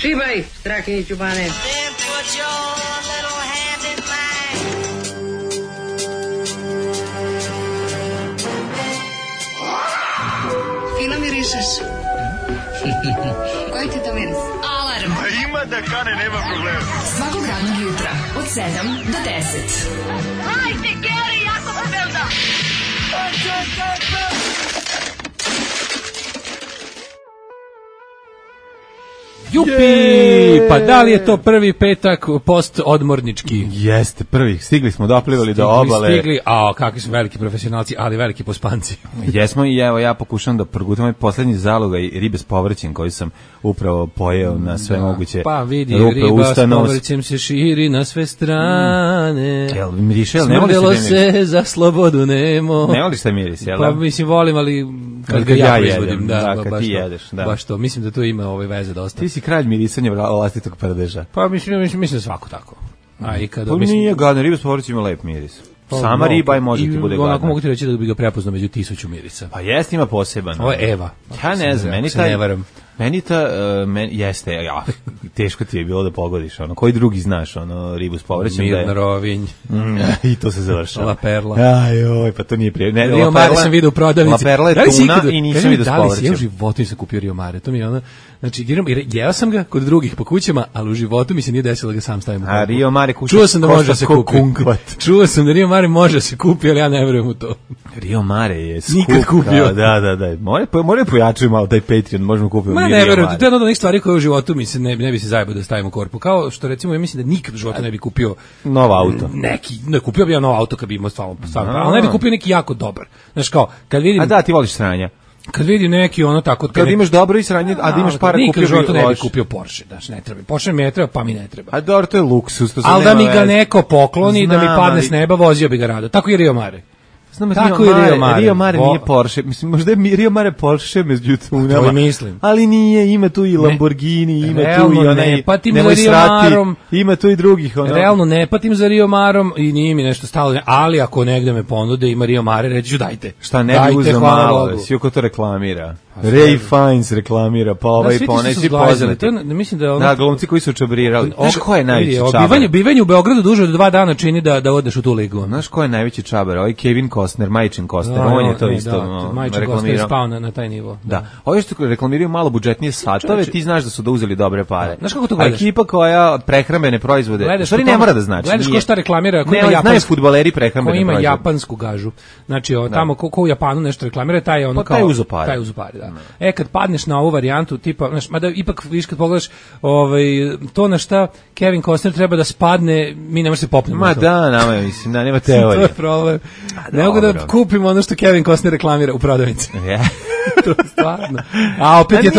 Šibaj, Strakiniću Bane. Fino mirišeš. Koji ti to miris? Alarm. Ima da kane, nema problema. Svakog radnog jutra od 7 do 10. Hajde, Geri, jako se velda. Jupi! Pa da li je to prvi petak post-odmornički? Jeste, prvi. Stigli smo, doplivali do obale. Stigli, kakvi su veliki profesionalci, ali veliki pospanci. Jesmo i evo, ja pokušam da progutam ovaj poslednji zalogaj ribe s povrćem koji sam upravo pojeo na sve moguće pa vidi, rupe, riba usta, s nos. povrćem se širi na sve strane. Jel, miriše, jel, ne voliš smrdelo taj miris? se za slobodu nemo. Ne voliš taj miris, jel? Pa mislim, volim, ali kad ga ja proizvodim. kad baš ti to, jedeš. Da. Baš to, mislim da to ima veze dosta. Ti si kralj mirisanja vlastitog prdeža. Pa mislim da svako tako. A i kada Pa nije gadno, riba s povrćem ima lep miris. Sama riba i može ti bude gadna. Onako mogu ti reći da bi ga prepoznao među 1000 mirisa. Pa jest, ima poseban. Ovo je Eva. Ja ne znam, jeste, teško ti je bilo da pogodiš, koji drugi znaš, ribu s povrćem. Mirna Rovinj. I to se završava. La Perla. Ajoj, pa to nije prije. Rio Mare sam vidio u prodavnici. La Perla je tuna i nisam vidio s povrćem. Da li si ja u životu nisam kupio Rio Mare? To mi je znači, jeo sam ga kod drugih po kućama, ali u životu mi se nije desilo da ga sam stavim u korpu. A Rio Mare čuo sam da može da se kupi. Čuo sam da Rio Mare može da se kupi, ali ja ne verujem u to. Rio Mare je skup. Nikad kupio. Da. More pojačaju malo taj Patreon, možemo kupiti. Ma ne verujem, to je jedna od onih stvari koje u životu mi se ne bi se zajebao da stavim u korpu. Kao što recimo, ja mislim da nikad u životu ne bi kupio novo auto. Ne kupio bi ja novo auto kad bi imao stvarno, ali ne bi kupio neki jako dobar. Znaš kao, kad vidim... A da, ti voliš sranja. Kad vidim neki tako... Kad imaš dobro i sranje, a da imaš para kupio bi loš. Ne bi kupio Porsche, znači ne treba. Porsche mi ne treba, pa mi ne treba. A dobro, to je luksus. Ali da mi ga neko pokloni, da mi padne s neba, vozio bi ga rado. Tako je Rio Mare. Znam, Rio Mare nije Porsche. Mislim, možda je Rio Mare Porsche među tunama. To mislim. Ali nije, ima tu i Lamborghini, ima realno tu i onaj... ne patim za Rio Marom. Ima tu i drugih. Realno ne patim za Rio Marom i nije mi nešto stalo. Ali ako negde me ponude ima Rio Mare, reći ću dajte. Šta ne bi uzeo malo, svi oko to reklamira. Ray Fiennes reklamira, pa ovaj ponaj svi poznati. Mislim da da, glumci koji su čabrirali. Znaš ko je najveći čabar? Bivanje u Beogradu duže od 2 dana čini da odeš u tu ligu. Znaš ko je najveći čabar? Ovaj Kevin Costner, Majčin Costner, on je to isto Majčin Costner spao na taj nivo. Da. Ovi što reklamiraju malo budžetnije satove, ti znaš da su uzeli dobre pare. Znaš kako to gledaš? Ekipa koja prehrambene proizvode, stvari ne mora da znači. Gledaš ko šta reklamira, ko ima japansku fudbaleri prehrambene proizvode. Ko ima japansku gažu. Znači, tamo ko u Japanu nešto reklamira, taj je ono kao taj uzopare, da. Kad padneš na ovu varijantu tipa, znaš, mada ipak viš kad pogledaš to na šta Kevin Costner treba da spadne, mi ne možemo se popnemo. Ma da, nama mislim, nema teorije. To je problem. Ne mogu da kupimo ono što Kevin Costner reklamira u prodavnici. To je stvarno. A opet je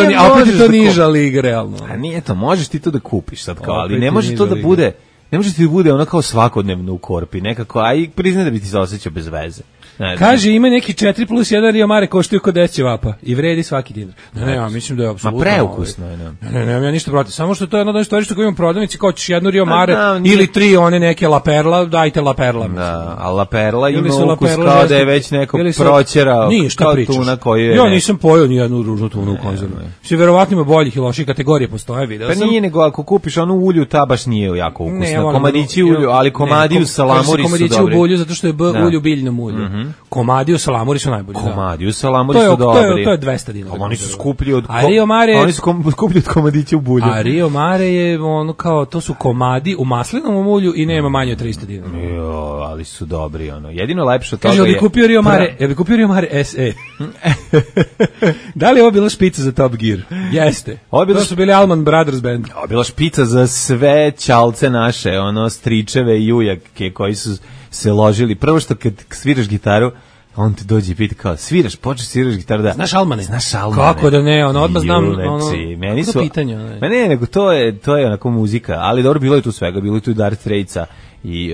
to niža liga, realno. A nije to, možeš ti to da kupiš sad kao, ali ne može to da bude, ne može ti da bude ono kao svakodnevno u korpi, nekako, a i priznaj da bi ti se osjećao bez veze. Kaže, ima neki 4+1 Rio Mare koštuje kod 10 ćevapa i vredi svaki dinar. Ne, ja mislim da je apsolutno... Ma preukusno je, ne, ja ništa protiv. Samo što to je jedno od stvari što imamo u prodavnici, kao ćeš jednu Rio Mare ili 3 one neke La Perla, dajte La Perla. Da, a La Perla ima ukus kao da je već neko proćerao kao tuna koju je... Ja nisam pojao ni jednu ružnu tunu u konzervu. Svi verovatno ima boljih i loših kategorija postoje, video sam. Pa nije nego ako kupiš onu ulju, ta baš nije jako ukusna. Komadići ulju, ali komadiju salamuri su dobri. Komadići u bulju zato što je ulju biljnom ulju. Komadi u salamuri su najbolji. Komadi u salamuri su dobri. To je 200 dinara. Oni su skuplji od komadića u bulju. A Rio Mare je ono kao, to su komadi u maslinovom ulju i nema manje od 300 dinara. Jo, ali su dobri ono. Jedino lepše od toga je... Kaže, ja bi kupio Rio Mare SE. Da li je ovo bila špica za Top Gear? Jeste. To su bili Allman Brothers band. Ovo je bila špica za sve ćalce naše, ono, stričeve i ujake koji su se ložili. Prvo što kad sviraš gitaru, on ti dođe i pita kao, sviraš gitaru, da. Znaš Almane? Znaš Almane. Kako da ne, odmah znam, meni su... pitanje. Ne, nego to je onako muzika, ali dobro, bilo je tu svega, bilo je tu i Dire Straitsa i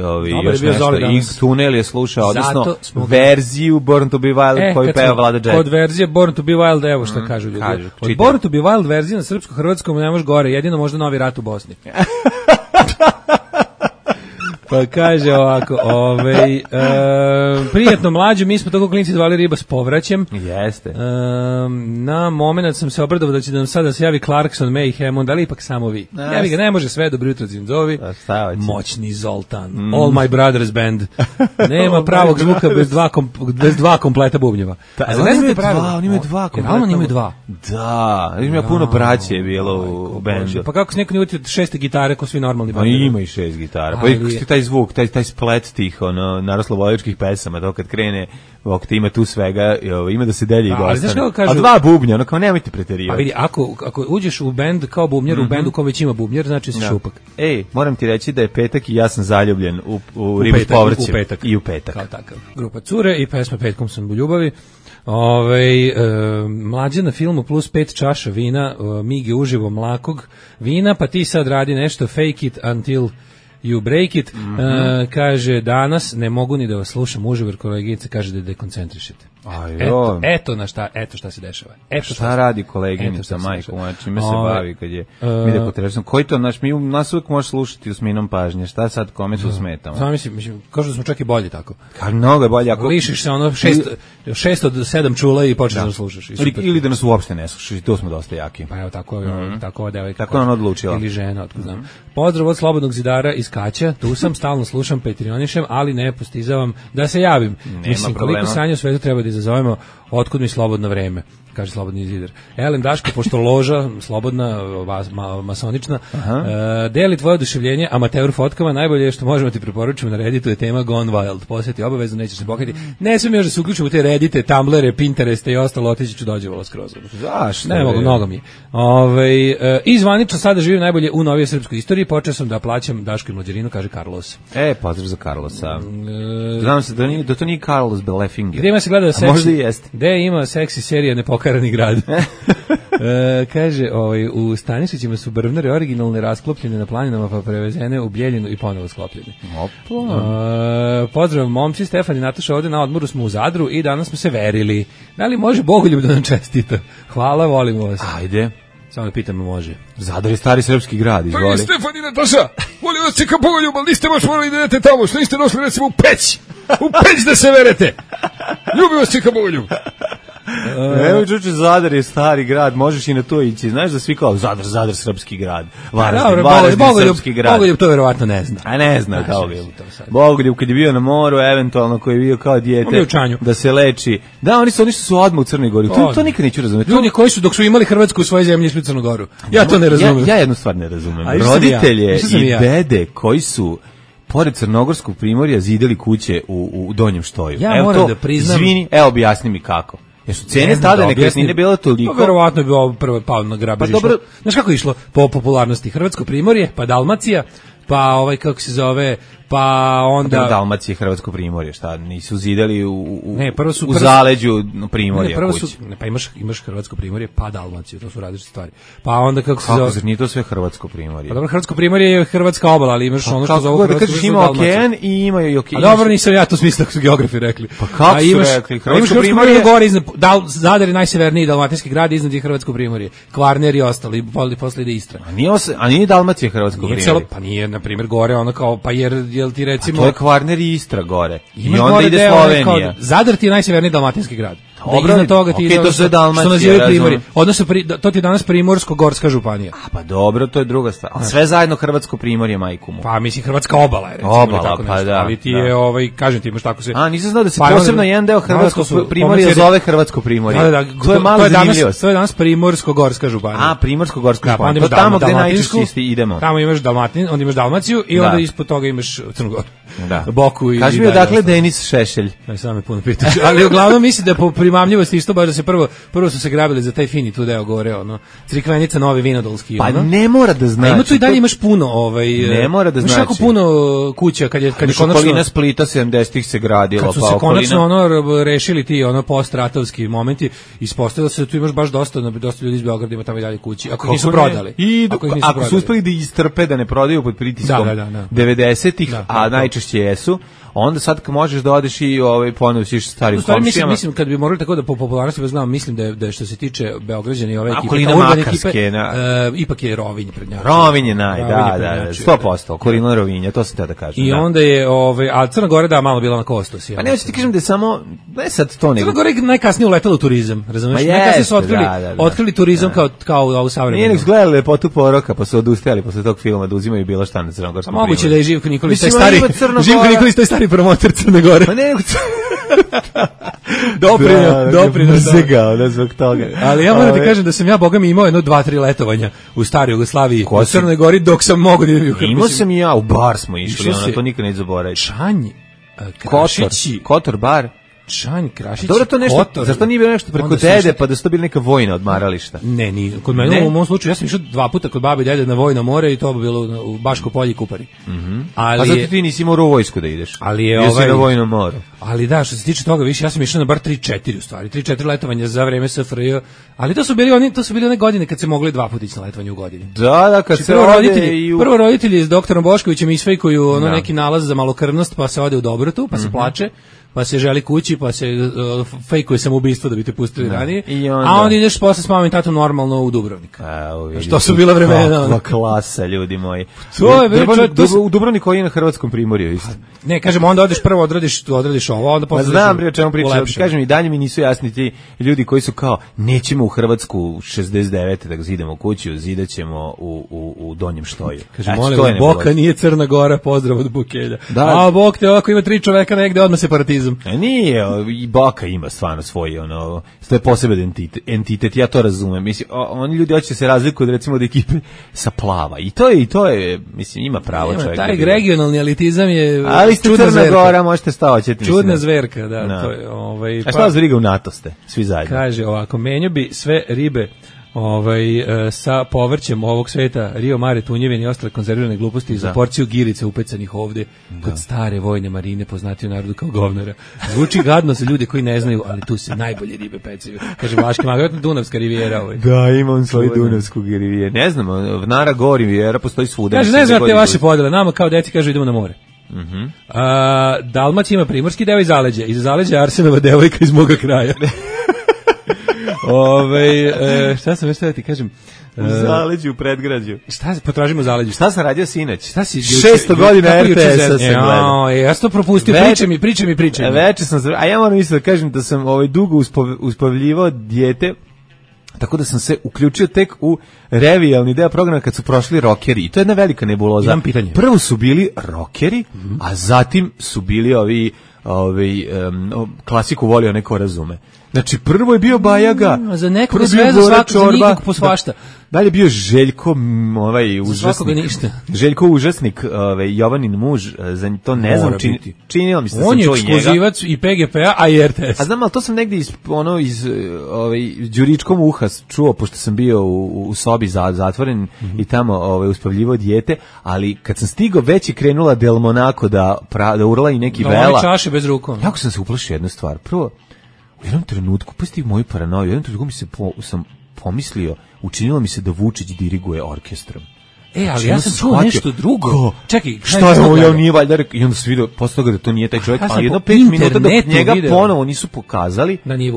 još nešto, i Tunel je slušao, odnosno verziju Born to be Wild koju peva Vlada Jet. Od verzije Born to be Wild, evo što kažu ljudi. Od Born to be Wild verzije na srpsko-hrvatskom ne može gore, jedino možda Novi rat u Bosni. Pa kaže ovako, prijatno mlađe, mi smo toko klinci zvali riba s povraćem. Jeste. Na moment sam se obradovao da će nam sada se javi Clarkson, May i Hammond, ali ipak samo vi. Javi ga, ne može sve, dobro jutro Zinzovi. Moćni Zoltan, All My Brothers Band. Nema pravog zvuka bez dva kompleta bubnjeva. Ne znate pravilo? Oni imaju dva kompleta. Oni imaju dva. Da, ima puno braće je bilo u bendu. Pa kako se neko ne utio 6 gitare ko svi normalni bendovi? Pa ima i 6 gitara. Pa taj zvuk, taj splet tih naroslovodičkih pesama, to kad krene, ti ima tu svega, ima da se delje i dostane. A dva bubnja, kao nemojte preterivati. A vidi, ako uđeš u bend kao bubnjar, u bendu kao već ima bubnjar, znači si šupak. Moram ti reći da je petak i ja sam zaljubljen u ribu s povrćem. I u petak. Kao takav. Grupa Cure i pesma Petkom sam u ljubavi. Mlađe na filmu plus 5 čaša vina, Mige uživo mlakog vina, pa ti sad radi nešto fake it until you break it. Kaže, danas ne mogu ni da vas slušam uživo, jer koleginica kaže da dekoncentrišete. Eto šta se dešava. Šta radi koleginica, majko, čime se bavi kad je mi dekoncentrišemo? Koji to nas uvijek može slušati s minom pažnje, šta sad kome su smetamo? Znam, mislim, kažu da smo čak i bolji tako. Mnogo je bolje. Lišiš se 6 od 7 čula i počneš da slušaš. Ili da nas uopšte ne slušaš, i to smo dosta jaki. Pa evo, tako ova devojka. Tako je ona odlučila. Ili žena, otkud znam. Pozdrav od Slobodnog zidara iz Kaća, tu sam, stalno slušam, petrionišem, ali ne postizavam da se javim. Mislim, koliko sanja u svetu treba da izazovemo, otkud mi slobodno vreme, kaže Slobodni zidar. Elem Daško, pošto loža, slobodna, masonična, deli tvoje oduševljenje amateur fotkama, najbolje je što možemo ti preporučiti na Redditu je tema Gone Wild. Posjeti obavezno, nećeš se pokajati. Ne smijem još da se uključim u te Reddite, Tumblere, Pintereste i ostalo, otići ću dođevala skroz. Zašto? Ne mogu, mnogo mi je. I zvanično sada živim najbolje u novijoj srpskoj istoriji, počeo sam da plaćam Daško i Mlađarinu, kaže Carlos. Pozdrav za Carlosa. Znam se da to nije Carlos Belefinger. Gdje ima se gleda seksi? Možda i jeste. Gde ima seksi serija Nepokarani grad? Kaže, u Stanišićima su brvnare originalne rasklopljene na planinama pa prevezene u Bijeljinu i ponovo sklopljene. Pozdrav momci, Stefan i Nataša, ovdje na odmoru smo u Zadru i danas smo se verili. Da li može Bogoljub da nam čestita? Hvala, volimo vas. Ajde. Samo da pitamo, može. Zadar je stari srpski grad, izvoli. Pa i Stefan i Nataša, volim vas čeka Bogoljub, ali niste baš morali da idete tamo, što niste došli recimo u Peć da se verete. Ljubi vas čeka Bogoljub. Evo čuče, Zadar je stari grad, možeš i na to ići. Znaš da svi kao Zadar srpski grad. Varaždin srpski grad. Bogoljub to verovatno ne zna. A ne zna kao bi. Bogoljub kad je bio na moru, eventualno koji je bio kao dijete da se leči. Da, oni su odmah u Crnoj Gori. To nikad neću razumeti. Ljudi koji su dok su imali Hrvatsku u svojoj zemlji išli u Crnu Goru. Ja to ne razumem. Ja jednu stvar ne razumem. Roditelje i dede koji su pored Crnogorskog primorja zideli kuće u Donjem Štoju. Ja moram da priznam. Izvini, objasni mi kako. Jesu cene tada nekretnine bila toliko? Pa verovatno je bio prvo pao na grabež. Znaš kako je išlo po popularnosti? Hrvatsko primorje, pa Dalmacija, pa kako se zove, pa onda Dalmacija, Hrvatsko primorje, šta nisu zidali u zaleđu primorja kuće. Pa imaš Hrvatsko primorje, pa Dalmaciju, to su različite stvari. Pa onda kako se zove? Nije to sve Hrvatsko primorje. Pa dobro, Hrvatsko primorje je hrvatska obala, ali imaš ono što zove Hrvatsko primorje. Ima okean i imaju i okean. A dobro, nisam ja to smislio kako su geografi rekli. Pa kako su rekli? Hrvatsko primorje gore iznad, Zadar je najseverniji dalmatinski grad, iznad je Hrvatsko primorje. Kvarner i ostali, posle ide Istra. A nije Dalmacija Hrvatsko primorje? Pa nije, na primjer, gore ono kao, pa jel ti recimo... To je Kvarner i Istra gore. I onda ide Slovenija. Zadar ti je najseverniji dalmatinski grad. Dobro, iznad toga ti to sve Dalmacija, primorje. Odnosno, to ti je danas Primorsko-Gorska županija. Pa dobro, to je druga stvar. Sve zajedno Hrvatsko primorje, majku mu. Pa mislim, Hrvatska obala je, recimo. Obala, pa da. Ali ti je, kažem ti, imaš tako se... A, nisam znao da se posebno jedan deo Hrvatskog primorja zove Hrvatsko primorje. To je malo zanimljivost. To je danas Primorsko-Gorska županija. A, Primorsko-Gorska županija. To tamo gde najčešće idemo. Tamo imaš Dalmaciju i onda ispod toga imaš Crnu Goru. Boku i... Kaži mi odakle Denis Šešelj. Samo me puno pitaš. Ali uglavnom mislim da po primamljivosti isto baš da se prvo su se grabili za taj fini tu deo gore, Crikvenica, Novi Vinodolski. Pa ne mora da znači. Ima tu i dalje imaš puno, ne mora da znači. Imaš jako puno kuća kad je konačno okolina Splita 70-ih se gradilo, kad su se konačno rešili ti postratovski momenti, ispostavilo se da tu imaš baš dosta ljudi iz Beograda ima tamo i dalje kući. Ako nisu prodali. Ako su uspeli da istrpe da ne prodaju pod pritiskom 90-ih, a najčešće jesu, onda sad možeš da odeš i ponovo siš starim komšijama. Mislim kad bi morali tako da po popularnosti znam, mislim da je što se tiče Beograđana i ove ekipe, urbane ekipe, ipak je Rovinj prednjači. Rovinj je 100%, Okolina Rovinja, to se te da kažem. I onda je a Crna Gora da malo bila na Kostos. Pa ne hoćeš ti kažem da je samo ne sad to nego. Crna Gora je najkasnije uletela u turizam, razumeš? Najkasnije su otkrili turizam kao ovu savremenu. Nije nek gledali Lepotu poroka, pa su odustajali posle tog filma da uzimaju bilo šta na Crnogorskom. Moguće da je Živko Nikolić taj stari promoter Crne Gore. Pa ne, doprineo mrzegao da zbog toga. Ali ja moram ti kažem da sam ja bogami imao 2-3 letovanja u staroj Jugoslaviji, u Crnoj Gori dok sam mogao da idem. Imao sam i ja, u bar smo išli, to nikad neću zaboraviti. Čanj, Krašići, Kotor bar. Čanj, Krašić, dobro, to nešto, zašto nije bilo nešto preko dede, pa da su to bili neka vojna odmarališta? Ne, kod mene u mom slučaju, ja sam išao 2 puta kod babi i dede na vojno more i to bi bilo u Baško polje i Kupari. Pa zato ti nisi morao u vojsku da ideš. Ali je na vojnom moru. Ali da, što se tiče toga, više, ja sam išao na bar 3-4 u stvari, 3-4 letovanja za vreme SFRJ, ali to su bili one godine kad se mogli 2 puta ići na letovanje u godini. Da, kad se prvo roditelji s doktorom Boškovićem isfejkuju neki nalaz za malokrvnost, pa se ode u Dobrotu, pa se plače, pa se želi kući, pa se fejkuje samoubistvo da bi te pustili ranije, a onda ideš posle s mamom i tatom normalno u Dubrovnik. Što su bila vremena. Kakva klasa, ljudi moji. U Dubrovnik koji je na hrvatskom primorju isto. Ne, kažem, onda odeš prvo odradiš ovo, onda posle... Znam o čemu pričam, kažem i dalje mi nisu jasni ti ljudi koji su kao, nećemo u Hrvatsku 69. da zidamo kuću, zidaćemo u Donjem Štoju. Kažem, molim, Boka nije Crna Gora, pozdrav od Bukelja. A Bog te ovako ima 3 čoveka negde, odmah separatizam. Nije, i Boka ima stvarno svoj, to je poseban entitet, ja to razumem. Mislim, oni ljudi hoće se razlikuju od recimo od ekipe sa Plava. I to je, mislim, ima pravo čovjek. Taj regionalni elitizam je ali ste Crna Gora, možete stavati. Čudna zverka, da. To je, a šta vas briga u NATO ste, svi zajedno? Kaže ovako, menju bi sve ribe sa povrćem ovog sveta, Rio Mare, tunjevine i ostale konzervirane gluposti za porciju girice upecanih ovde kod stare vojne marine, poznati u narodu kao govnara. Zvuči gadno za ljude koji ne znaju, ali tu se najbolje ribe pecaju. Kaže Vlaški mag, vjerojatno Dunavska rivijera. Da, ima on svoju Dunavsku rivijeru. Ne znam, Vnara Gor rivijera postoji svuda. Kaže, ne znam te vaše podele, nama kao deci kažu idemo na more. Dalmacija ima primorski deo i zaleđe. Iz zaleđa je Arsenova devojka iz moga kraja. Šta sam već da ti kažem? U zaleđu, u predgrađu. Šta potražimo u zaleđu? Šta sam radio sinoć? Šta si 600 godina RTS-a sam gledao. Ja sam to propustio, pričaj mi. Veče sam, a ja moram isto da kažem da sam dugo uspavljivao dijete, tako da sam se uključio tek u revijalni deo programa kad su prošli rokeri. I to je jedna velika nebuloza. Imam pitanje. Prvo su bili rokeri, a zatim su bili klasiku volio neko razume. Znači, prvo je bio Bajaga, za nekog sve, za svakog, za nikog po svašta. Dalje je bio Željko, užasnik. Ništa. Željko užasnik, Jovanin muž, za to ne znam, činilo mi se da sam čuo i njega. On je ekskluzivac i PGP-a, a i RTS. A znam, ali to sam negdje iz đuričkom uha čuo, pošto sam bio u sobi zatvoren i tamo uspavljivo dijete, ali kad sam stigao već je krenula Del Monaco da urla i neki vela. Oni čaše bez rukom. Jako sam se uplašio jednu stvar. Prvo, u jednom trenutku, pusti moju paranoju, u jednom trenutku sam pomislio, učinilo mi se da Vučić diriguje orkestrom. Ali ja sam čuo nešto drugo. Čekaj, šta je ovo, ja nije valjda rekao, i onda se vidio posle toga da to nije taj čovjek, ali jedno 5 minuta da njega ponovo nisu pokazali. Da nije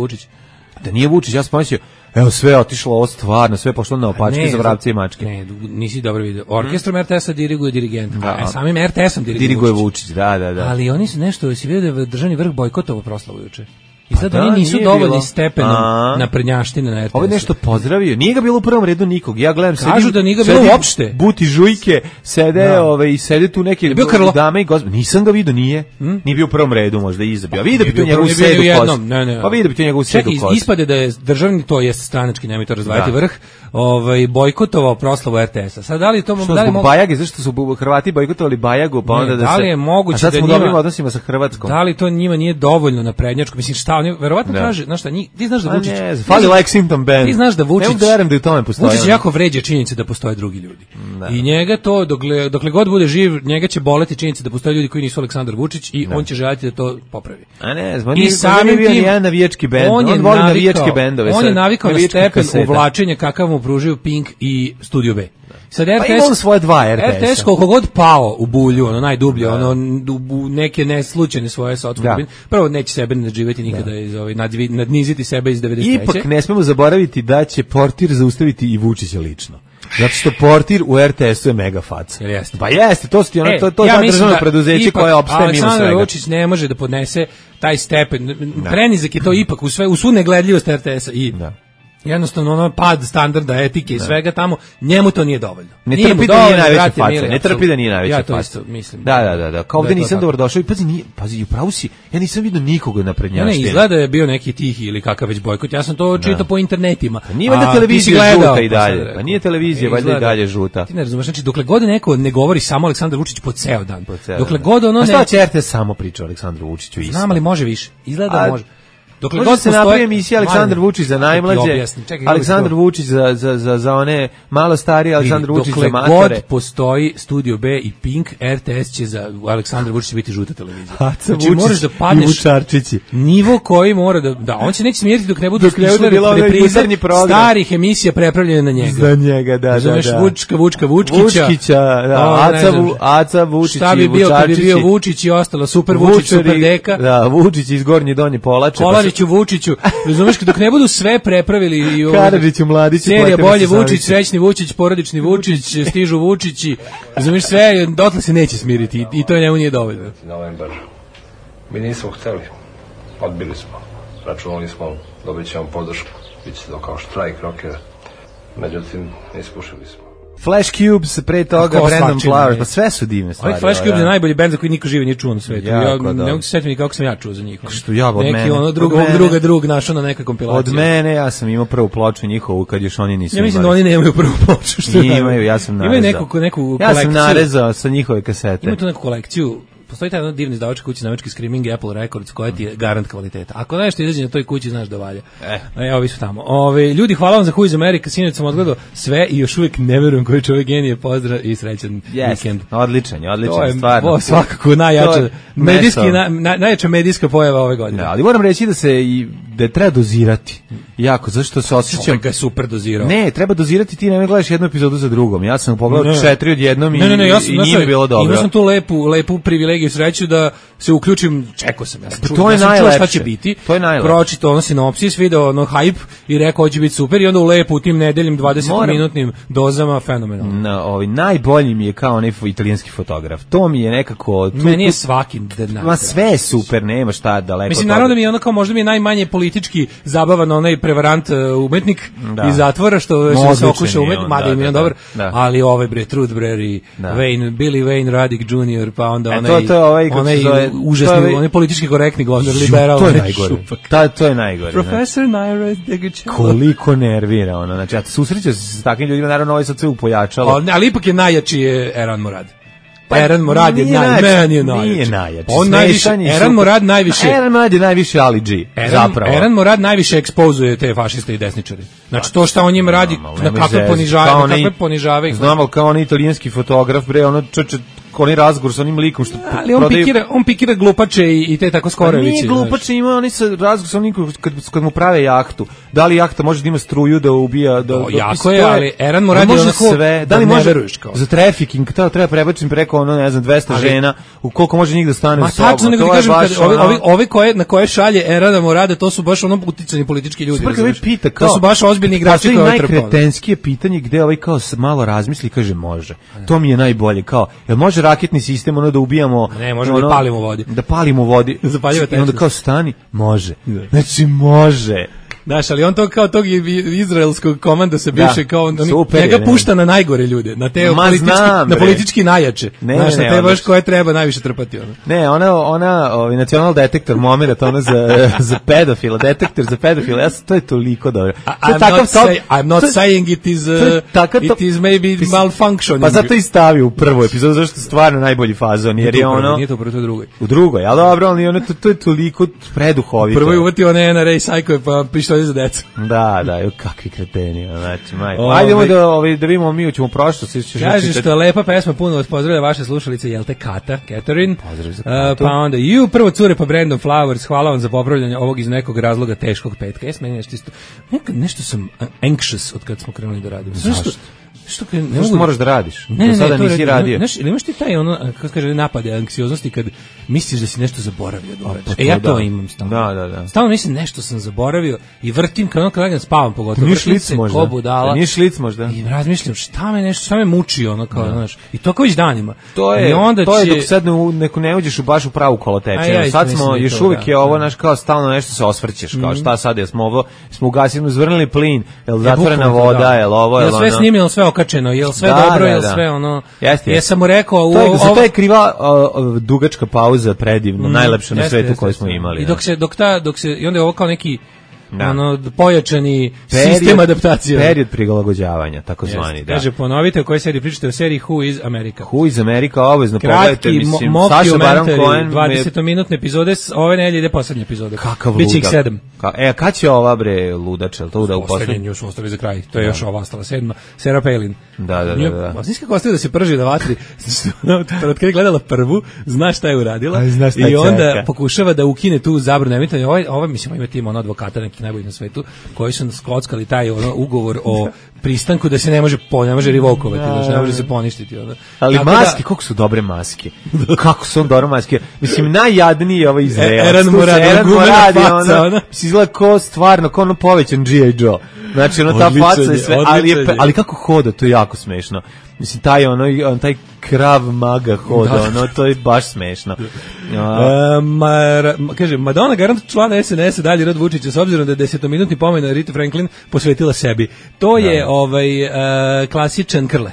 Vučić. Ja sam pomislio, evo sve je otišlo ovo stvarno, sve je pošlo na opačke za vrapce i mačke. Ne, nisi dobro vidio. Orkestrom RTS-a diriguje dirigent, a samim RTS-om diriguje Vučić. Da. Ali oni su nešto, si vidio da je državni vrh bojkotovo proslavu juče. I sad oni nisu dovoljni stepenom na prednjaštine na RTS-u. Ovo je nešto pozdravio. Nije ga bilo u prvom redu nikog. Ja gledam, kažu da nije ga bilo uopšte. Buti žujke, sede tu neke dame i gospode. Nisam ga vidio, nije. Nije bio u prvom redu, možda izabio. A vidi bi to njegovu sedu kost. Pa vidi bi to njegovu sedu kost. Čekaj, ispade da je državni, to jest stranački, nemoj to razdvajati vrh, bojkotovao proslavu RTS-a. Sad da li to mogu zbog Bajage, zašto su Hrvati bojkotovali Bajagu, pa onda da se. Da li je moguće da njima dobrim odnosima sa Hrvatskom? Da li to njima nije dovoljno na prednjačku? Mislim šta oni verovatno kaže, znaš šta, ti znaš da Vučić fali Lexington band. Ti znaš da Vučić, ne verujem da u tome postoji. Vučić jako vređa činjenice da postoje drugi ljudi. I njega to dokle god bude živ, njega će boleti činjenica da postoje ljudi koji nisu Aleksandar Vučić i on će želiti da to popravi. A ne, i samim tim jedan navijački bend. On voli navijačke bendove. On je navikao na stepen uvlačenja kakav mu pružaju Pink i Studio B. Sad RTS, pa imamo svoje dva RTS-a. RTS koliko god pao u bulju, ono najdublje, ono u neke neslučajne svoje sotskubine. Prvo neće sebe nadživjeti nikada, nadniziti sebe iz 93. Ipak ne smemo zaboraviti da će Portir zaustaviti i Vučića lično. Zato što Portir u RTS-u je mega faca. Jeste. Pa jeste, to je ja državno preduzeće koje opstaje mimo svega. Aleksandar Vučić ne može da podnese taj stepen. Prenizak je to ipak u svu negledljivost RTS-a i jednostavno ono pad standarda, etike i svega tamo, njemu to nije dovoljno. Ne trpi da nije najveća faca. Ne trpi da nije najveća faca. Ja to isto mislim. Da. Kao ovde nisam dobrodošao i pazi, upravo si, ja nisam vidio nikoga na prednjaštini. Ne, izgleda je bio neki tihi ili kakav već bojkot. Ja sam to čitao po internetima. Nije valjda televizija žuta i dalje. Pa nije televizija valjda i dalje žuta. Ti ne razumeš, znači dokle god neko ne govori samo Aleksandar Vučić po ceo dan. Dokle god ono ne. A šta će RTS samo priča o Aleksandru Vučiću isto? Znam, ali može više. Izgleda da može. Dokle god se napravi emisija Aleksandar Vučić za najmlađe, Aleksandar Vučić za one malo starije, Aleksandar Vučić za matore. Dokle god postoji Studio B i Pink, RTS će za Aleksandar Vučić biti žuta televizija. Znači možeš da padneš nivo koji mora da on se neće smiriti dok ne budu reprize starih emisija prepravljene na njega. Za njega, da. Znaš, Vučkića, Aca Vučić, šta bi bio kad bi bio Vučić i ostalo, Super Vučić, Super Deka. Da, Vučić iz Gornje Donje Polače. Vučiću, razumeš, dok ne budu sve prepravili i Karadžiću, Mladiću, serija bolje Vučić, srećni Vučić, porodični Vučić, stižu Vučići, razumeš, sve, dotle se neće smiriti i to njemu nije dovoljno. Novembar. Mi nismo hteli, odbili smo, računali smo, dobit ćemo podršku, bit će to kao štrajk rokera, međutim, ispušili smo. Flash Cubes, pre toga Brandon Flowers, pa sve su divne stvari. Flash Cubes je najbolji bend za koji niko živi nije čuo na svetu. Ja ne mogu se setiti kako sam ja čuo za njih. Što ja od mene. Neki ono drug našao na neka kompilacija. Od mene ja sam imao prvu ploču njihovu kad još oni nisu imali. Ja mislim da oni nemaju prvu ploču. Imaju, ja sam narezao. Imaju neku kolekciju. Ja sam narezao sa njihove kasete. Imaju tu neku kolekciju. Postoji taj divni izdavačka kuća nemački Screaming Apple Records koja ti je garant kvaliteta. Ako nešto izađe na toj kući, znaš da valja. Evo, vi su tamo. Ljudi, hvala vam za Who is America. Sinoć sam odgledao sve i još uvijek ne verujem koji čovjek genije. Pozdrav i srećan vikend. Odličan stvarno. To je svakako najjača medijska pojava ove godine. Ali moram reći da treba dozirati. Jako, zašto se osjećam... Čovjek je super dozirao. Ne, treba dozirati, ti ne gledaš jednu epizodu za drugom. Ja sam pogledao 4 odjednom i nije mi bilo dobro. Imao sam tu lepu privilegiju i sreću da se uključim, čekao sam. Ja sam čuo šta će biti. To je najlepše. Pročitao ono sinopsis, video ono hype i rekao hoće biti super i onda u tim nedeljim 20-minutnim dozama fenomenalno. Najbolji mi je kao onaj italijanski fotograf. To mi je nekako... Meni je svaki Ma sve je super, nema šta daleko. Mislim, naravno da mi je ono kao možda mi je najmanje politički zabavan onaj prevarant umetnik iz zatvora što se okuša umetnik, mada im je on dobar, ali Truth Brer i Billy Wayne Radic Jr. pa onda onaj užasni, onaj politički korektni govnar, liberal. To je najgore. Profesor Naira Degačeva. Koliko nervira ono, znači, ja susrećao se s takvim ljudima, naravno ovo sad sve upojačalo. Ali ipak je najjači Eran Morad. Eran Morad je najjači. Eran Morad najviše. Eran Morad je najviše Ali G. Zapravo. Eran Morad najviše ekspozuje te fašiste i desničare. Znači to što on njim radi, na kakve ponižavaju. Znam, ali kao on italijanski fotograf, bre, ono onaj razgovor sa onim likom što ali on pikira glupače i te tako skoreviće. Nije glupače, ima oni sa razgovor sa onim kad mu prave jahtu. Da li jahta može da ima struju da ubija jako je, ali Eran Morad je onako sve, da li može za trafficking, treba prebaciti preko ono, ne znam, 200 žena, u koliko može njih da stane u sobu. Tačno, nego kažem, ovi na koje šalje Erana Morada, to su baš ono uticani politički ljudi. To su baš ozbiljni igrači koji ovo trpali. Najkretenskije pitanje gde ovaj kao malo razmisli i kaže može. To mi je najbolje, kao, jel može raketni sistem ono da ubijamo, ne, možemo da palimo u vodi. Da palimo u vodi. I onda kao stani, može. Znači može. Znaš, ali on to kao tog izraelskog komanda se bivše kao njega pušta na najgore ljude, na te politički najjače. Znaš, na te baš koje treba najviše trpati. Ne, ona nacional detektor moment, ona za pedofila, detektor za pedofila, to je toliko dobro. I'm not saying it is maybe malfunctioning. Pa zato i stavio u prvu epizodu, zašto je stvarno najbolji fazon, jer je ono... Nije to prvo, to je drugoj. U drugoj, ali dobro, ali to je toliko preduhovito. Prvo je uvatio one NRA sajkove, pa pištolje za decu. Da, kakvi kreteni, znači, majko. Ajdemo da vidimo, mi ćemo prošlo. Kaže što je lepa pesma, puno vas pozdravlja vaše slušalice, jel te Kata, Catherine. Pozdrav za Katu. Pa onda, prvo cure pa Brandon Flowers, hvala vam za popravljanje ovog iz nekog razloga teškog petka. Meni nešto isto, nešto sam anxious od kad smo krenuli da radimo. Zašto? Što moraš da radiš? Do sada nisi radio. Znaš, ili imaš ti taj kako se kaže, napade anksioznosti kad misliš da si nešto zaboravio da uradiš? Ja to imam stalno. Da. Stalno mislim nešto sam zaboravio i vrtim kao kada spavam pogotovo. Nije šlic možda. Nije šlic možda. I razmišljam šta me muči kao, znaš. I to kao već danima. To je dok sad ne uđeš baš u pravu kolotečinu. Sad smo još uvijek je ovo naš kao stalno nešto se osvrćeš kao šta sad je smo ugasili, zvrnili plin, jel zatvorena voda, jel ovo, jel ono. Sve snimljeno, sve okačeno, jel sve dobro, jel sve ono. Jesam mu rekao to je kriva dugačka pauza predivno, najlepša na svetu koju smo imali. I dok se i onda je ovo kao neki pojačani sistem adaptacije. Period prilagođavanja, takozvani. Kaže, ponovite o kojoj seriji pričate, o seriji Who is America. Who is America, obavezno pogledajte, mislim, Saša Baron Cohen. 20-minutne epizode, ove nedelje ide poslednja epizode. Kakav Biće ih 7. Kad će ova bre ludača, to da u poslednju? Još ostavi za kraj, to je još ova ostala 7. Sarah Palin. Da. Znaš kako ostaje da se prži na vatri? Kad je gledala prvu, znaš šta je uradila i onda pokušava da ukine tu zabranu emitovanja. Ovo mislim, ima tim advokata neki najbolji na svetu, koji su skockali taj ugovor o pristanku da se ne može revokovati, da ne može se poništiti. Ali maske, koliko su dobre maske. Kako su dobre maske. Mislim, najjadniji je ovaj Izraelac. Eran Moradi, izgleda ko stvarno, ko ono povećan G.I. Joe. Znači, ta faca je sve, ali kako hoda, to je jako smešno. Mislim, taj krav maga hoda, to je baš smešno. Kaže, Madonna garant člana SNS-a dalje Rod Vučića, s obzirom da je 10-minutni pomen Rita Franklin posvetila sebi. To je klasičan Krle.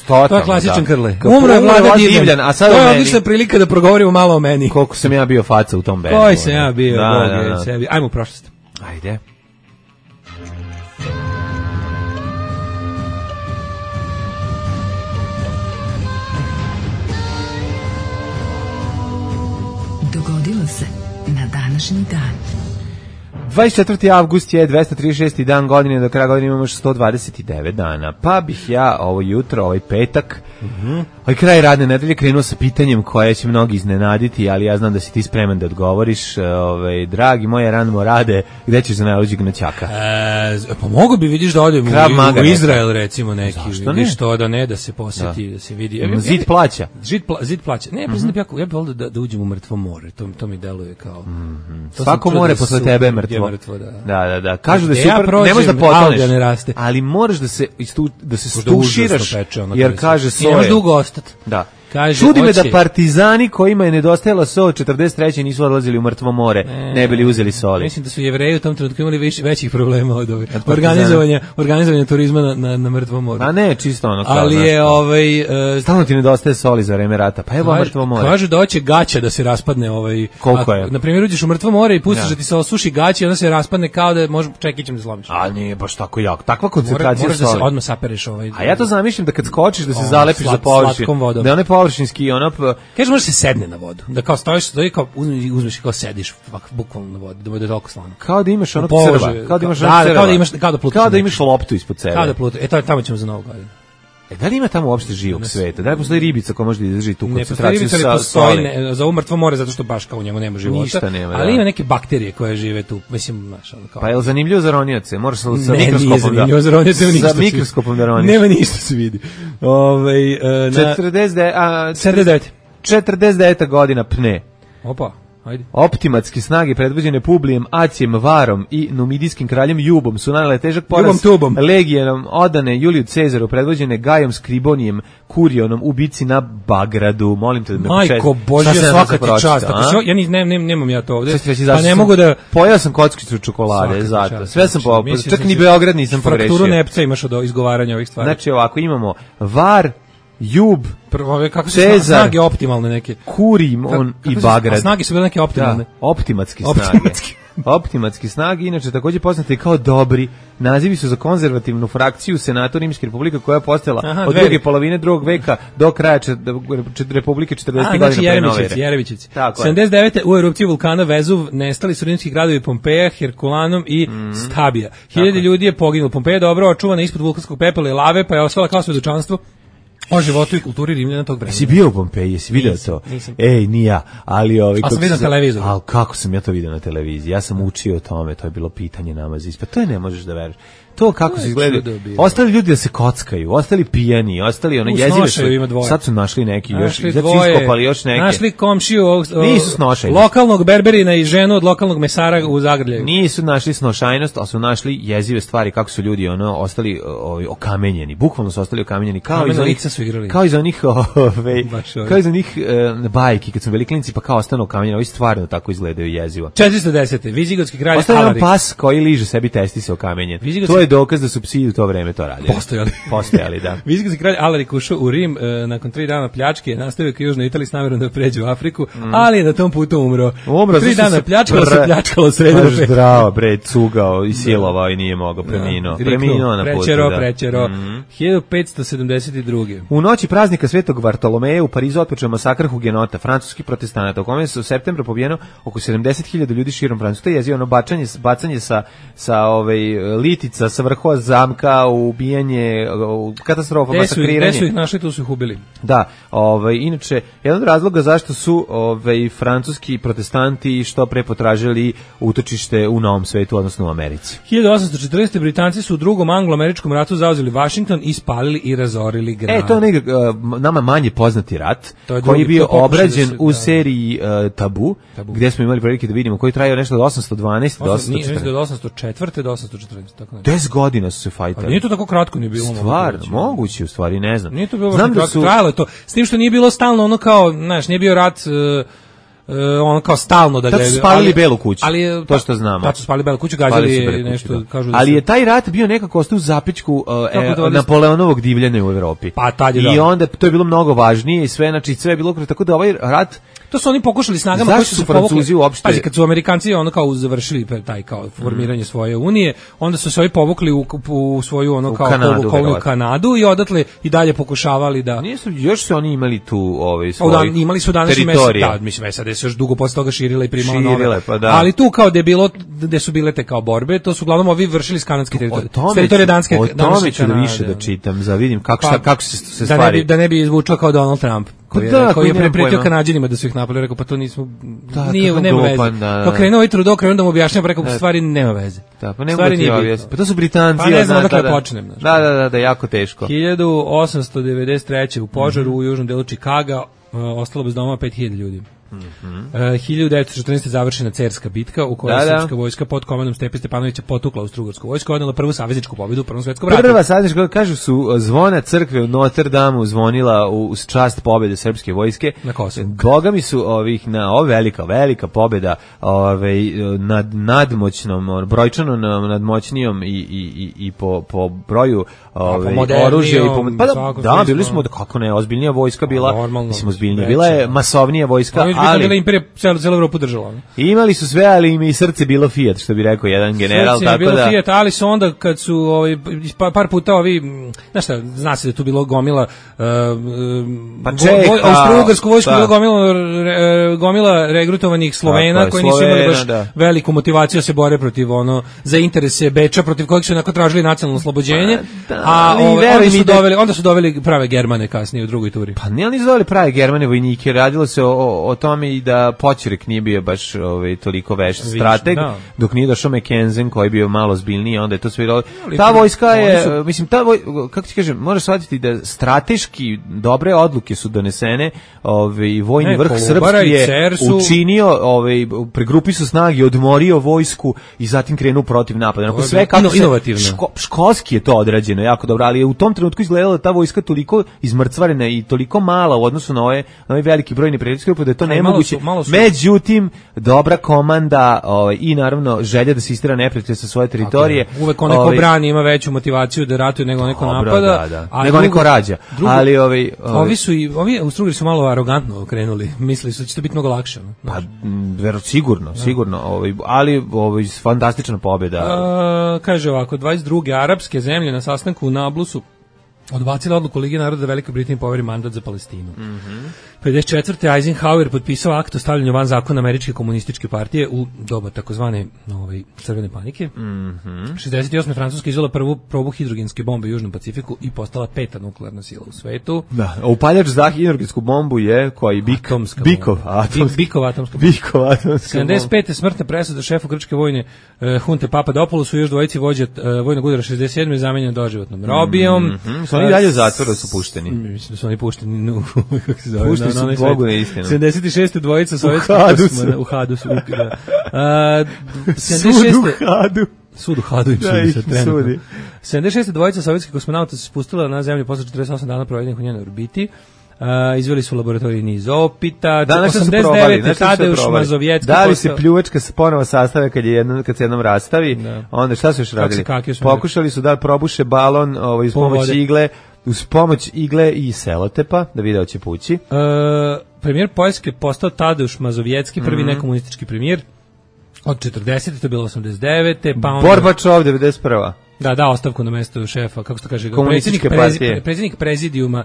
To je klasičan Krle. Umro je Vlada Divljan, a sad to je odlična prilika da progovorimo malo o meni. Koliko sam ja bio faca u tom bendu. Koji sam ja bio, sebi. Ajmo u prošlost. Ajde. Dogodilo se na današnji dan. 24. avgust je 236. dan godine, do kraja godine imamo još 129 dana. Pa bih ja ovo jutro, ovaj petak, ovaj kraj radne nedelje krenuo sa pitanjem koje će mnogi iznenaditi, ali ja znam da si ti spreman da odgovoriš. Dragi moje ranimo rade, gde ćeš za najluđeg noćaka? Pa mogu bi, vidiš, da odem u Izrael, recimo, neki. Vidiš to, da se posjeti, da se vidi. Zid plaća. Zid plaća. Ne, ja bih volio da uđem u mrtvo more, to mi deluje kao... Svako more posle tebe je mrtvo. Da. Kažu da je super, ne možeš da potoneš, ali moraš da se stuširaš, jer kaže so je. Ne možeš dugo ostati. Da. Čudi me da partizani kojima je nedostajala sol 43. nisu odlazili u mrtvo more, ne bili uzeli soli. Mislim da su Jevreji u tom trenutku imali većih problema od ove organizovanja turizma na mrtvom moru. A ne, čisto ono kao. Ali je stalno ti nedostaje soli za vreme rata. Pa evo mrtvo more. Kažu da hoće gaća da se raspadne Koliko je? Na primjer, uđeš u mrtvo more i pustiš da ti se osuši gaća i onda se raspadne kao da može čekićem da slomiš. A nije baš tako jako. Takva koncentracija soli. Moraš da se odmah sapereš A ja to zamišljam da kad skočiš da se zalepiš za površinu. Da one površinski kaže, može se sedne na vodu, da kao stojiš, da kao uzmeš i kao sediš bukvalno na vodu, da bude toliko slano. Kao da imaš onog crva, kao da imaš loptu ispod sebe. Kao da plutaš, tamo ćemo za Novu godinu. Da li ima tamo uopšte živog sveta? Da li postoji ribica koja može da izdrži tu koncentraciju sa soli? Ne postoji za umrtvo more zato što baš kao u njemu nema života. Ništa nema, ali ima neke bakterije koje žive tu, mislim, znaš, ono kao. Pa je li zanimljivo za ronioce? Moraš sa mikroskopom da roniš. Nema ništa se vidi. 49. godina pne. Opa. Ajde. Optimatske snage predvođene Publijem, Acijem, Varom i numidijskim kraljem Jubom su nanele težak poraz legijenom odane Juliju Cezaru predvođene Gajom Skribonijem, Kurionom, ubici na Bagradu. Molim te da me početi. Majko Božja, svaka ti čast. Ja nemam ja to ovde. Pa ne mogu da... Pojao sam kockicu čokolade, zato. Sve sam popao. Čak ni Beograd nisam pogrešio. Frakturu nepca imaš od izgovaranja ovih stvari. Znači ovako, imamo Var, Jub, kako se snage optimalne neke. Kurim i Bagrad. Snage su bile neke optimalne. Optimatske snage. Optimatske snage, inače takođe poznate kao dobri. Nazivi su za konzervativnu frakciju Senata Rimske republike koja je postojala od druge polovine drugog veka do kraja Republike 40. godina pre nove ere. Jerevićevci. 79. u erupciji vulkana Vezuv nestali su rimski gradovi Pompeja, Herkulanum i Stabija. 1000 ljudi je poginulo. Pompeja je dobro očuvana ispod vulkanskog pepela i lave, pa je ostala kao svedočanstvo o životu i kulturi Rimljana tog vremena. Jesi bio u Pompeji, jesi vidio to? Nisam. Ej, ni ja, ali sam vidio na televizoru. Ali kako sam ja to vidio na televiziji? Ja sam učio o tome, to je bilo pitanje nama za ispit. To je ne možeš da veruješ. To kako se izgleda. Ostali ljudi da se kockaju, ostali pijani, ostali jezive su. Sad su našli neki još, iskopali još neke. Našli komšiju nisu snošajni. Lokalnog berberina i ženu od lokalnog mesara u Zagrljaju. Nisu našli snošajnost, ali su našli jezive stvari kako su ljudi ostali okamenjeni. Bukvalno su ostali okamenjeni kao iz onih bajki kad su bili klinci pa kao ostanu okamenjeni. Ovi stvarno tako izgledaju jezivo. 410. Vizigotski kralj Alaric. Ostaje pas koji liže sebi testise okamenjen. To je dokaz da su psi u to vreme to radili. Postojali, da. Vizigotski kralj Alaric ušao u Rim nakon 3 dana pljačke, nastavio ka Južnoj Italiji s namerom da pređe u Afriku, ali je na tom putu umro. 3 dana pljačkalo srednje. Zdravo, bre, cugao i silovao i nije mogao, preminuo na putu. Prečero. 1572. U noći praznika Svetog Vartolomeja u Parizu otpočeo masakr hugenota, francuskih protestanata, u kome se u septembru pobijeno oko 70.000 ljudi širom Francuske. To je jezio bacanje sa litica sa vrhova zamka, ubijanje, katastrofa, masakriranje. Gde su ih našli, tu su ih ubili. Da, inače, jedan od razloga zašto su francuski protestanti što pre potražili utočište u Novom svetu, odnosno u Americi. 1814. Britanci su u drugom anglo-američkom ratu zauzeli Washington i spalili i razorili grad. To je nama manje poznati rat, koji je bio obrađen u seriji Tabu, gdje smo imali prilike da vidimo, koji trajao nešto od 812 do 814. Do 804. do 814. Tako 10 godina su se fajtali. Nije to tako kratko ni bilo. Stvarno, moguće u stvari, ne znam. Nije to bilo kratko, trajalo je to. S tim što nije bilo stalno ono kao, znaš, nije bio rat ono kao stalno da gledaju. Tad su spalili Belu kuću, to što znamo. Tad su spalili Belu kuću, gađali nešto, kažu da ali je taj rat bio nekako ostao u zapećku Napoleonovog divljanja u Evropi. Pa tad je i onda to je bilo mnogo važnije i sve, znači sve je bilo tako da ovaj rat. To su oni pokušali snagama koji su Francuzi uopšte. Pazi, kad su Amerikanci ono kao završili taj kao formiranje svoje unije, onda su se ovi povukli u svoju ono kao koloniju Kanadu i odatle i dalje pokušavali da. Nisu, još su oni imali tu svoj. Imali su današnji mislim SAD se još dugo posle toga širila i primala nove. Pa da. Ali tu kao gde su bile te kao borbe, to su uglavnom ovi vršili s kanadske teritorije danske. O tome ću da više da čitam, za vidim kako se stvari. Da ne bi zvučao kao Donald Trump. Koji je prepretio Kanađanima da su ih napali, rekao pa to nismo, nema veze. Kao krenuo ovaj Trudeau, krenuo da mu objašnjava, rekao stvari nema veze. Da, pa nema ti objasniti. Pa to su Britanci. Pa ne znam odakle počnem. Da, jako teško. 1893. u požaru u južnom delu Čikaga ostalo bez doma 5000 ljudi. 1914. završena Cerska bitka u kojoj je srpska vojska pod komandom Stepe Stepanovića potukla Austrougarsku vojsku i odnela prvu savezničku pobedu u Prvom svetskom ratu. Prva saveznička, kažu su zvona crkve u Notre Damu zvonila uz čast pobede srpske vojske. Na Kosovu. Boga mi su velika pobeda nad nadmoćnom, brojčano nadmoćnijom i po broju oružja i da, bili smo kako ne, ozbiljnija vojska bila, mislim ozbiljnija, bila je masovnija vojska. Ali bila imperija celu Evropu držala. Imali su sve, ali im i srce bilo Fiat, što bi rekao jedan general. Srce je bilo Fiat, ali su onda kad su par puta znaš šta, zna se da je tu bilo gomila austrougarsku vojsku, bilo gomila regrutovanih Slovena koji nisu imali baš veliku motivaciju da se bore protiv za interese Beča, protiv kojeg su onako tražili nacionalno oslobođenje, a onda su doveli prave Germane kasnije u drugoj turi. Pa nisu doveli prave Germane vojnike, radilo se o tome i da Poćorek nije bio baš toliko veš strateg, dok nije došao Mackensen koji je bio malo zbiljniji, onda je to sve bilo. Ta vojska je, mislim, kako ti kažem, moraš shvatiti da strateški dobre odluke su donesene, vojni vrh srpski je učinio, pregrupi su snage, odmorio vojsku i zatim krenuo protiv napada. Sve kako školski je to odrađeno, jako dobro, ali je u tom trenutku izgledala ta vojska toliko izmrcvarena i toliko mala u odnosu na ovaj veliki broj neprijateljskih grupa da je to nemoguće. Međutim, dobra komanda i naravno želja da se istera neprijatelj sa svoje teritorije. Uvek onaj ko brani ima veću motivaciju da ratuje nego neko napada. Nego neko rađa. Ali ovi Austrougarci su malo arogantno krenuli. Mislili su da će to biti mnogo lakše. Pa, sigurno. Ali fantastična pobjeda. Kaže ovako, 22. arapske zemlje na sastanku u Nablusu odbacila odluku Lige naroda da Velikoj Britaniji poveri mandat za Palestinu. 54. Eisenhower potpisao akt o stavljanju van zakona Američke komunističke partije u doba takozvane crvene panike. 68. Francuska izvela prvu probu hidrogenske bombe u Južnom Pacifiku i postala 5. nuklearna sila u svetu. Da, a upaljač za hidrogensku bombu je koji Bikov atomska. 75. smrtna presuda šefu grčke vojne hunte Papadopoulosu, još dvojici vođa vojnog udara 67. zamenjen doživotnom robijom. Su oni dalje u zatvoru, su pušteni? Mislim da su oni pušteni pušteni su Bogu na istinu. 76. dvojica sovjetskih u Hadusu. Sud u Hadu im sudi. 76. dvojica sovjetskih kosmonauta se spustila na zemlju posle 48 dana provedenih u njenoj orbiti. Izveli su laboratoriji niz opita. 89. Tadeuš Mazovjetski. Da li se pljuvačka ponovo sastave kad se jednom rastavi? Onda šta su još radili? Pokušali su da probuše balon uz pomoć igle i selotepa, da video će pući. Premijer Poljske postao Tadeuš Mazovjetski, prvi nekomunistički premijer. Od 40. to je bilo 89. Pa onda... Gorbačov, 91. Da, ostavku na mesto šefa, kako se to kaže, predsjednik prezidijuma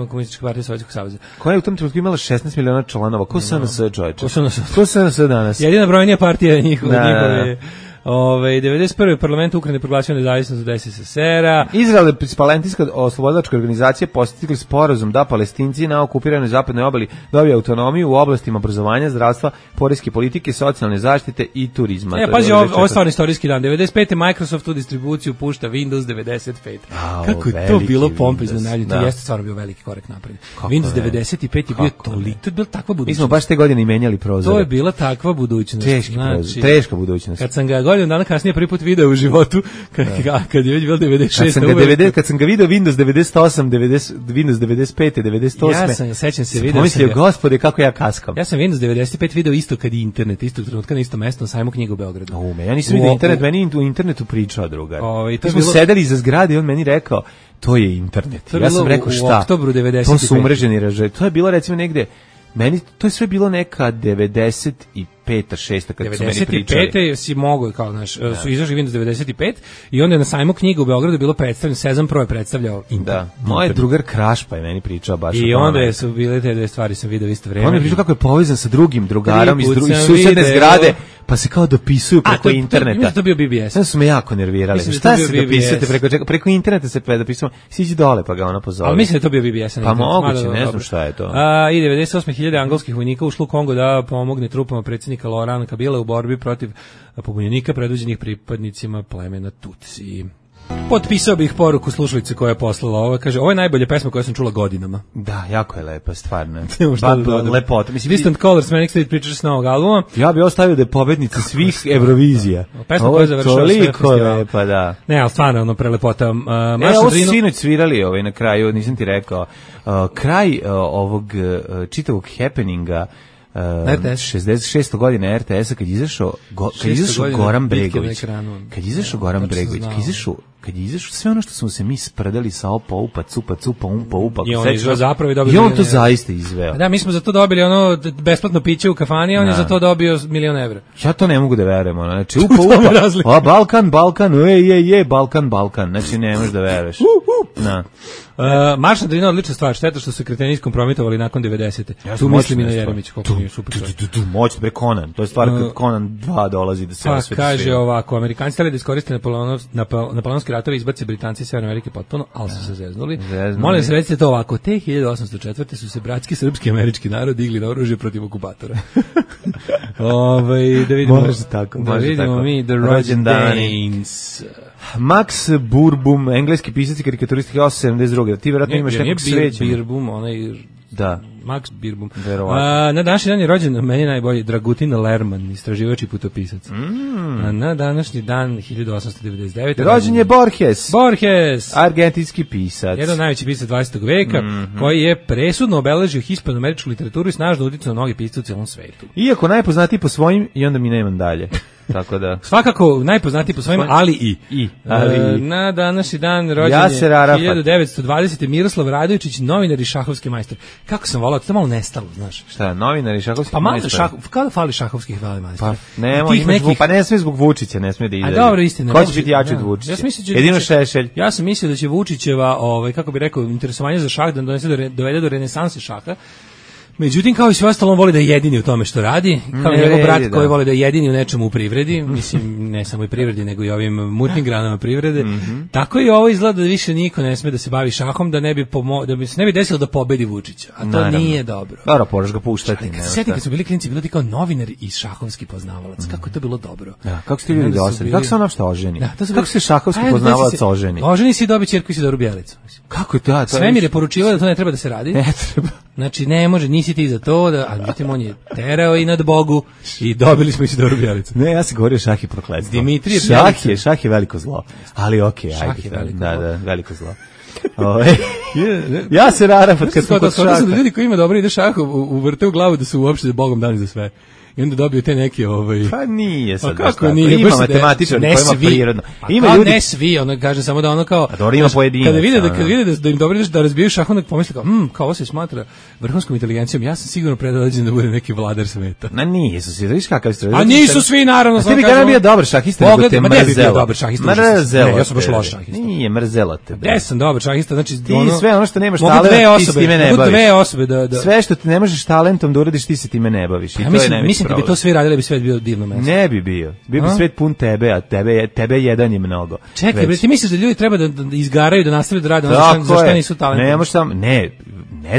Komunističke partije Sovjetskog saveza. Koja je u tom trenutku imala 16 miliona članova? Ko SNS, čovječe? Ko SNS danas? Jedina brojnija partija njihove... 91. parlament Ukrajine proglasio nezavisnost od SSSR-a. Izrael i palestinska oslobodilačka organizacija postigli sporazum da Palestinci na okupiranoj zapadnoj obali dobiju autonomiju u oblastima obrazovanja, zdravstva, poreske politike, socijalne zaštite i turizma. Pazi, ovo je stvarno istorijski dan. 95. Microsoft u distribuciju pušta Windows 95. Kako je to bilo pompezno najavljeno. To jeste stvarno bio veliki korak napred. Windows 95 je bio toliko, to je bila takva budućnost. Mi smo baš te godine i menjali prozore. To je bila takva budućnost. Teška budućnost. Kad sam ga godinu dana kasnije prvi put video u životu, kad je već bilo 96. Kad sam ga video Windows 98, Windows 95, 98. Ja sam, sećam se, video pomislio, gospode, kako ja kaskam. Ja sam Windows 95 video isto kad je internet, istog trenutka na istom mestu na sajmu knjiga u Beogradu. Ja nisam vidio internet, meni u internetu pričao drugar. Mi smo sedeli iza zgrade i on meni rekao, to je internet. Ja sam rekao, šta? U oktobru 95. To su umreženi ražaj. To je bilo recimo negde, meni to je sve bilo neka 95. 6. kad su meni pričali. 95. si mogao, kao naš, su izašli Windows 95 i onda je na sajmu knjiga u Beogradu bilo predstavljeno, Sezam Pro je predstavljao internet. Da, moj drugar Krašpa je meni pričao baš o tome. I onda su bile te dve stvari, sam video isto vreme. On je pričao kako je povezan sa drugim drugarom iz susedne zgrade, pa se kao dopisuju preko interneta. To bio BBS. Sad su me jako nervirali. Šta se dopisujete preko interneta se dopisujemo? Siđi dole pa ga ona pozove. Ali mislim da to bio BBS. Pa moguće, ne znam šta je to. I 98.000 angolskih vojnika ušlo u Kongo da pomogne trupama predsjednika Laurent Kabila u borbi protiv pobunjenika predvođenih pripadnicima plemena Tutsi. Potpisao bih poruku slušalice koja je poslala ovo. Kaže, ovo je najbolja pesma koju sam čula godinama. Da, jako je lepa, stvarno. Lepota. Distant Colors, Manic Street Preachers s novog albuma. Ja bih ostavio da je pobednica svih Eurovizija. Pesma koja je završila sve festival. Lepa, da. Ne, ali stvarno, prelepota. Ovo su sinoć svirali na kraju, nisam ti rekao. Kraj ovog čitavog happeninga 66. godine RTS-a kad izašao Goran Bregović. Kad izašao Goran Bregović, kad je izašao sve ono što smo se mi spredali sa opa, upa, cupa, cupa, umpa, upa. I on to zaista izveo. Da, mi smo za to dobili ono besplatno piće u kafani, a on je za to dobio $1.000.000 evra. Ja to ne mogu da verujem. Znači, upa, upa, Balkan, Balkan. Znači, ne možeš da veruješ. Na. Marš na Drinu odlična stvar, šteta što su kreteni iskompromitovali nakon 90. Tu mislim i na Jeremić, koliko nije super. Moćno, bre, Conan, to je stvar kad Conan 2 dolazi da se osveti. Kaže ovako, Amerikanci htjeli da iskoriste napoleonski ratovi, izbace Britanci iz Severne Amerike potpuno, ali su se zeznuli. Molim se, recite to ovako, te 1804. su se bratski srpski američki narod digli na oružje protiv okupatora. Da vidimo mi The rođendans. Max Burbum, engleski pisac i karikaturist 1872. Ti vjerojatno imaš nekog srećenja. Birbum, onaj... Da. Max Birbum. Na današnji dan je rođen, meni najbolji, Dragutin Lerman, istraživač i putopisac. Na današnji dan, 1899. Rođen je Borges. Argentinski pisac. Jedan najveći pisac 20. veka, koji je presudno obeležio hispanoameričku literaturu i snažno uticao na mnogi pisce u cijelom svetu. Iako najpoznatiji po svojim, i onda mi nemam dalje. Tako da. Svakako najpoznatiji po svojim, ali i. Na današnji dan rođen je 1920. Miroslav Radojičić, novinar i šahovski majstor. Kako sam volao to je malo nestalo, znaš. Šta, novinari šahovski? Pa malo kada fali šahovskih velemajstora. Pa ne sme zbog Vučića, ne sme da izađe. A dobro, istina. Ko će biti jači od Vučića? Jedino Šešelj. Ja sam mislio da će Vučićeva, kako bi rekao, interesovanje za šah da dovede do renesanse šaha. Međutim, kao i sve ostalo, on voli da je jedini u tome što radi, kao i njegov brat koji voli da je jedini u nečemu u privredi, mislim, ne samo i privredi, nego i ovim mutnim granama privrede. Tako i ovo izgleda da više niko ne sme da se bavi šahom, da bi se ne bi desilo da pobedi Vučića, a to nije dobro. Dobro, moraš ga puštati. Sjeti kad su bili klinci, bilo ti kao novinar i šahovski poznavalac, kako je to bilo dobro. Ja, kako ste ljudi dosadili, kako se on uopšte oženi? Kako se šahovski poznavalac oženi? Oženi si i dobi ćerku Isidoru Bjelicu. Kako je to? Svemir je poručivao da to ne treba da se radi. Ne treba. Znači, ne može, nisi ti za to, a međutim, on je terao i nad Bogu i dobili smo Isidoru Bjelicu. Ne, ja sam govorio šah i prokletstvo. Dimitrije Bjelica. Šah je veliko zlo, ali okej, ajde. Da, veliko zlo. Jaser Arafat kad smo kod šaha. Da ljudi koji ima dobro ide šah uvrte u glavu da su uopšte Bogom dani za sve. I onda dobiju te neke Pa nije sad. Kako nije? Ima matematičar koji ima prirodno. Ima ljudi ne svi, ono kaže samo da ono kao a dobro ima pojedinac. Kada vide da im dobro da razbijaju šah, onda pomisle kao ovo se smatra vrhunskom inteligencijom. Ja sam sigurno predodređen da bude neki vladar sveta. Na nisu svi, vidiš kakav ste. A nisu svi naravno. Ti bi ga bio dobar šahista, nego te mrzelo. Dobar šahista. Mrzelo. Ja sam baš loš šahista. Nije mrzelo te. Ja sam dobar šahista, znači ti sve ono što nemaš talent, ti se time ne baviš. Dve osobe da sve što ti ne možeš talentom da uradiš, ti se time ne baviš. I to je najveći. Mislim da bi to svi radili, svet bio divno mesto. Ne bi bio. Bio bi svet pun tebe, a tebe jedan je mnogo. Čekaj, bre, ti misliš da ljudi treba da izgaraju, da nastave da rade ono za što nisu talentovani? Ne možeš samo, ne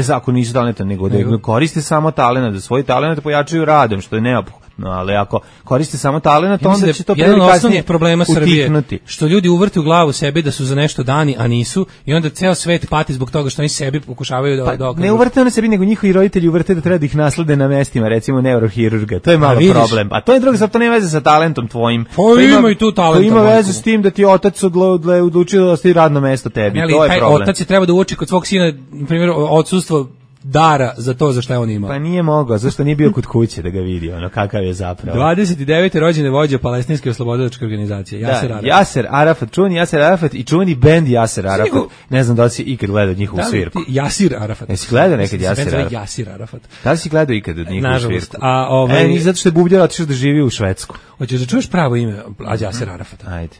za ako nisu talentovani, nego da koriste samo talenat, da svoj talenat pojačaju radom, što je neophodno. No, ali ako koriste samo talenat, onda će to jedan od osnovnih problema Srbije, što ljudi uvrte u glavu sebi da su za nešto dani, a nisu, i onda ceo svet pati zbog toga što oni sebi pokušavaju da dokažu. Ne uvrte one sebi, nego njihovi roditelji uvrte da treba da ih naslede na mestima, recimo neurohirurga. To je malo problem. A to je drugo, zato nema veze sa talentom tvojim. To ima i tu talent. To ima veze s tim da ti otac odlučio da ostavi radno mesto tebi. To je problem. Otac je treba da uoči kod svog sina, na primjer, odsustvo dara za to za šta je on imao. Pa nije mogao, zašto nije bio kod kuće da ga vidi, ono kakav je zapravo. 29. rođene vođa palestinske oslobodilačke organizacije, Jaser Arafat. Jaser Arafat, čuveni Jaser Arafat i čuveni bend Jaser Arafat. Ne znam da li si ikad gledao njihovu svirku. Jasir Arafat. Jesi gledao nekad Jaser Arafat? Jasir Arafat. Da li si gledao ikad njihovu svirku? Nažalost. Zato što je bubljao, otišao da živi u Švedsku. Hoćeš da čuješ pravo ime Jaser Arafata? Ajde.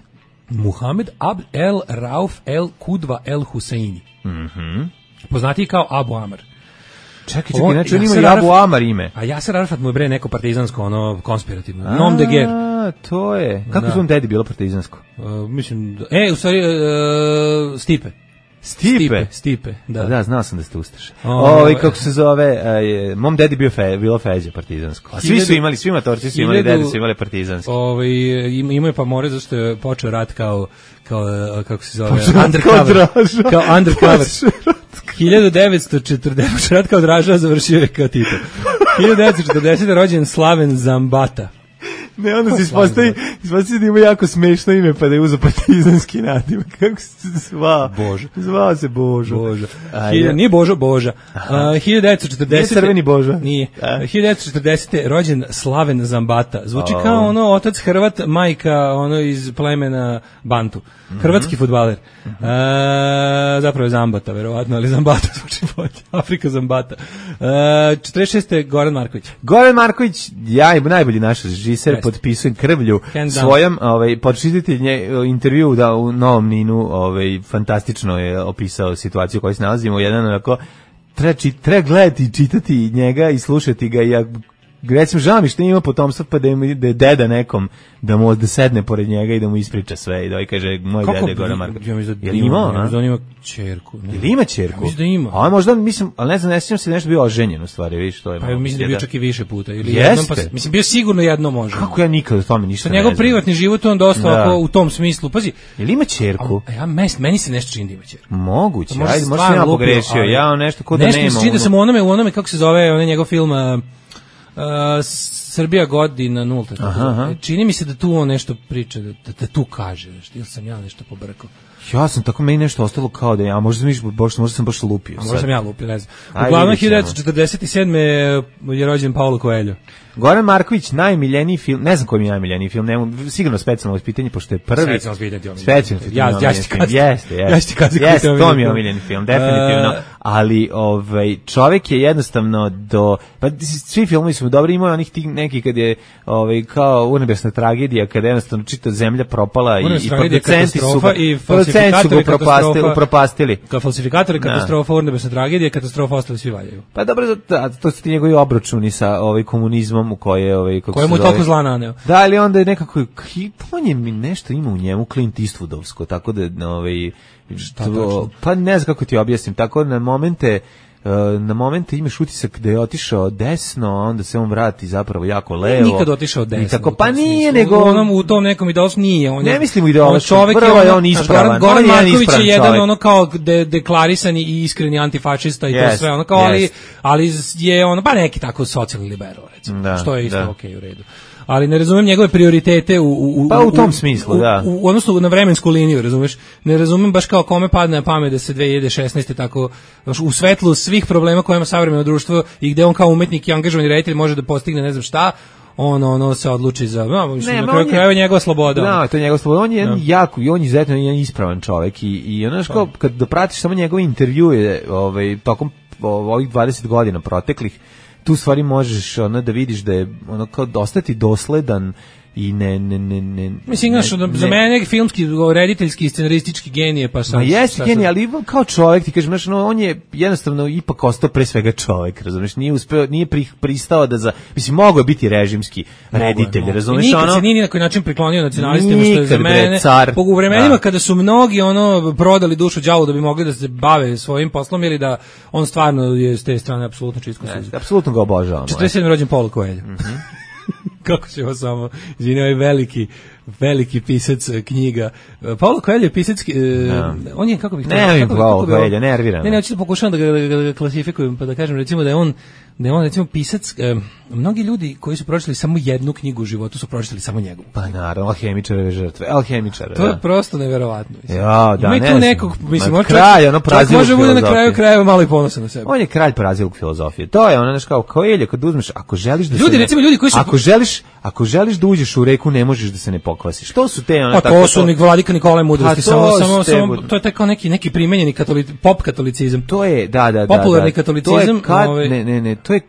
Muhammed Abd el Rauf el Kudva el Huseini. Poznatiji kao Abu Amar. Čekaj, znači on ima i Abu Amar ime. A Jaser Arafat mu je bre neko partizansko, ono, konspirativno. Nom de guerre. To je. Kako svom dedi bilo partizansko? Mislim, u stvari, Stipe. Stipe, da. Da, znao sam da ste ustaše. Kako se zove, mom dedi bilo Feđa partizansko. A svi su imali, svi matorci su imali, dedi su imali partizanski. Imao je pa more zašto je počeo rat kao kako se zove, undercover. Kao undercover. 1940, rat kao Draža, završio je kao Tito. 1940. rođen Slaven Zambata. Ne, onda se ispostavi da ima jako smešno ime, pa da je uzeo partizanski nadimak. Kako se zvao? Božo. Zvao se Božo. Nije Boža. 1940. Nije Crveni Božo. Nije. 1940. rođen Slaven Zambata. Zvuči kao ono otac Hrvat, majka ono iz plemena Bantu. Hrvatski fudbaler. Zapravo je Zambata, verovatno, ali Zambata zvuči bolje. Afrika Zambata. 46. Goran Marković. Goran Marković, najbolji naš režiser, potpisujem krvlju svojom, počititelj intervju u Novom Ninu, fantastično je opisao situaciju u kojoj se nalazimo, jedan onako, treba gledati i čitati njega i slušati ga, i recimo žao mi što ima potomstva, pa da je deda nekom da sedne pored njega i da mu ispriča sve i da kaže moj deda je Goran Marković. Jel ima? Da on ima ćerku. Jel ima ćerku? Mislim da ima. A možda, mislim, ali ne znam, ne sjećam se nešto bio oženjen u stvari, vidiš što je. Pa mislim da je bio čak i više puta. Jeste? Mislim, bio sigurno jedno može. Kako ja nikad o tome ništa ne znam. Njegov privatni život on dosta u tom smislu. Pazi. Jel ima ćerku? Meni se nešto čini da ima ćerku. Moguće, ajde, možda ja pogrešio, ja nešto ko da nema. Nešto čini da sam u onome, kako se zove, onaj njegov film Srbija godina nulta. Čini mi se da tu on nešto priča, da tu kaže, ili sam ja nešto pobrkao. Ja sam tako, meni nešto ostalo kao da ja, možda sam baš lupio. Možda sam ja lupio, ne znam. Uglavnom, 1947. je rođen Paulo Coelho. Goran Marković, najmiljeniji film, ne znam koji mi je najmiljeniji film, sigurno specijalno ispitanje, pošto je prvi. Specijalno ispitanje. Jeste, to mi je omiljeni film, definitivno. Ali čovjek je jednostavno pa svi filmovi su dobri, imaju onih neki kad je kao Urnebesna tragedija, kada je jednostavno čita zemlja propala i producenti su ga upropastili. Kao falsifikatori, katastrofa, Urnebesna tragedija, katastrofa, ostali svi valjaju. Pa dobro, to su ti njegovi obračuni sa komunizmom u koje mu toliko zla naneo. Da, ali onda je nekako on je mi nešto ima u njemu Clint Eastwoodovsko, tako da pa ne znam kako ti objasnim, tako na momente imaš utisak da je otišao desno, a onda se on vrati zapravo jako levo. Nikad otišao desno. Tako, pa nije, nego u tom nekom ideološki nije. Ne mislim u ideološki, prvo je on ispravan. Goran Marković je jedan ono kao deklarisani i iskreni antifašista i to sve, ono kao, ali je ono, pa neki tako socijalni liberal, recimo, što je isto okej, u redu. Ali ne razumem njegove prioritete u tom smislu, da. U odnosu na vremensku liniju, razumeš? Ne razumem baš kao kome padne na pamet da se 2016. tako u svetlu svih problema koje ima savremeno društvo i gde on kao umetnik i angažovani reditelj može da postigne ne znam šta, on se odluči za, na kraju krajeva njegova sloboda. Da, to je njegova sloboda. On je jako, on je izuzetno jedan ispravan čovjek i ono kao kad dopratiš samo njegove intervjue tokom ovih 20 godina proteklih, tu stvari možeš da vidiš da je kao ostati dosledan i mislim, za mene filmski, rediteljski i scenaristički genije, pa sam... Jeste genije, ali kao čovjek, ti kažem, on je jednostavno ipak ostao pre svega čovjek, razumiješ, nije pristao da mislim, mogao je biti režimski reditelj, razumiješ, nikad se nije na koji način priklonio nacionalistima, što je za mene, u vremenima kada su mnogi prodali dušu đavu da bi mogli da se bave svojim poslom, ili da on stvarno je s te strane apsolutno čisto suđe. Apsolutno ga obožavam. 47. rođen Paulo Coelho. Kako ćemo samo, izvini, ovaj veliki pisac knjiga. Paulo Coelho je pisac, on je, kako bih... Ne, Paulo Coelho, nerviram. Ne, hoću da pokušavam da ga klasifikujem, pa da kažem, recimo da je on recimo pisac, mnogi ljudi koji su pročitali samo jednu knjigu u životu su pročitali samo njegovu. Pa naravno, Alhemičareve žrtve, To je prosto neverovatno. Ja, da, ima tu nekog, mislim, može bude na kraju krajeva malo i ponosan na sebe. On je kralj praziluk filozofije. To je ono, kao Coelho, kad uzmeš, ako želiš da ljudi koji su... Ako želiš da uđeš u reku, ne možeš da se ne pokvasiš. To su te tako. To su Vladika Nikolaj mudrosti, samo to je tako neki primenjeni pop katolicizam. To je, da. Popularni katolicizam, to je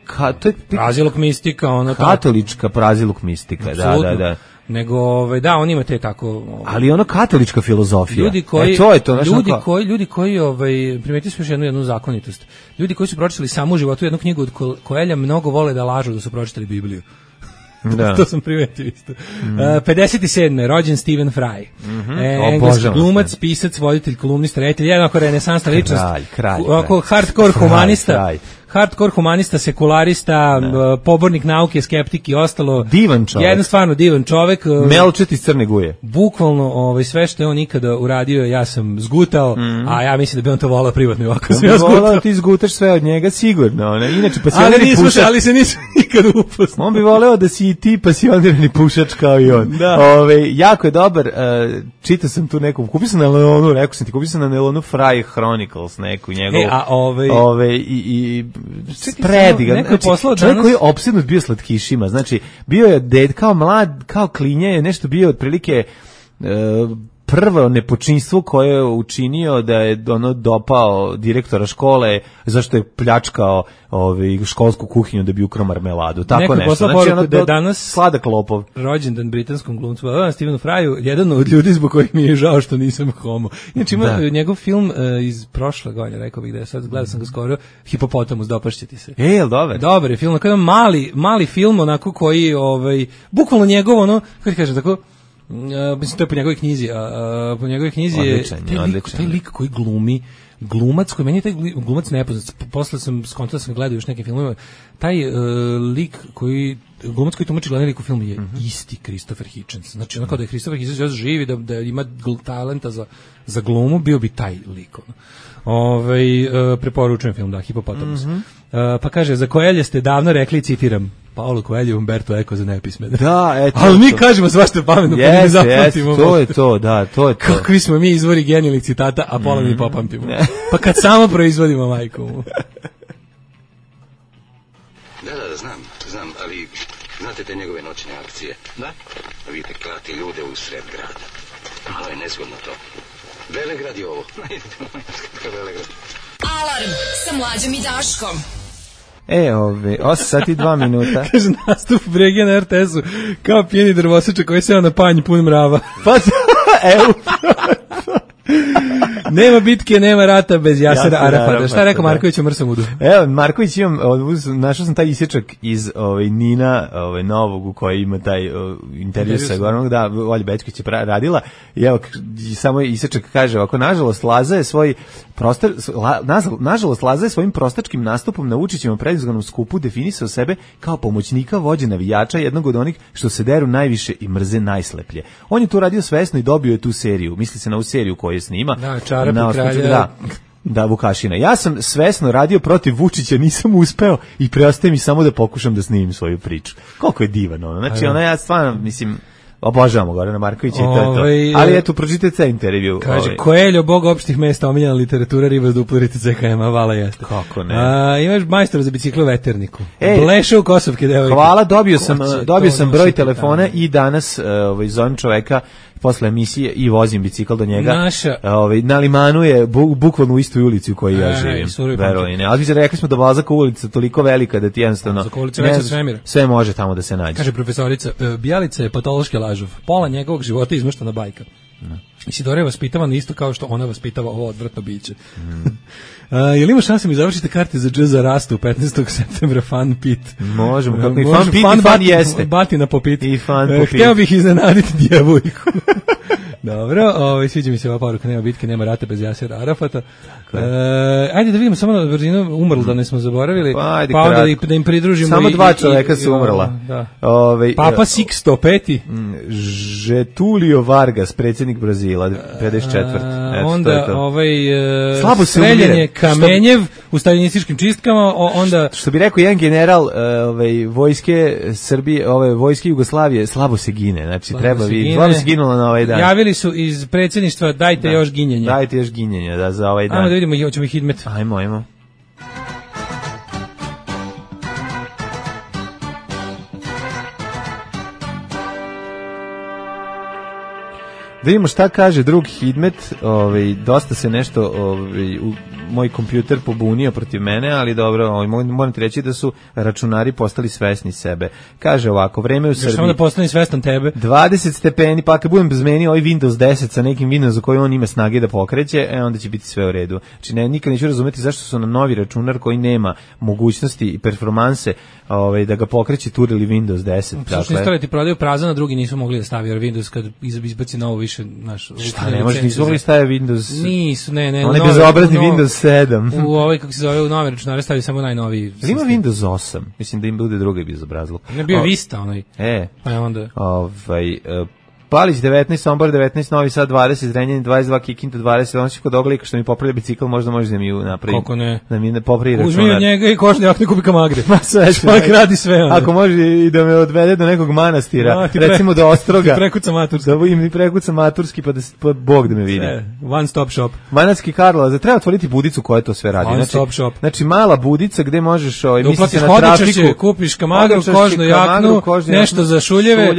praziluk mistika, katolička praziluk mistika, da. Nego on ima te tako, ali katolička filozofija. Ljudi koji primetili smo još jednu zakonitost. Ljudi koji su pročitali samo u životu jednu knjigu od Coelha mnogo vole da lažu da su pročitali Bibliju. Da. To sam primetio isto. 57. rođen Stephen Fry. Engleski glumac, pisac, voditelj, kolumnista, reditelj, jedan renesansna ličnost. Kralj. Hardcore humanista. Hardcore humanista, sekularista, pobornik nauke, skeptik i ostalo. Divan čovjek. Jedan stvarno divan čovjek. Melčet iz Crne Guje. Bukvalno sve što je on ikada uradio, ja sam zgutao, a ja mislim da bi on to volao privatno ovako. On bi volao ti zgutaš sve od njega, sigurno. Inače, ali se nisam nikad upoznao. On bi voleo da si i ti pasionirani pušač kao i on. Jako je dobar, čitao sam tu neku, kupio sam na Nelonu, rekao sam ti, kupio sam na Nelonu Fry Chronicles, neku njegovu. Sprediga, čovjek koji je opsednut bio slatkišima, znači bio je kao mlad, kao klinje je nešto bio otprilike prvo nepočinstvo koje je učinio da je dopao direktora škole zašto je pljačkao školsku kuhinju da bi ukrao marmeladu. Tako nešto. Znači, da je danas sladak lopov. Rođendan britanskom glumcu Stephenu Fryu, jedan od ljudi zbog kojih mi je žao što nisam homo. Znači ima njegov film iz prošle godine, rekao bih da je sad, gledao sam ga skoro, Hipopotamus, dopašćete se. Jel, dobar? Dobar je film, kao mali film onako koji, bukvalno njegov kako ti kažem, tako, mislim, to je po njegovoj knjizi, po njegovoj knjizi je taj lik koji glumac koji meni je taj glumac nepoznat, posle sam skontao da sam gledao još neke filmove, taj glumac koji tumači glavni lik u filmu je isti Christopher Hitchens, znači onako da je Christopher Hitchens još živi, da ima talenta za glumu, bio bi taj lik. Preporučujem film, Hipopotamus. Pa kaže, za Coelha ste davno rekli, citiram, Paulo Coelho, Umberto Eco za nepismene. Da, eto. Ali mi kažemo svašta pametno, pa ne zapamtimo. To je to, da, to je to. Kakvi smo mi izvori genijalnih citata, a pola mi popamtimo. Pa kad samo proizvodimo, majku. Da, znam, ali znate te njegove noćne akcije? Da. Vidite, klati ljude u sred grada. Malo je nezgodno to. Velegrad je ovo. Velegrad. Alarm sa Mlađom i Daškom. 8 sati 2 minuta. Kaže, nastup Brege na RTS-u kao pijeni drvosečak koji seo na panj pun mrava. Pa, evo. Nema bitke, nema rata bez Jasera Arafata. Šta je rekao Marković o Mrsamudu? Evo, Marković našao sam taj isječak iz Nina novog u kojoj ima taj intervju sa Goranom, da, Olja Bećković je radila, i evo, samo isječak kaže ovako, nažalost, Laza je svojim prostačkim nastupom na Vučićevom predizbornom skupu definisao sebe kao pomoćnika vođe navijača, jednog od onih što se deru najviše i mrze najsleplje. On je to radio svesno i dobio je tu seriju, misli se na ovu seriju koju snima. Da, Čarapi kralja. Da, Vukašina. Ja sam svesno radio protiv Vučića, nisam uspeo i preostaje mi samo da pokušam da snimim svoju priču. Koliko je divan ono. Znači, ja stvarno, mislim, obožavamo Gorana Markovića i to je to. Ali eto, pročitajte taj intervju. Kaže, Coelho, bog opštih mesta, omiljena literatura, riba s duplerice CKM-a, vala jeste. Kako ne? Imaš majstora za bicikle u veterniku. Bleša u Kosovke, devojke. Hvala, dobio sam broj telefona i danas zovem čoveka posle emisije i vozim bicikl do njega. Na Limanu je bukvalno u istoj ulici u kojoj ja živim. Verovine. Ali rekli smo da Balzaka ulica toliko velika da ti jednostavno sve može tamo da se nađe. Kaže profesorica, Bjelica je patološki lažov. Pola njegovog života je izmeštana bajka. Isidora je vaspitavan isto kao što ona vaspitava ovo odvratno biće. Jel ima šanse mi završite karte za džez za rastu 15. septembra Fun Pit? Možemo, kako i Fun Pit i Fun jeste. Batina po pit. I Fun po pit. Hteo bih iznenaditi djevojku. Dobro, sviđa mi se ova poruka, nema bitke, nema rata bez Jasera Arafata. Ajde da vidimo samo na brzinu, umrl da ne smo zaboravili, pa onda da im pridružimo. Samo 2 čoveka su umrla. Papa Sixto V. Getulio Vargas, predsjednik Brazila, 54. Onda streljanje Kamenjev u staljinističkim čistkama, onda... Što bi rekao jedan general vojske Srbije, vojske Jugoslavije, slabo se gine, znači treba vidjeti, slabo se ginulo na ovaj dan. Javili su iz predsjedništva, dajte još ginjenja. Dajte još ginjenja, da, za ovaj dan. Ajmo da vidimo, hoćemo ih hidmet. Ajmo. Da vidimo šta kaže drug Hidmet, dosta se nešto moj kompjuter pobunio protiv mene, ali dobro, moram ti reći da su računari postali svesni sebe. Kaže ovako, vreme u Srbiji... Samo da postane svestan tebe. 20 stepeni, pa kad budem zmenio ovaj Windows 10 sa nekim Windows koji on ima snage da pokreće, onda će biti sve u redu. Znači, nikad neću razumeti zašto su nam novi računar koji nema mogućnosti i performanse da ga pokreće turili Windows 10. Znači, dakle, ti prodaju prazan, a drugi nisu mogli da stavi, jer Windows kad izbaci novo više... Šta ne može, nisu mogli staviti Windows... Nisu, ne. On je bezobrazni Windows 7. U ovaj, kako se zove, u nove računare stavio samo najnoviji. Ima Windows 8, mislim da im bude drugi bezobrazluk. Ne bio Vista onaj. Pa je onda... Palić 19, Sombor 19, Novi Sad 20, Zrenjanin 22, Kikinda 20, on će kod oglika što mi popravlja bicikl, možda može da mi napravi. Kako ne? Da mi popravi računar. Uzmi od njega i košnjak, ne kupi kamagre. Ma sve će. Čovjek radi sve. Onda. Ako može i da me odvede do nekog manastira, recimo do Ostroga. Ti prekuca maturski. Da im prekuca maturski pa Bog da me vidi. One stop shop. Manatski Karlovac, treba otvoriti budicu koja to sve radi. One stop shop. Znači mala budica gde možeš misli se na trafiku. Kupiš kamagru, kožnu jaknu, nešto za šuljeve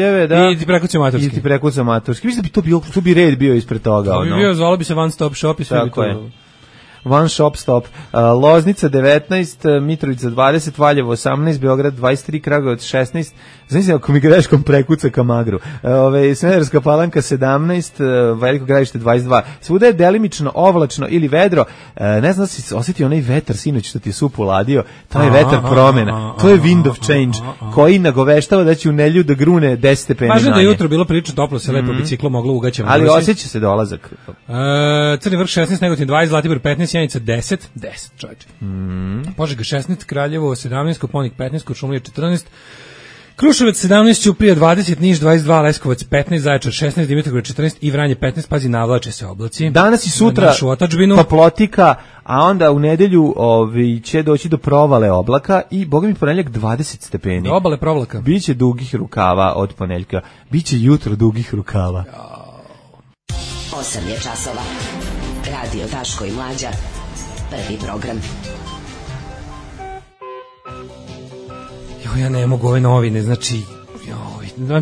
i ti prekuca maturski. I ti prekuca maturski. Mislim da bi to bi red bio ispred toga. To bi bio, zvalo bi se One Stop Shop i sve bi to. One Shop Stop. Loznica 19, Mitrovica 20, Valjevo 18, Beograd 23, Kragujevac 16. Znači, ako mi greškom prekuca kamagru. Smederevska Palanka 17, Veliko Gradište 22. Svuda je delimično ovlačno ili vedro. Ne znam da si osjetio onaj vetar sinoć što ti je sup uladio. To je vetar promena. To je wind of change koji nagoveštava da će u nelju da grune 10 stepeni. Pažem da je jutro bilo prilično toplo, se lepo biciklo moglo ugaćemo. Ali osjeća se dolazak. Crni Vrh 16, Negotin 20, Zlatibor 15, Sjenica 10 čovječe. Požega 16, Kraljevo 17, Koponik 15, Kuršumlija 14, Kruševac 17, Ćuprija 20, Niš 22, Leskovac 15, Zaječar 16, Dimitrovgrad 14 i Vranje 15, pazi, navlače se oblaci. Danas i sutra toplotika, a onda u nedelju će doći do provale oblaka i boga mi ponedjeljak 20 stepeni. Do obale provlaka. Biće dugih rukava od ponedjeljka. Biće jutro dugih rukava. 8 je časova. Radio Daško i Mlađa. Prvi program. Ja ne mogu ove novine, znači...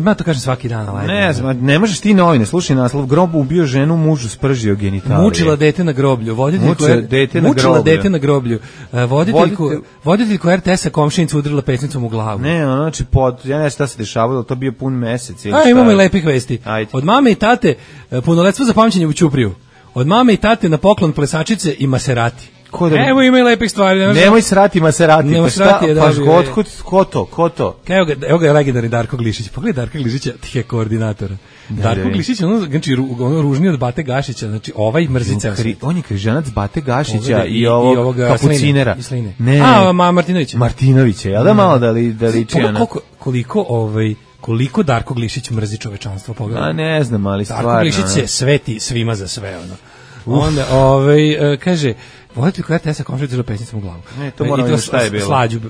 Ja to kažem svaki dan. Ne znam, ne možeš ti novine, slušaj naslov, grob ubio ženu, mužu spržio genitalije. Mučila dete na groblju. Mučila dete na groblju. Voditeljku RTS-a komšinica udrila pesnicom u glavu. Ne, znači, ja ne znam šta se dešavalo, to bio pun mesec. Imamo i lepih vesti. Ajde. Od mame i tate, punoletstvo za pamćenje u Ćupriju. Od mame i tate na poklon plesačice i Maserati. Evo ima i lepih stvari. Nemoj srati Maserati. Pa šta? Ko to? Evo ga je legendarni Darko Glišić. Pogledaj Darka Glišića, tih je koordinatora. Darko Glišić, ono ružniji od Bate Gašića, znači ovaj mrzica. On je križanac Bate Gašića i ovog kapucinera. Ne. Martinovića. Martinovića, jel da malo da liči ona? Koliko Darko Glišić mrzi čovečanstvo, pogledaj. Ne znam, ali stvarno. Darko Glišić se sveti svima za sve, ono. Onda, kaže, voditelj koja tesa komšinica pesnicom u glavu. Ne, to moram vidjeti šta je bilo. Slađu.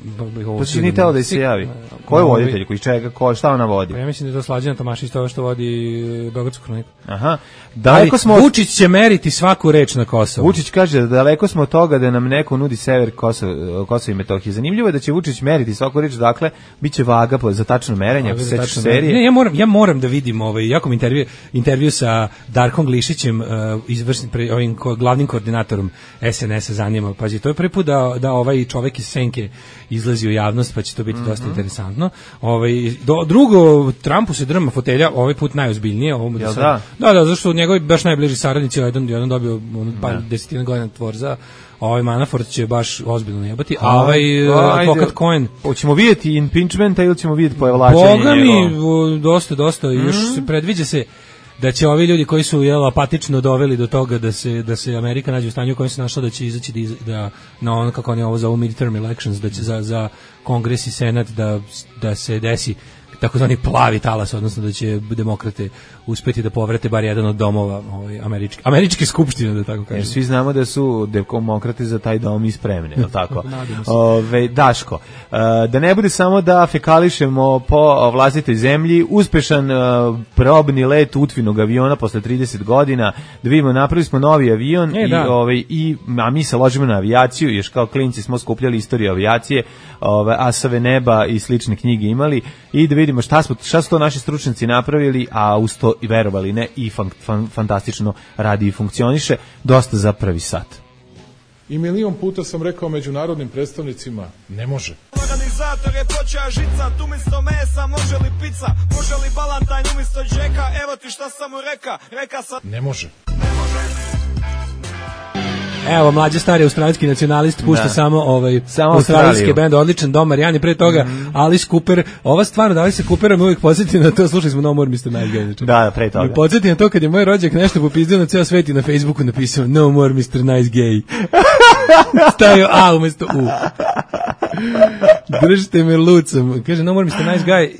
To si ni teo da se javi. Ko je voditelj, koji čega, šta ona vodi? Ja mislim da je to Slađana Tomašić, to što vodi Beogradsku kroniku. Aha. Vučić će meriti svaku reč na Kosovu. Vučić kaže da daleko smo od toga da nam neko nudi sever Kosova i Metohije. Zanimljivo je da će Vučić meriti svaku reč, dakle, bit će vaga za tačno merenje, ako se sećaš serije. Ne, ja moram da vidim jako mi intervju sa Darkom Glišićem, ovim glavnim koordinatorom SNS-a zanima. Pazi, to je prvi put da ovaj čovek iz Senke izlazi u javnost, pa će to biti dosta interesantno. Drugo, Trumpu se drma fotelja, ovaj put najozbiljnije. Da, zašto njegovi baš najbliži saradnici, jedan dobio par desetina godina tvorza, ovaj Manafort će baš ozbiljno najebati, a ovaj advokat Cohen... Hoćemo vidjeti impeachmenta ili ćemo vidjeti pojavlačenje njegov? Boga mi, dosta, još se predviđa se da će ovi ljudi koji su apatično doveli do toga da se Amerika nađe u stanju u kojem se našla, da će izaći na ono, kako oni ovo zovu midterm elections, da će za Kongres i Senat da se desi takozvani plavi talas, odnosno da će demokrate uspeti da povrate bar jedan od domova američke skupštine, da tako kažem. Jer svi znamo da su demokrate za taj dom i spremni, je li tako? Daško, da ne bude samo da fekališemo po vlastitoj zemlji, uspešan probni let Utvinog aviona posle 30 godina, da vidimo, napravili smo novi avion a mi se ložimo na avijaciju, još kao klinci smo skupljali istoriju avijacije, Asove neba i slične knjige imali, i da vidimo šta su to naši stručnjaci napravili, a uz to i verovali ne i fantastično radi i funkcioniše, dosta za prvi sat. I milion puta sam rekao međunarodnim predstavnicima, ne može. Organizator je počeo žicat, umjesto mesa može li pizza, može li balantajn umjesto džeka, evo ti šta sam mu reka sam... Ne može. Evo, mlađi stari australijski nacionalist pušta samo australijski bend, odličan Dom Marijani, pre toga Alice Cooper. Ova stvar od Alice Coopera me uvijek podsjeti na to, slušali smo No More Mr. Nice Guy. Da, pre toga. Me podsjeti na to kad je moj rođak nešto popizdio na ceo svet i na Facebooku napisao No More Mr. Nice Gay. Stavio A umjesto U. Držite me lucom. Kaže No More Mr. Nice Guy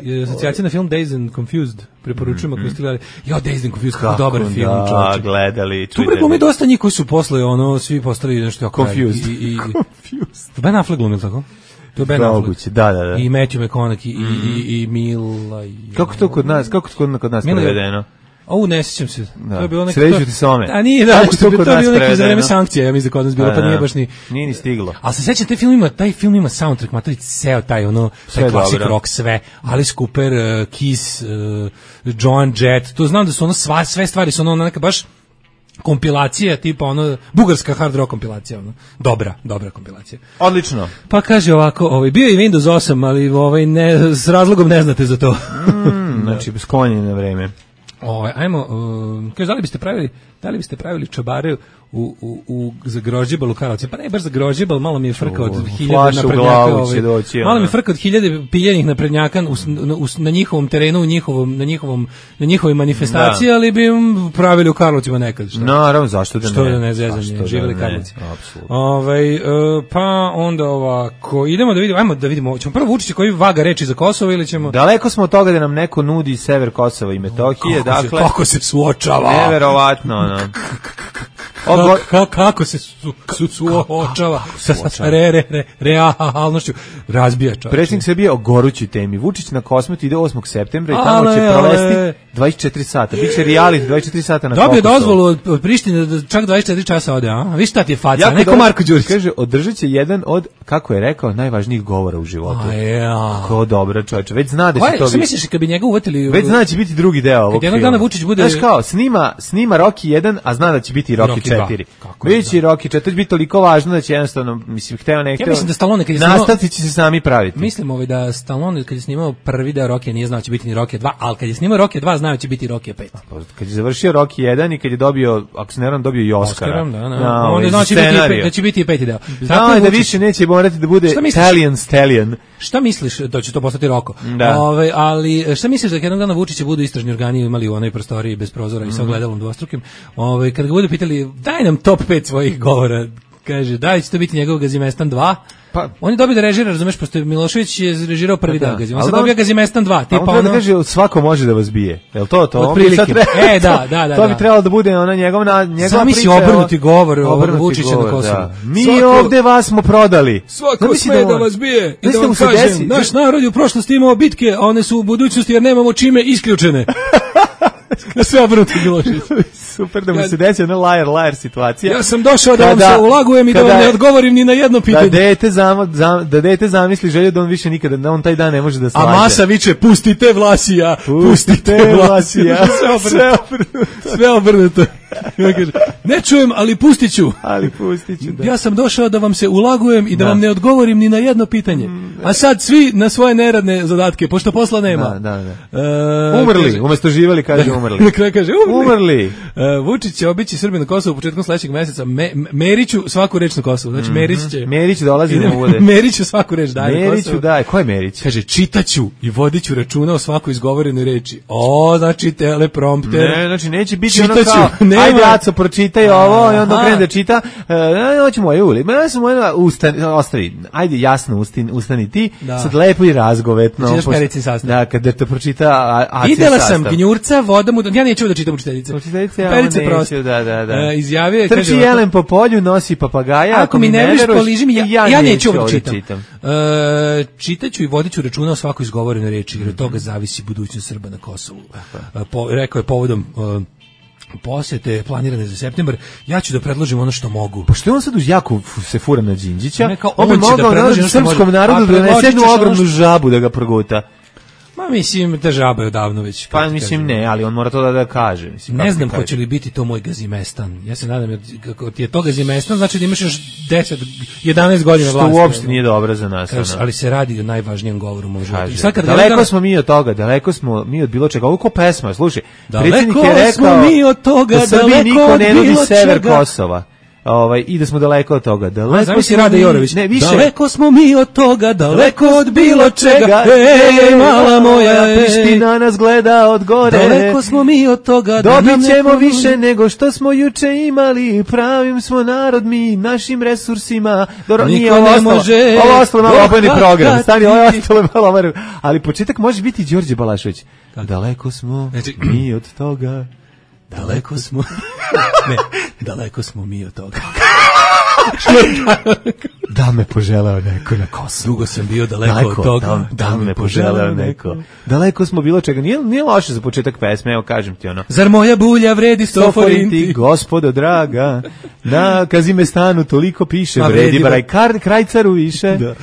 i asocijacija na film Dazed and Confused. Preporučujem ako ste gledali. Dazed and Confused, kako dobar film. Da, gledali. Tu preglumi dosta njih koji su posle svi postali nešto jako... Confused. Ben Affleck glumio, tako? To je Ben Affleck. Da. I Matthew McConaughey i Mila. Kako to kod nas prevedeno? Ne sjećam se. To je bilo neko... Sreću ti s ome. A nije, to je bilo neko za vreme sankcija, ja mislim da kod nas bilo, pa nije baš ni... Nije ni stiglo. Ali se sjećam, taj film ima soundtrack, matori, ceo taj classic rock, sve. Alice Cooper, Kiss, Joan Jett, to znam da su sve stvari su neka baš kompilacija, tipa bugarska hard rock kompilacija, dobra kompilacija. Odlično. Pa kaže ovako, bio je Windows 8, ali s razlogom ne znate za to. Znači, sklonjeni na vreme. Ajmo, kaže, da li biste pravili čabareju za grožđebal u Karlovcu. Pa ne baš za grožđebal, malo mi je frka od 1000 naprednjaka. Malo mi je frka od 1000 piljenih naprednjaka na njihovom terenu, na njihovoj manifestaciji, ali bi im pravili u Karlovcima nekad. Naravno, zašto da ne? Što da ne zezanje, živjeli Karlovci. Pa onda ovako, idemo da vidimo, ćemo prvo Vučića koji vaga reči za Kosovo ili ćemo... Daleko smo od toga da nam neko nudi sever Kosova i Metohije, kako se suočava. Neverovatno, ono. Kako se suočava sa realnošću, razbija čovječe. Predsjednik Srbije o gorućoj temi. Vučić na Kosmetu ide 8. septembra i tamo će provesti 24 sata. Biće reality 24 sata na Kosovu. Dobio dozvolu od Prištine da čak 24 časa ode, a? Viš šta ti je faca? Neko Marko Đurić. Kaže, održat će jedan od, kako je rekao, najvažnijih govora u životu. Kako dobro, čovječe. Već zna da će to biti. Šta misliš, kad bi njega uvatili... Već zna da će biti drugi deo ovog filma. Kad jednog dana Vučić bude... Znaš kao, snima Rocky 1, a zna da će biti Rocky 4. Biće Rocky 4, to će biti toliko važno da će jednostavno, mislim, hteo ne hteo... Ja mislim da Stallone kad je snimao... Nastavci će se sami praviti. Mislim da Stallone kad je snimao prvi deo Rocky nije znao da će biti ni Rocky 2, ali kad je snimao Rocky 2 znao da će biti Rocky 5. Kad je završio Rocky 1 i kad je dobio, ako se ne varam, dobio i Oscara. Onda znači da će biti i peti deo. Znao je da više neće morati da bude Italian Stallion. Šta misliš da će to postati Roko? Ali šta misliš da jednog dana Vučića budu istražni organi imali u onoj prostoriji bez prozora i sa ogledalom dvostrukim? Kad ga budu pitali, daj nam top 5 svojih govora, kaže, da li će to biti njegov Gazimestan 2? Pa, on je dobio da režira, razumeš, pošto Milošević je režirao prvi deo Gazimestan. On sad dobio Gazimestan 2. Tipa on kaže, svako može da vas bije. Je li to? Otprilike. Da. To bi trebalo da bude ona njegova priča. Zamisli obrnuti govor Vučića na Kosovu. Mi ovde vas smo prodali. Svako sme da vas bije. I da vam kažem, naš narod je u prošlosti imao bitke, a one su u budućnosti jer nemamo čime isključene. Sve obrnuti Milošević. Super da mu se desi ona liar situacija. Ja sam došao da vam se ulagujem i da vam ne odgovorim ni na jedno pitanje. Da dete zamisli želju da on više nikada, da on taj dan ne može da slađe. A masa viče, pustite Vlasija, pustite Vlasija. Sve obrnuto. Ne čujem, ali pustit ću. Da. Ja sam došao da vam se ulagujem i da vam ne odgovorim ni na jedno pitanje. A sad svi na svoje neradne zadatke, pošto posla nema. Umrli, umjesto živjeli kaže umrli. Kaže umrli. Vučić će obići Srbiju na Kosovu početkom sledećeg meseca. Meriću svaku reč na Kosovu. Znači Merić dolazi da bude. Meriću svaku reč daje na Kosovu. Daj, ko je Merić? Kaže čitaću i vodiću računa o svakoj izgovorenoj reči. Znači teleprompter. Ne, znači neće biti ono kao ajde Aco pročitaj ovo i onda krene da čita. Hoćemo moje uli. Ja sam ostavi. Ajde jasno ustani ti. Sad lepo i razgovetno. Čitaš Perici sastav. Da, kada to pročita Aci sastav. Videla sam gnjurca, voda mu... Ja neću da čitam učiteljice. Perice prosto. Da. Izjavio je, trči jelen po polju, nosi papagaja. Ako mi ne veriš, poliži mi, ja neću da čitam. Čitaću i vodiću računa o svakoj izgovorenoj reči, jer od toga zavisi budućnost Srba na Kosovu. Rekao je povodom posete planirane za septembar, ja ću da predložim ono što mogu. Pa što je on sad jako se fura na Đinđića? On bi mogao da srpskom narodu da donese jednu ogromnu žabu da ga proguta. Ma mislim, ta žaba je odavno već. Pa mislim ne, ali on mora to da kaže. Mislim, ne znam hoće li biti to moj Gazimestan. Ja se nadam, jer kako ti je to Gazimestan, znači da imaš još 11 godina vlasti. Što uopšte nije dobro za nas. Ali se radi o najvažnijem govoru u mom životu. Daleko smo mi od toga, daleko smo mi od bilo čega. Ovo ko pesma, slušaj. Predsjednik je rekao mi od toga, da Srbiji niko ne nudi sever Kosova. I da smo daleko od toga. Daleko smo Rade Jorović. Daleko smo mi od toga, daleko od bilo čega. Mala moja, Priština nas gleda od gore. Daleko smo mi od toga. Dobit ćemo više nego što smo juče imali. Pravim smo narod mi našim resursima. Nije ovo ostalo malo obojni program. Stani, ovo ostalo malo obojni. Ali početak može biti Đorđe Balašević. Daleko smo mi od toga. Daleko smo. Ne, daleko smo mi od toga. Da me poželeo neko na Kosovu. Dugo sam bio daleko od toga. Da me poželeo neko. Daleko smo bilo čega. Nije loše za početak pesme, evo kažem ti ono. Zar moja bulja vredi 100 forinti? Gospodo draga, na Kazimestanu toliko piše, vredi baraj krajcaru više. Da.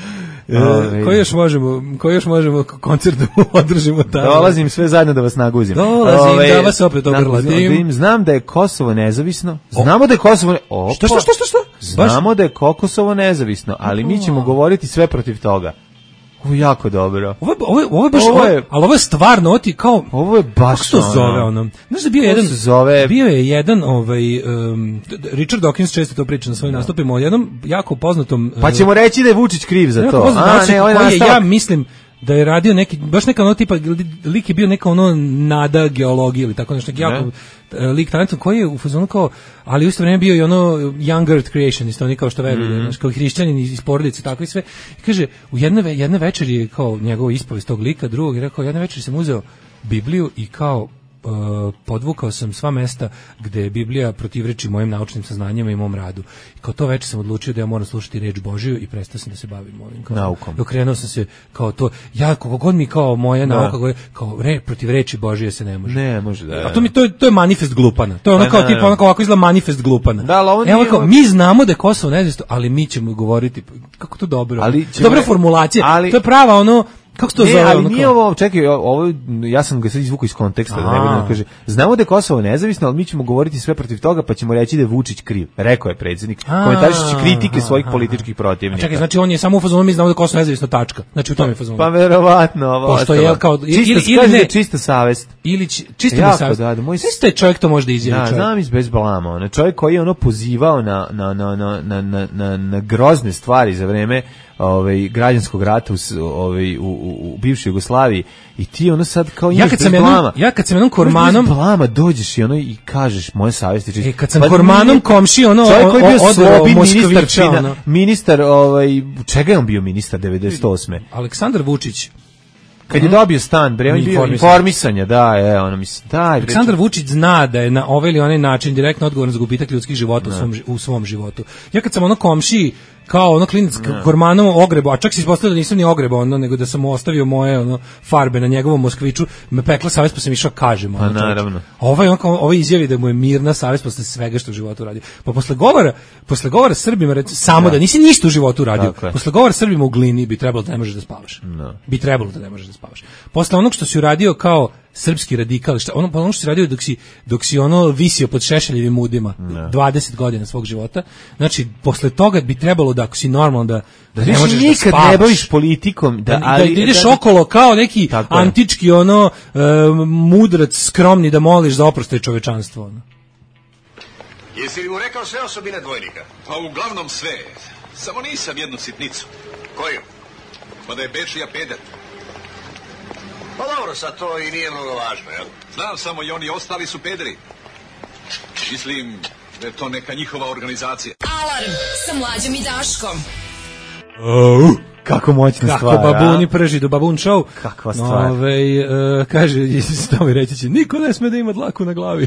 Koji još možemo koncert da održimo tamo? Dolazim sve zajedno da vas naguzim. Dolazim da vas opet obrlatim. Znam da je Kosovo nezavisno. Znamo da je Kosovo... Što? Znamo da je Kosovo nezavisno, ali mi ćemo govoriti sve protiv toga. Ovo je jako dobro. Ovo je baš, ali ovo je stvarno, oti kao... Ovo je baš... Kako se to zove, ono? Znaš da bio je jedan, Richard Dawkins često to priča na svojim nastupima, o jednom jako poznatom... Pa ćemo reći da je Vučić kriv za to. Ja mislim da je radio neki, baš neka ono tipa, lik je bio neka ono nada geologije ili tako nešto, neki jako lik talentom koji je u fazonu kao, ali u isto vreme bio i ono young earth creationist, oni kao što veruju, kao hrišćanin iz porodice, tako i sve. I kaže, u jedne večeri je kao njegova ispovest tog lika, drugog je rekao, jedne večeri sam uzeo Bibliju i kao podvukao sam sva mesta gde je Biblija protivreči mojim naučnim saznanjima i mom radu. I kao to večer sam odlučio da ja moram slušati reč Božiju i prestao sam da se bavim ovim kao naukom. Okrenuo sam se kao to, ja kako god mi kao moja nauka kao protiv reči Božije se ne može. Ne može da. A to je manifest glupana. To je ono kao tipa ono kao ovako izgleda manifest glupana. Da, evo kao mi znamo da je Kosovo nezavisno, ali mi ćemo govoriti kako to dobro. Dobra formulacija. To je prava ono. Kako se to zove? Ali nije ovo, čekaj, ovo, ja sam ga sad izvukao iz konteksta, da ne vidim, kaže, znamo da je Kosovo nezavisno, ali mi ćemo govoriti sve protiv toga, pa ćemo reći da je Vučić kriv. Rekao je predsjednik, komentarišući kritike svojih političkih protivnika. Čekaj, znači on je samo u fazonu, mi znamo da je Kosovo nezavisno, tačka. Znači u tom je fazonu. Pa verovatno. Pošto je kao... Čista savest. Ili čista savest. Isto je čovjek to možda izjavi čovjek. Znam iz bez blama. Čovjek koji je ono pozivao na grozne stvari za vreme građanskog rata u bivšoj Jugoslaviji i ti ono sad kao imaš bez blama. Ja kad sam jednom kormanom bez blama dođeš i ono i kažeš moje savjesti čist. Kad sam kormanom komši ono čovjek koji je bio slobodni ministar čega je on bio ministar 98. Aleksandar Vučić. Kad je dobio stan, bre, on je bio informisanja, Aleksandar Vučić zna da je na ovaj ili onaj način direktno odgovoran za gubitak ljudskih života u svom životu. Ja kad sam ono komšiji kao ono klinac kormanom ogrebo, a čak se ispostavilo da nisam ni ogrebo nego da sam mu ostavio moje farbe na njegovom Moskviću, me pekla savest pa sam išao kažem. Pa naravno. Ovo izjavi da mu je mirna savest posle svega što u životu radi. Pa posle govora Srbima samo da nisi ništa u životu uradio. Posle govora Srbima u Glini bi trebalo da ne možeš da spavaš. Bi trebalo da ne možeš da spavaš. Posle onog što si uradio kao srpski radikal, ono što si radio dok si visio pod Šešeljevim udima 20 godina svog života, znači posle toga bi trebalo da ako si normalno da ne možeš da spavaš. Nikad ne baviš politikom. Da ideš okolo kao neki antički mudrac skromni da moliš za oproštaj čovečanstvo. Jesi li mu rekao sve osobine dvojnika? Pa uglavnom sve. Samo nisam jednu sitnicu. Koju? Pa da je Bečija peder. Pa dobro, sad to i nije mnogo važno, jel? Znam samo i oni ostali su pederi. Mislim da je to neka njihova organizacija. Alarm sa Mlađom i Daškom. Kako moćna stvar. Kako babuni prži do babun show. Kakva stvar. Kaže, Stomi reći će, niko ne sme da ima dlaku na glavi.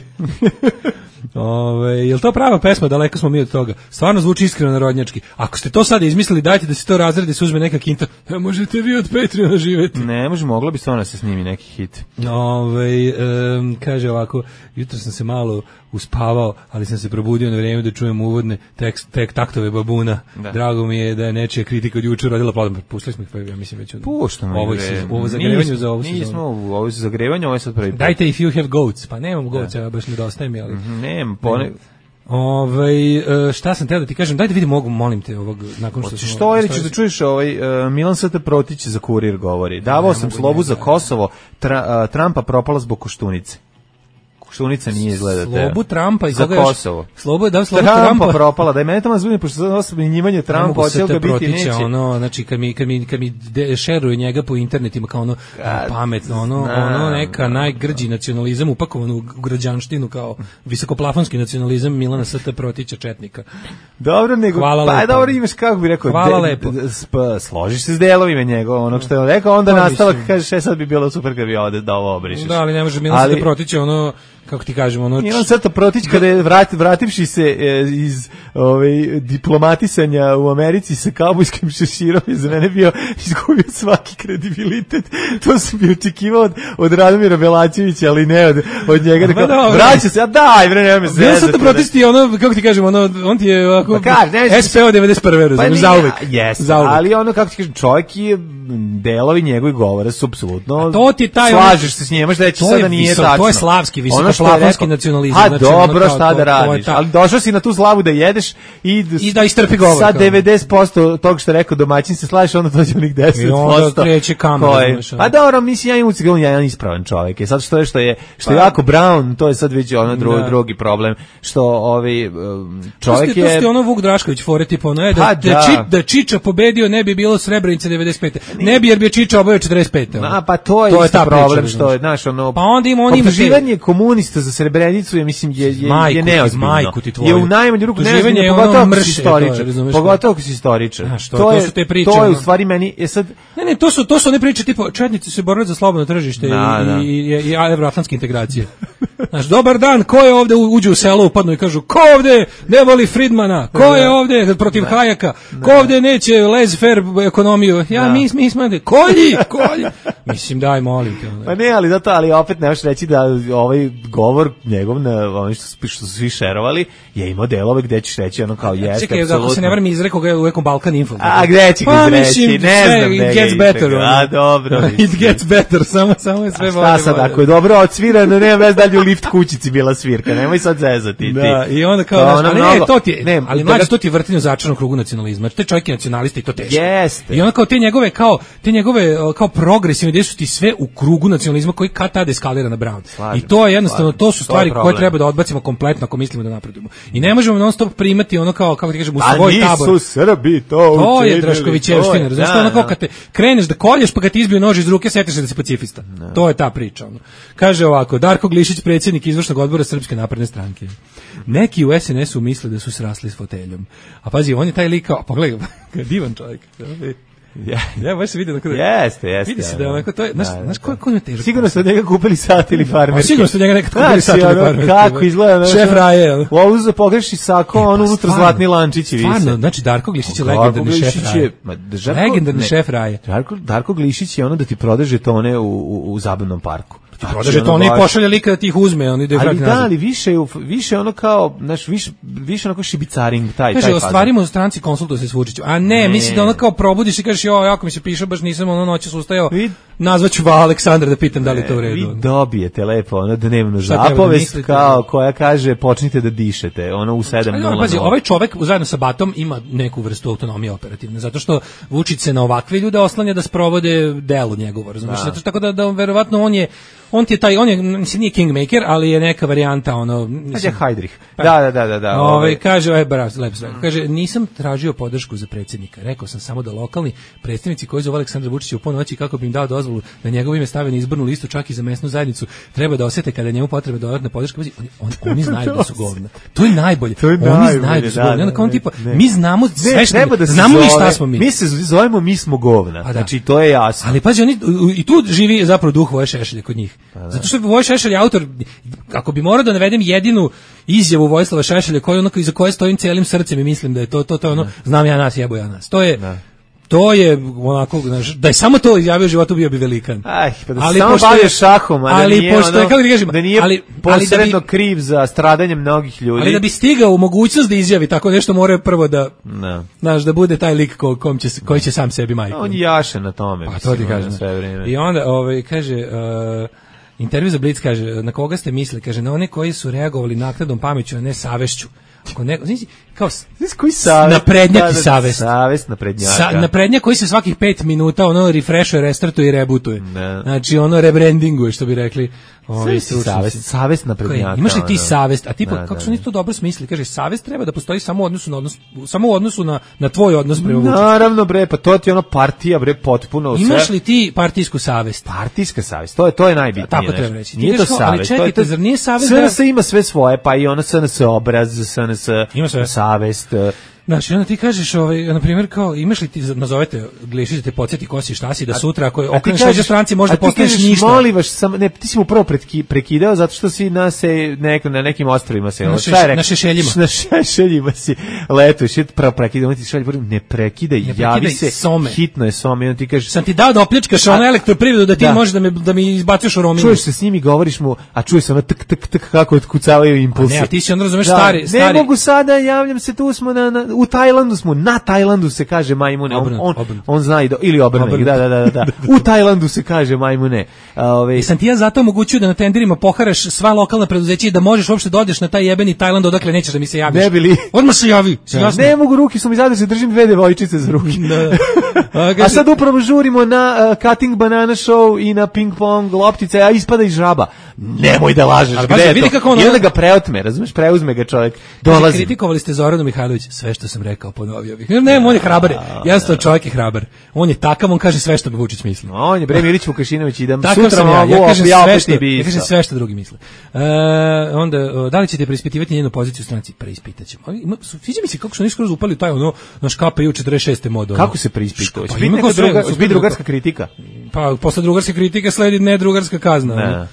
Jel to prava pesma, daleko smo mi od toga. Stvarno zvuči iskreno narodnjački. Ako ste to sada izmislili, dajte da se to razredi, se uzme neka kinta. Možete vi od Patreona živeti. Ne, mogla bi stvarno se snimi neki hit. Kaže ovako, jutro sam se malo uspavao, ali sam se probudio na vrijeme da čujem uvodne taktove babuna. Drago mi je da je nečija kritika od juče rodila plodom. Pustili smo ih, ja mislim već od ovo zagrevanju za ovu sezonu. Nismo ovo zagrevanju, ovo je sad prvi. Dajte if you have goats. Pa nemam goats, ja baš nedostaje mi, ali... šta sam teo da ti kažem, daj da vidim molim te ovog nakon što što ili ćeš da čuješ Milan St. Protić za Kurir govori. Davao sam slobu za Kosovo, Trumpa propala zbog Koštunice. Koštunica nije izgleda te. Slobu Trumpa i za Kosovo. Slobu Trumpa propala, da je mene tamo zbunio pošto sad osobno njimanje Trumpa hoće ga biti neće. Znači kad mi šeruje njega po internetima kao pametno, neka najgrđi nacionalizam upakovan u građanštinu kao visokoplafonski nacionalizam Milana St. Protića četnika. Dobro, nego pa dobro imaš kako bi rekao. Hvala lepo. Složiš se s delovima njegov, onog što je on rekao, onda nastavak kaže sad bi bilo super kad bi ovde da ovo obrišeš. Da, ali ne može Milan St. Protić kako ti kažemo, Milan St. Protić kada je vrativši se iz diplomatisanja u Americi sa kaubojskim šeširom je za mene bio izgubio svaki kredibilitet. To sam bi očekivao od Radomira Belačevića, ali ne od njega. Vraća se, a daj, bre, nema me zezati. Milan St. Protić ti kako ti kažemo, on ti je ovako SPO 91. Razumiješ, zauvek. Ali kako ti kažem, čovjek je delovi njegovih govora su apsolutno to ti taj slažeš se s njima, da će sada nije tačno. To je slavski visoko plafonski nacionalizam. A znači, dobro, šta da radiš? Ali došao si na tu slavu da jedeš i da istrpi govor. Sa 90% tog što je rekao domaćin se slažeš, onda dođe onih 10%. I onda kreće kamer. Pa dobro, mislim, ja imam ucik, on je jedan ispravan čovjek. Sad što je jako Brown, to je sad već ono drugi problem, što čovjek je... To je ono Vuk Drašković fore, tipa ono je da Čiča pobedio, ne bi bilo Srebrenice 95. Ne bi, jer bi je Čiča obavio 45. Pa to je isto problem, što je, znaš, ono... Pa onda ima optuživanje komunista za Srebrenicu je, mislim, je neozbiljno. Je u najmanju ruku neozbiljno, pogotovo ako si istoričar. To su te priče. To je u stvari meni... Ne, to su one priče, tipa, četnici se borili za slobodno tržište i evroatlantske integracije. Znaš, dobar dan, ko je ovde uđe u selo, upadnu i kažu, ko ovde ne voli Friedmana, ko je ovde protiv Hayeka, ko ovde neće laissez-faire ekonomiju, mi smo kolji, mislim, daj, molim te. Pa ne, ali opet nemaš reći da ovaj govor njegov, ono što su svi šerovali, je imao delove gde ćeš reći ono kao jeste, apsolutno. Čekaj, ako se ne varam izrekao ga u nekom Balkan Info. A gde će ga izreći, ne znam. It gets better. A dobro. It gets better, samo je sve bolje. Šta sad, ako je dobro odsvirano, nema vez dalje u lift kućici bila svirka, nemoj sad zezati. Da, i onda kao, ali mlađe, to ti je vrtinje u začaranom krugu nacionalizma. Te čovjek je nacionalista i to teško. Jeste. I onda kao te njegove kao progresivne ideje su ti sve u krugu nacionalizma koji kad tada eskalira na Brown. I to je jednostavno, to su stvari koje treba da odbacimo kompletno ako mislimo da napredujemo. I ne možemo non stop primati ono kao, kako ti kažem, u svoj tabor. A nisu Srbi to učinili. To je Draškovićevština. Znaš što ono kao kad te kreneš da kolješ pa kad ti izbiju nož iz ruke, setiš se da si pacifista. To je ta priča. Kaže ovako, Darko Glišić, predsjednik izvršnog odbora Srpske napredne stranke. Neki u SNS-u misle da su srasli s foteljom. A pazi, on je taj lik kao, pogledaj, divan čovjek. Ja baš se vidim da jeste. Vidi se da onako to je, znaš ko je težak. Sigurno ste od njega kupili sat ili farmerke. Sigurno ste od njega nekad kupili sat ili farmerke. Kako izgleda? Šef Raje. Ovo za pogreši sako, on unutra zlatni lančići vise. Stvarno, znači Darko Glišić je legendarni šef Raje. Legendarni šef Raje. Darko Glišić je ono da ti prode žetone u zabavnom parku. Prodaže to, on i pošalje lika da ti ih uzme, on ide ali da, ali više ono kao, znaš, više onako šibicaring, taj kaže, ostvarimo u stranci konsultuje se s Vučićem, a ne, misli da ono kao probudiš i kažeš, jako mi se piše, baš nisam ono noćas ustajao, nazvaću Aleksandra da pitam da li je to u redu. Vi dobijete lepo, ono dnevnu zapovest, kao koja kaže, počnite da dišete, ono u 7:00. Pazi, ovaj čovek zajedno sa Batom ima neku vrstu autonomije operativne, zato što Vučić se na ovakve ljude oslanja da sprovode delo njegovo, razumiješ, tako da verovatno on ti je taj, on je, mislim, nije kingmaker, ali je neka varijanta, ono... Kaže Hajdrih. Da. Kaže, lepo sve. Kaže, nisam tražio podršku za predsjednika. Rekao sam samo da lokalni predstavnici koji zovu Aleksandra Vučića u ponoći kako bi im dao dozvolu da njegovo ime stave na izbornu listu, čak i za mesnu zajednicu, treba da osete kada njemu potrebe dodatna podrška. Oni znaju da su govna. To je najbolje. Oni znaju da su govna. Onda kao on tipa, mi znamo sve što znamo mi šta smo mi. Mi se zovemo, mi smo govna. Znači, to je jasno. Ali pazi, oni i tu živi zapravo duh Voje Šešelja kod njih. Zato što Voje Šešelj je autor, ako bi morao da navedem jedinu izjavu Vojislava Šešelja iza koje stojim cijelim srcem i mislim da je to je ono, znam ja nas, jebo ja nas. To je onako, da je samo to izjavio u životu, bio bi velikan. Pa da se samo bavio šahom, da nije posredno kriv za stradanje mnogih ljudi. Ali da bi stigao u mogućnost da izjavi tako nešto, mora prvo da, znaš, da bude taj lik koji će sam sebi majku. On jaše na tome. Pa to ti kažem. I onda, kaže... intervju za Blic, kaže, na koga ste mislili? Kaže, na one koji su reagovali naknadnom pameću, a ne savešću. Ako neko, znači, kao koji savest? Naprednjak i savest. Savest naprednjaka. Naprednjak koji se svakih 5 minuta ono refreshuje, restartuje i rebootuje. Znači ono rebrandinguje, što bi rekli ovi stručnjaci. Savest naprednjaka. Imaš li ti savest? A tipa, kako su oni to dobro smislili? Kaže, savest treba da postoji samo u odnosu na tvoj odnos prema Vučiću. Naravno, bre, pa to ti je ono partija, bre, potpuno sve. Imaš li ti partijsku savest? Partijska savest, to je najbitnije. Tako treba reći. Nije to savest. Ali čekajte, zar nije savest? SNS ima sve svoje, pa i ono SNS obraz, SNS savest. Znači, onda ti kažeš, na primjer, kao, imaš li ti, nazovete, Glišić da te podsjeti ko si, šta si, da sutra, ako okreneš leđa stranci, možda postaneš ništa. Molim vas, ti si mu prvo prekidao, zato što si na nekim ostrovima se... Na Šešeljima. Na Šešeljima si letuješ, prvo prekidao, ti šalje, ne prekidaj, javi se, hitno je some, i on ti kaže... Sam ti dao da opljačkaš ono elektroprivredu, da ti možeš da mi izbacuješ u roamingu. Čuješ se s njim i govoriš mu, a čuješ se ono tak, kako otkucavaju impulsi. Ne, a ti si on razumeš stari... Ne mogu sada, javljam se, tu smo u Tajlandu smo, na Tajlandu se kaže majmune, on zna i ili obrnuto, da. U Tajlandu se kaže majmune. I sam ti ja zato omogućio da na tenderima poharaš sva lokalna preduzeća i da možeš uopšte da odeš na taj jebeni Tajland odakle nećeš da mi se javiš. Ne bili. Odmah se javi. Ne mogu, ruke su mi zadeš, se držim 2 devojčice za ruke. A sad upravo žurimo na Cutting Banana Show i na ping pong loptice, a ispada iz žaba. Nemoj da lažeš, gde je to? I onda ga preotme, razumeš, preuzme ga čovjek. Dolazi. Kritikovali ste Zoranu Mihajlović, sve što sam rekao ponovio bih. Ne, on je hrabar. Jasno, čovjek je hrabar. On je takav, on kaže sve što bi Vučić misli. On je bre Milić Vukašinović, idem sutra mogu, ja kažem sve što drugi misle. Onda, da li ćete preispitivati njenu poziciju u stranci? Preispitaćemo. Sviđa mi se kako su oni skroz upali taj ono naš KPU 46. mod. Kako se preispituje? Biti drugarska kritika. Pa posle drugarske kritike sledi nedrugarska kazna.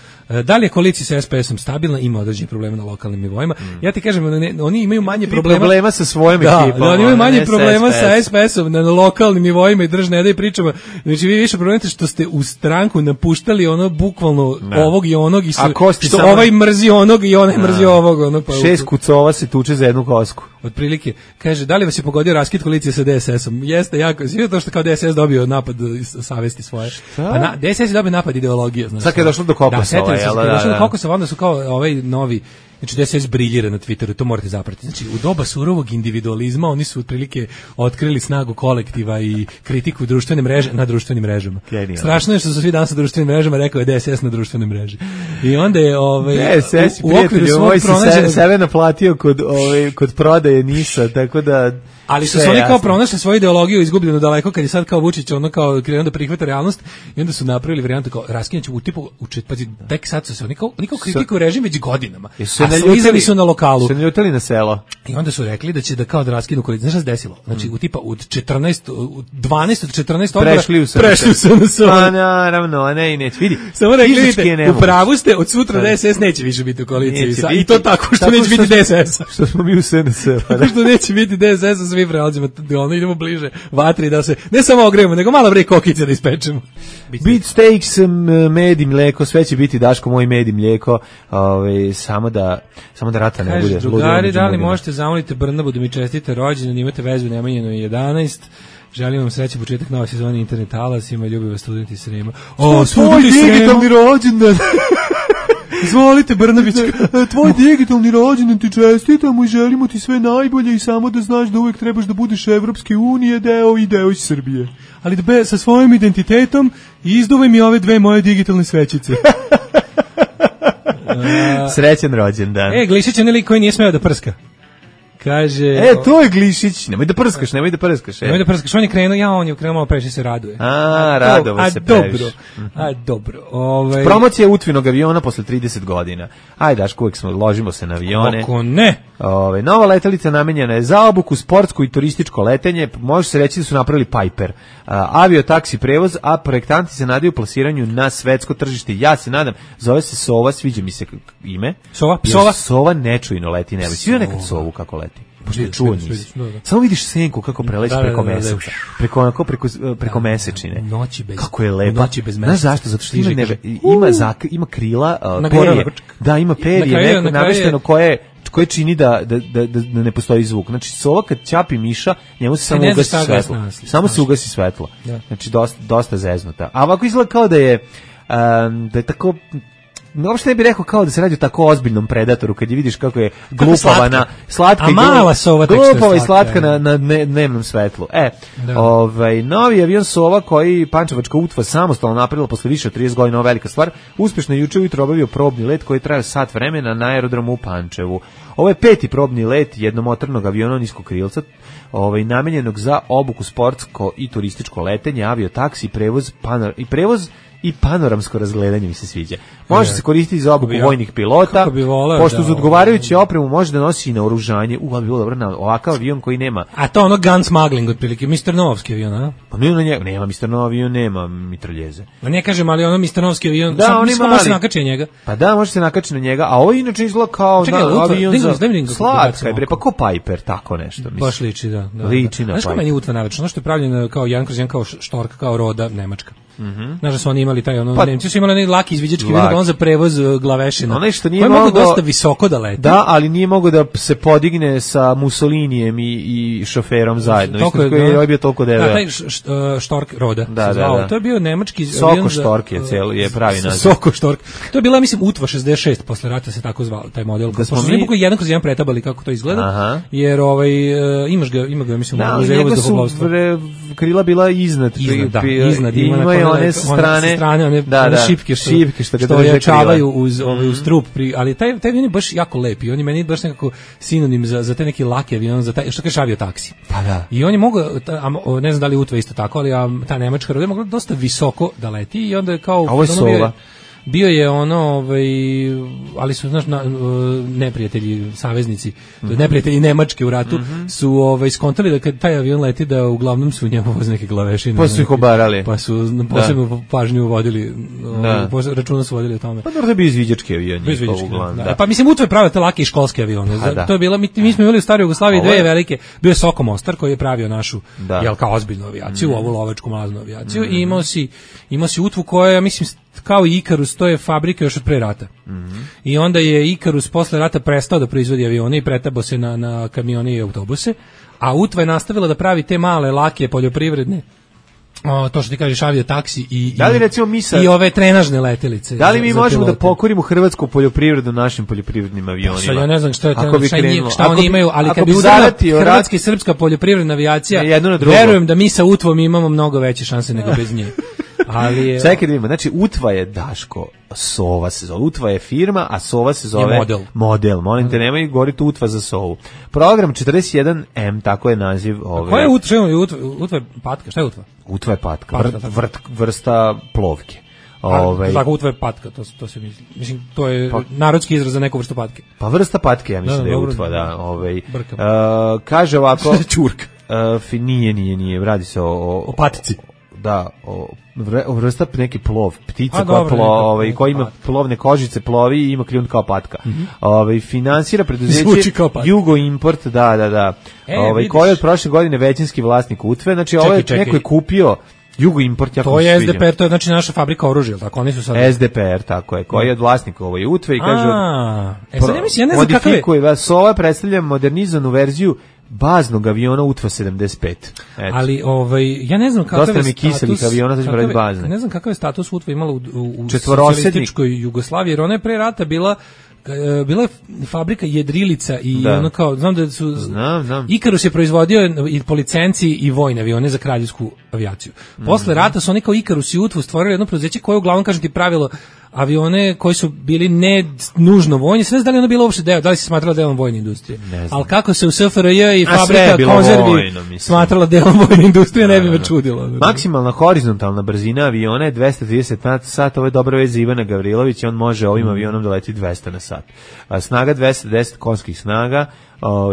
Da li je koalicija sa SPS-om stabilna? Ima određenih problema na lokalnim nivoima. Ja ti kažem, oni imaju manje problema sa svojom ekipom. Da, oni imaju manje problema sa SPS-om na lokalnim nivoima i ne da pričamo. Znači vi više problemate što ste u stranku napuštali ono bukvalno ovog i onog i što ovaj mrzi onog i onaj mrzi ovog. Ono, pa 6 kucova se tuče za jednu kosku. Otprilike, kaže, da li vas je pogodio raskid koalicije sa DSS-om? Jeste, jako. Svi to što kao DSS dobio napad savesti svoje. Pa DSS je dobio napad ideologije. Sad kad je došlo do Kokosova, Kokosova, onda su kao ovaj novi, znači DSS briljira na Twitteru, to morate zapratiti. Znači, u doba surovog individualizma oni su otprilike otkrili snagu kolektiva i kritiku društvene mreže na društvenim mrežama. Strašno je što su svi danas na društvenim mrežama, rekao je DSS na društvenoj mreži. I onda je DSS u okviru svog pronađenog sebe naplatio kod prodaje NIS-a, tako da. Ali su oni kao pronašli svoju ideologiju izgubljeno daleko kad je sad kao Vučić ono kao krenuo da prihvata realnost i onda su napravili varijantu kao raskinuće u tipu tek sad su se oni kao kritikuju režim već godinama. Slizali su na lokalu. Se naljutili na selo. I onda su rekli da će da kao da raskinu koaliciju. Znaš šta se desilo? Znači u tipa od 12 od 14 odbora prešli su na selo. Pa naravno, ne i neće. Vidi. Samo rekli, u pravu ste, od sutra DSS neće više biti u koaliciji. I to tako što neće biti DSS. Što smo mi u SNS. Tako što neće biti DSS, svi prelazimo, idemo bliže vatri da se, ne samo ogrejemo, nego malo bre kokice da ispečemo. Beefsteaks, med i mleko, sve će biti Daško moj med i mlijeko, samo da rata ne bude. Drugari, da li možete zamoliti Brnabu da mi čestite rođendan, imate vezu Nemanjinu 11. Želim vam srećan početak nove sezone Internet Alasima, ljubi vas studenti Srema. Tvoj digitalni rođendan. Izvolite, Brnabićka. Tvoj digitalni rođendan ti čestitamo i želimo ti sve najbolje i samo da znaš da uvek trebaš da budeš Evropske unije deo i deo iz Srbije. Ali da sa svojim identitetom izduvaj mi ove 2 moje digitalne svećice. Srećan rođendan. Glišić je nelik koji nije smeo da prska. Kaže, to je Glišić, nemoj da prskaš. Nemoj da prskaš, on je krenuo malo previše se raduje. Radovo se previše. Dobro. Promocija Utvinog aviona posle 30 godina. Ajde, Daško, uvijek ložimo se na avione. Ako ne. Nova letelica namenjena je za obuku, sportsko i turističko letenje. Može se reći da su napravili Piper. Avio-taksi prevoz, a projektanti se nadaju plasiranju na svetsko tržište. Ja se nadam, zove se Sova, sviđa mi se ime. Sova nečujno leti nebo. Svi nekad Sovu kako leti. Čuo nisi. Samo vidiš senku kako preleći preko meseca. Preko mesečine. Kako je lepa. Znaš zašto? Zato što ima krila, perje. Da, ima perje namešteno koje čini da ne postoji zvuk. Znači, Sova kad ćapi miša, njemu se samo ugasi svetlo. Samo se ugasi svetlo. Znači, dosta zeznuta. A ovako izgleda kao da je tako... Uopšte ne bih rekao kao da se radi o tako ozbiljnom predatoru kad je vidiš kako je glupava slatka a mala Sova glupava i slatka na dnevnom svetlu. Novi avion Sova koji Pančevačka UTVA samostalno napravila posle više od 30 godina, velika stvar, uspešno je juče ujutro obavio probni let koji traje sat vremena na aerodromu u Pančevu. Ovo je 5. probni let jednomotornog aviona niskog krilca, namenjenog za obuku sportsko i turističko letenje, avio-taksi, prevoz i panoramsko razgledanje mi se sviđa. Može se koristiti za obuku vojnih pilota, pošto uz odgovarajuću opremu može da nosi i na oružanje. Ali bi bilo dobro na ovakav avion koji nema. A to ono gun smuggling otprilike, Mr. Novski avion, a? Pa nema Mr. Nov avion, nema mitraljeze. Ma ne kažem, ali ono Mr. Novski avion, može se nakači na njega. Pa da, može se nakači na njega, a ovo inače izgleda kao avion za slatka, pa ko Piper, tako nešto. Baš liči, da. Liči na Piper. Znaš ko meni utva navečno, ono što je pravljeno kao jedan kroz jedan, kao štorka, kao roda nemačka. Znaš da su oni imali taj Nemci su imali onaj laki izviđački avion za prevoz glavešina. Onaj što nije mogao dosta visoko da leti. Da, ali nije mogao da se podigne sa Mussolinijem i šoferom zajedno. Isto koji je bio toliko debel. Da, taj Stork Roda se zvao. To je bio nemački Soko Stork je pravi naziv. Soko Stork. To je bila, mislim, Utva 66, posle rata se tako zvao taj model. Pošto smo jedan kroz jedan pretabali kako to izgleda, jer ima ga, mislim, u muzeju vazduhoplovstva. Krila bila iznad. Ima je one strane, one šipke što jačavaju uz trup, ali taj avion je baš jako lep i on je meni baš nekako sinonim za te neki laki avion, za taj, što kaže aviotaksi. Pa da. I on je mogao, ne znam da li Utva isto tako, ali ta nemačka Roda je mogla dosta visoko da leti i onda je kao... A ovo je Sova. Bio je ali su, znaš, neprijatelji, saveznici, neprijatelji Nemačke u ratu, su skontali da kad taj avion leti da uglavnom su u njemu voze neke glavešine. Pa su ih obarali. Pa su posebno pažnju vodili, računa su vodili o tome. Pa dobro da bi izviđački avion. Pa mislim, Utva je pravio te lake i školske avione. To je bila, mi smo imali u staroj Jugoslaviji dve velike, bio je Soko Mostar koji je pravio našu, kao ozbiljnu avijaciju, ovu lovačku mlaznu avijaciju, i imao si Utvu koja, ja mislim, kao i Ikarus, to je fabrika još od pre rata. I onda je Ikarus posle rata prestao da proizvodi avione i pretabo se na kamione i autobuse, a Utva je nastavila da pravi te male, lake, poljoprivredne, to što ti kažeš, aviotaksi i ove trenažne letelice. Da li mi možemo da pokorimo hrvatsku poljoprivredu našim poljoprivrednim avionima? Ja ne znam šta oni imaju, ali kad bi udarila hrvatska i srpska poljoprivredna avijacija, verujem da mi sa Utvom imamo mnogo veće šanse nego bez nje. Čekaj da vidimo, znači Utva je Daško, Sova se zove, Utva je firma, a Sova se zove model. Molim te, nemoj govoriti Utva za Sovu. Program 41M, tako je naziv. Koja je Utva je patka, šta je Utva? Utva je patka, vrsta plovke. Tako Utva je patka, to se misli. Mislim, to je narodski izraz za neku vrstu patke. Pa vrsta patke, ja mislim da je Utva, da. Kaže ovako... Čurka. Nije, radi se o patici. Da, vrsta neki plov, ptica koja ima plovne kožice, plovi i ima kljun kao patka. Finansira preduzeće Jugo Import, da. Koji je od prošle godine većinski vlasnik Utve, znači neko je kupio Jugo Import, to je SDPR, to je znači naša fabrika oružja, tako oni su sad SDPR, tako je, koji je od vlasnika Utve i kaže ja ne znam kakav je. Sova predstavlja modernizovanu verziju baznog aviona Utva 75. Ali ja ne znam kakav je kiselih aviona, znači broj bazne. Ne znam kakav je status Utva imala u socijalističkoj Jugoslaviji, jer ona je pre rata bila je fabrika jedrilica i ono kao, znam da su Ikarus je proizvodio i po licenciji i vojne avione za kraljevsku avijaciju. Posle rata su oni kao Ikarus i Utvu stvorili jedno preduzeće koje uglavnom, kažem ti, pravilo avione koji su bili ne nužno vojni, sve da li ono bilo uopšte deo, da li se smatralo delom vojne industrije. Ali kako se u SFRJ i fabrika konzervi smatrala delom vojne industrije, ne bi me čudilo. Maksimalna horizontalna brzina aviona je 230 na sat, ovo je dobra vez za Ivana Gavrilovića, on može ovim avionom da leti 200 na sat. Snaga 210 konskih snaga,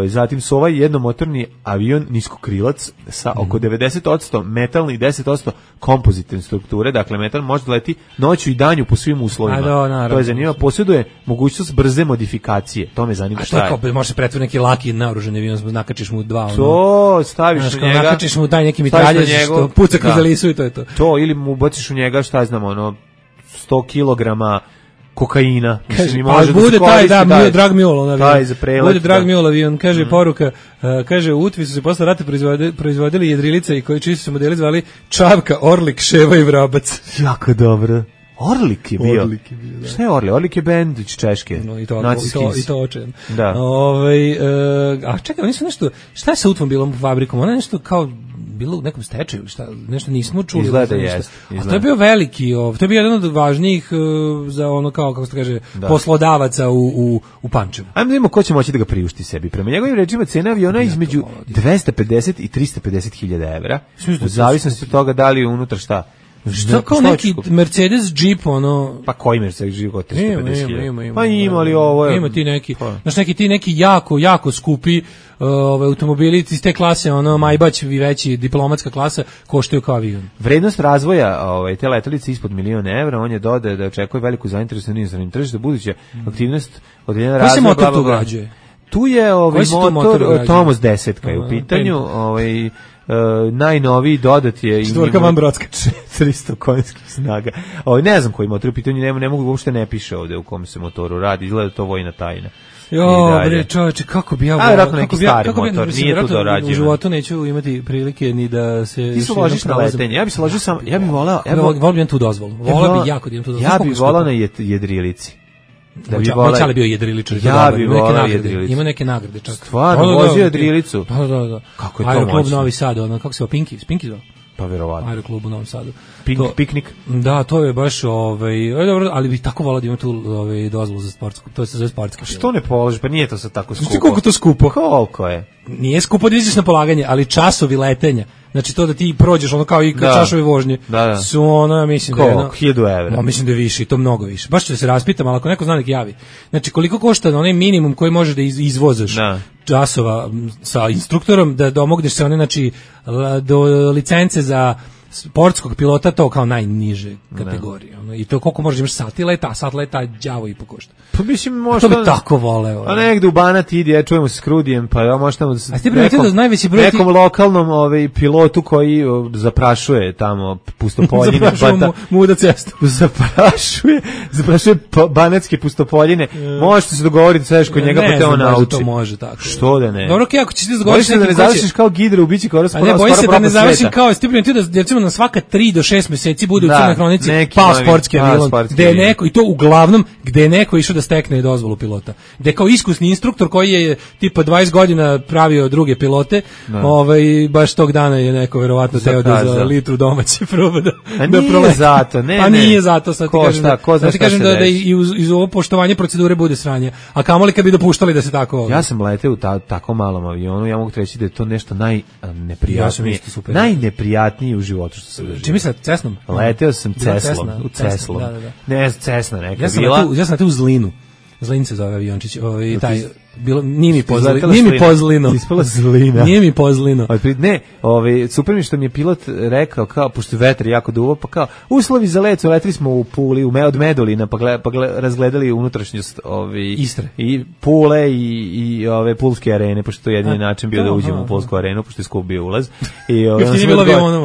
zatim su ovaj jednomotorni avion niskokrilac sa oko 90% metalne i 10% kompozitne strukture, dakle metal može da leti noću i danju po svim uslovima. To je zanimljivo, posjeduje mogućnost brze modifikacije, to me zanima šta je. A to je može se pretvoriti neki laki naoružani avion, nakačiš mu dva. To staviš u njega. Nakačiš mu taj neki mitraljez što puca kroz Alisu i to je to. To, ili mu baciš u njega, šta znam, 100 kilograma kokaina. Pa bude taj, Drag Mule, bude Drag Mule avion, kaže poruka, kaže u Utvi su se posle rata proizvodili jedrilice i koji čiji su se modeli zvali Čavka, Orlik, Ševa i Vrabac. Jako dobro. Orlik je bio. Šta je Orlik? Orlik je bend iz Češke. I to očejan. Da. A čekaj, oni su nešto, šta je sa Utvom bilom fabrikom? Ona je nešto kao bilo u nekom stečaju ili šta, nešto nismo čuli. Izgleda jest. A to je bio veliki, to je bio jedan od važnijih za ono kao, kako se kaže, poslodavaca u Pančevu. Ajmo da vidimo ko će moći da ga priušti sebi. Prema njegovim rečima cena aviona je između 250 i 350 hiljada evra. U zavisnosti od toga da li je unutra šta. Što kao neki Mercedes Jeep, ono... Pa koji Mercedes Jeep od 350.000? Ima. Pa ima li ovo je... Ima ti neki, znaš neki jako skupi automobili iz te klase, ono Maybach i veći diplomatska klasa koštaju kao avion. Vrednost razvoja te letelice ispod €1.000.000, on je dodao da očekuje veliku zainteresovanost na inozemnom tržištu, buduće aktivnost određena razvoja. Koji se motor tu ugrađuje? Tu je motor Tomos 10 je u pitanju, najnoviji dodat je 4 van Brodska 400 konjskih snaga. Ne znam koji motor u pitanju, ne mogu, uopšte ne piše ovde u kom se motoru radi, izgleda to vojna tajna. Jo, bre, čoveče, kako bi ja vjerovatno neki stari motor, nije tu dorađeno. U životu neću imati prilike ni da se... Ti se ložiš na letenje, ja bi se ložio sam, ja bih volao... Volio bi tu dozvolu, volao bi jako da imam tu dozvolu. Ja bih volao na jedrilici. Moj čale bio jedriličar. Ja bih volao jedrilicu. Ima neke nagrade čak. Stvarno, vozio jedrilicu. Da. Kako je to moćno? Aeroklub Novi Sad, kako se zove, Pinky zove? Pa verovatno. Aeroklub u Novom Sadu. Piknik. Da, to je baš dobro, ali bih tako volao da ima tu dozvolu za sportsku. To se zove sportska. Što ne položiš? Pa nije to sad tako skupo. Znači koliko to skupo? Koliko je? Nije skupo da izađeš na polaganje, ali časovi letenja. Znači to da ti prođeš kao i časovi vožnje. Da. Su mislim da je 1000 evra. Mislim da je više i to mnogo više. Baš ću da se raspitam, ali ako neko zna nek javi. Znači koliko košta onaj minimum koji možeš da izvozaš časova sa instruktorom da domogneš se znači do licence za sportskog pilota, to kao najniže kategorije. I to koliko možeš imaš sat leta đavo i pokošta. Pa mislim možda... To bi tako voleo. A negde u Banat idi, ja čujemo se s Krudijem, pa ja možda tamo nekom lokalnom pilotu koji zaprašuje tamo pustopoljine. Zaprašuje muda cestu. Zaprašuje banatske pustopoljine. Možete se dogovoriti sve kod njega, pa te on nauči. To može tako. Što da ne? Dobro, ako ćeš ti dogovoriti da ne završiš kao Gidra u bici kao skoro propast sveta. Bojim se da ne završim kao Stiprin, da recimo na svaka 3 do 6 meseci bude u Crnoj hronici pao sportski avion, gde je neko, i to uglavnom gde je neko išao da stekne dozvolu pilota. Gde kao iskusni instruktor koji je tipa 20 godina pravio druge pilote, baš tog dana je neko verovatno teo da za litru domaće proba da proleti. Zato, a nije zato, sad ti kažem da i uz ovo poštovanje procedure bude sranje. A kamoli kad bi dopuštali da se tako... Ja sam leteo u tako malom avionu, ja mogu reći da je to nešto najneprijatnije u životu što se doživio. Čime se Cessnom? Leteo sam Ceslom, u Ceslom. Ne, Cessna neka bila. Ja sam leteo u Zlinu. Zlin se zove aviončić, taj bilo nije mi pozlino. Ispala Zlina. Nije mi pozlino. Ne, super mi što mi je pilot rekao, kao pošto vetar jako duvo, pa kao uslovi za let, leteli smo u Puli, od Medulina, pa razgledali unutrašnjost Istre i Pule i ove Pulske arene, pošto to je jedini način bio da uđemo u Pulsku arenu, pošto je skup bio ulaz. I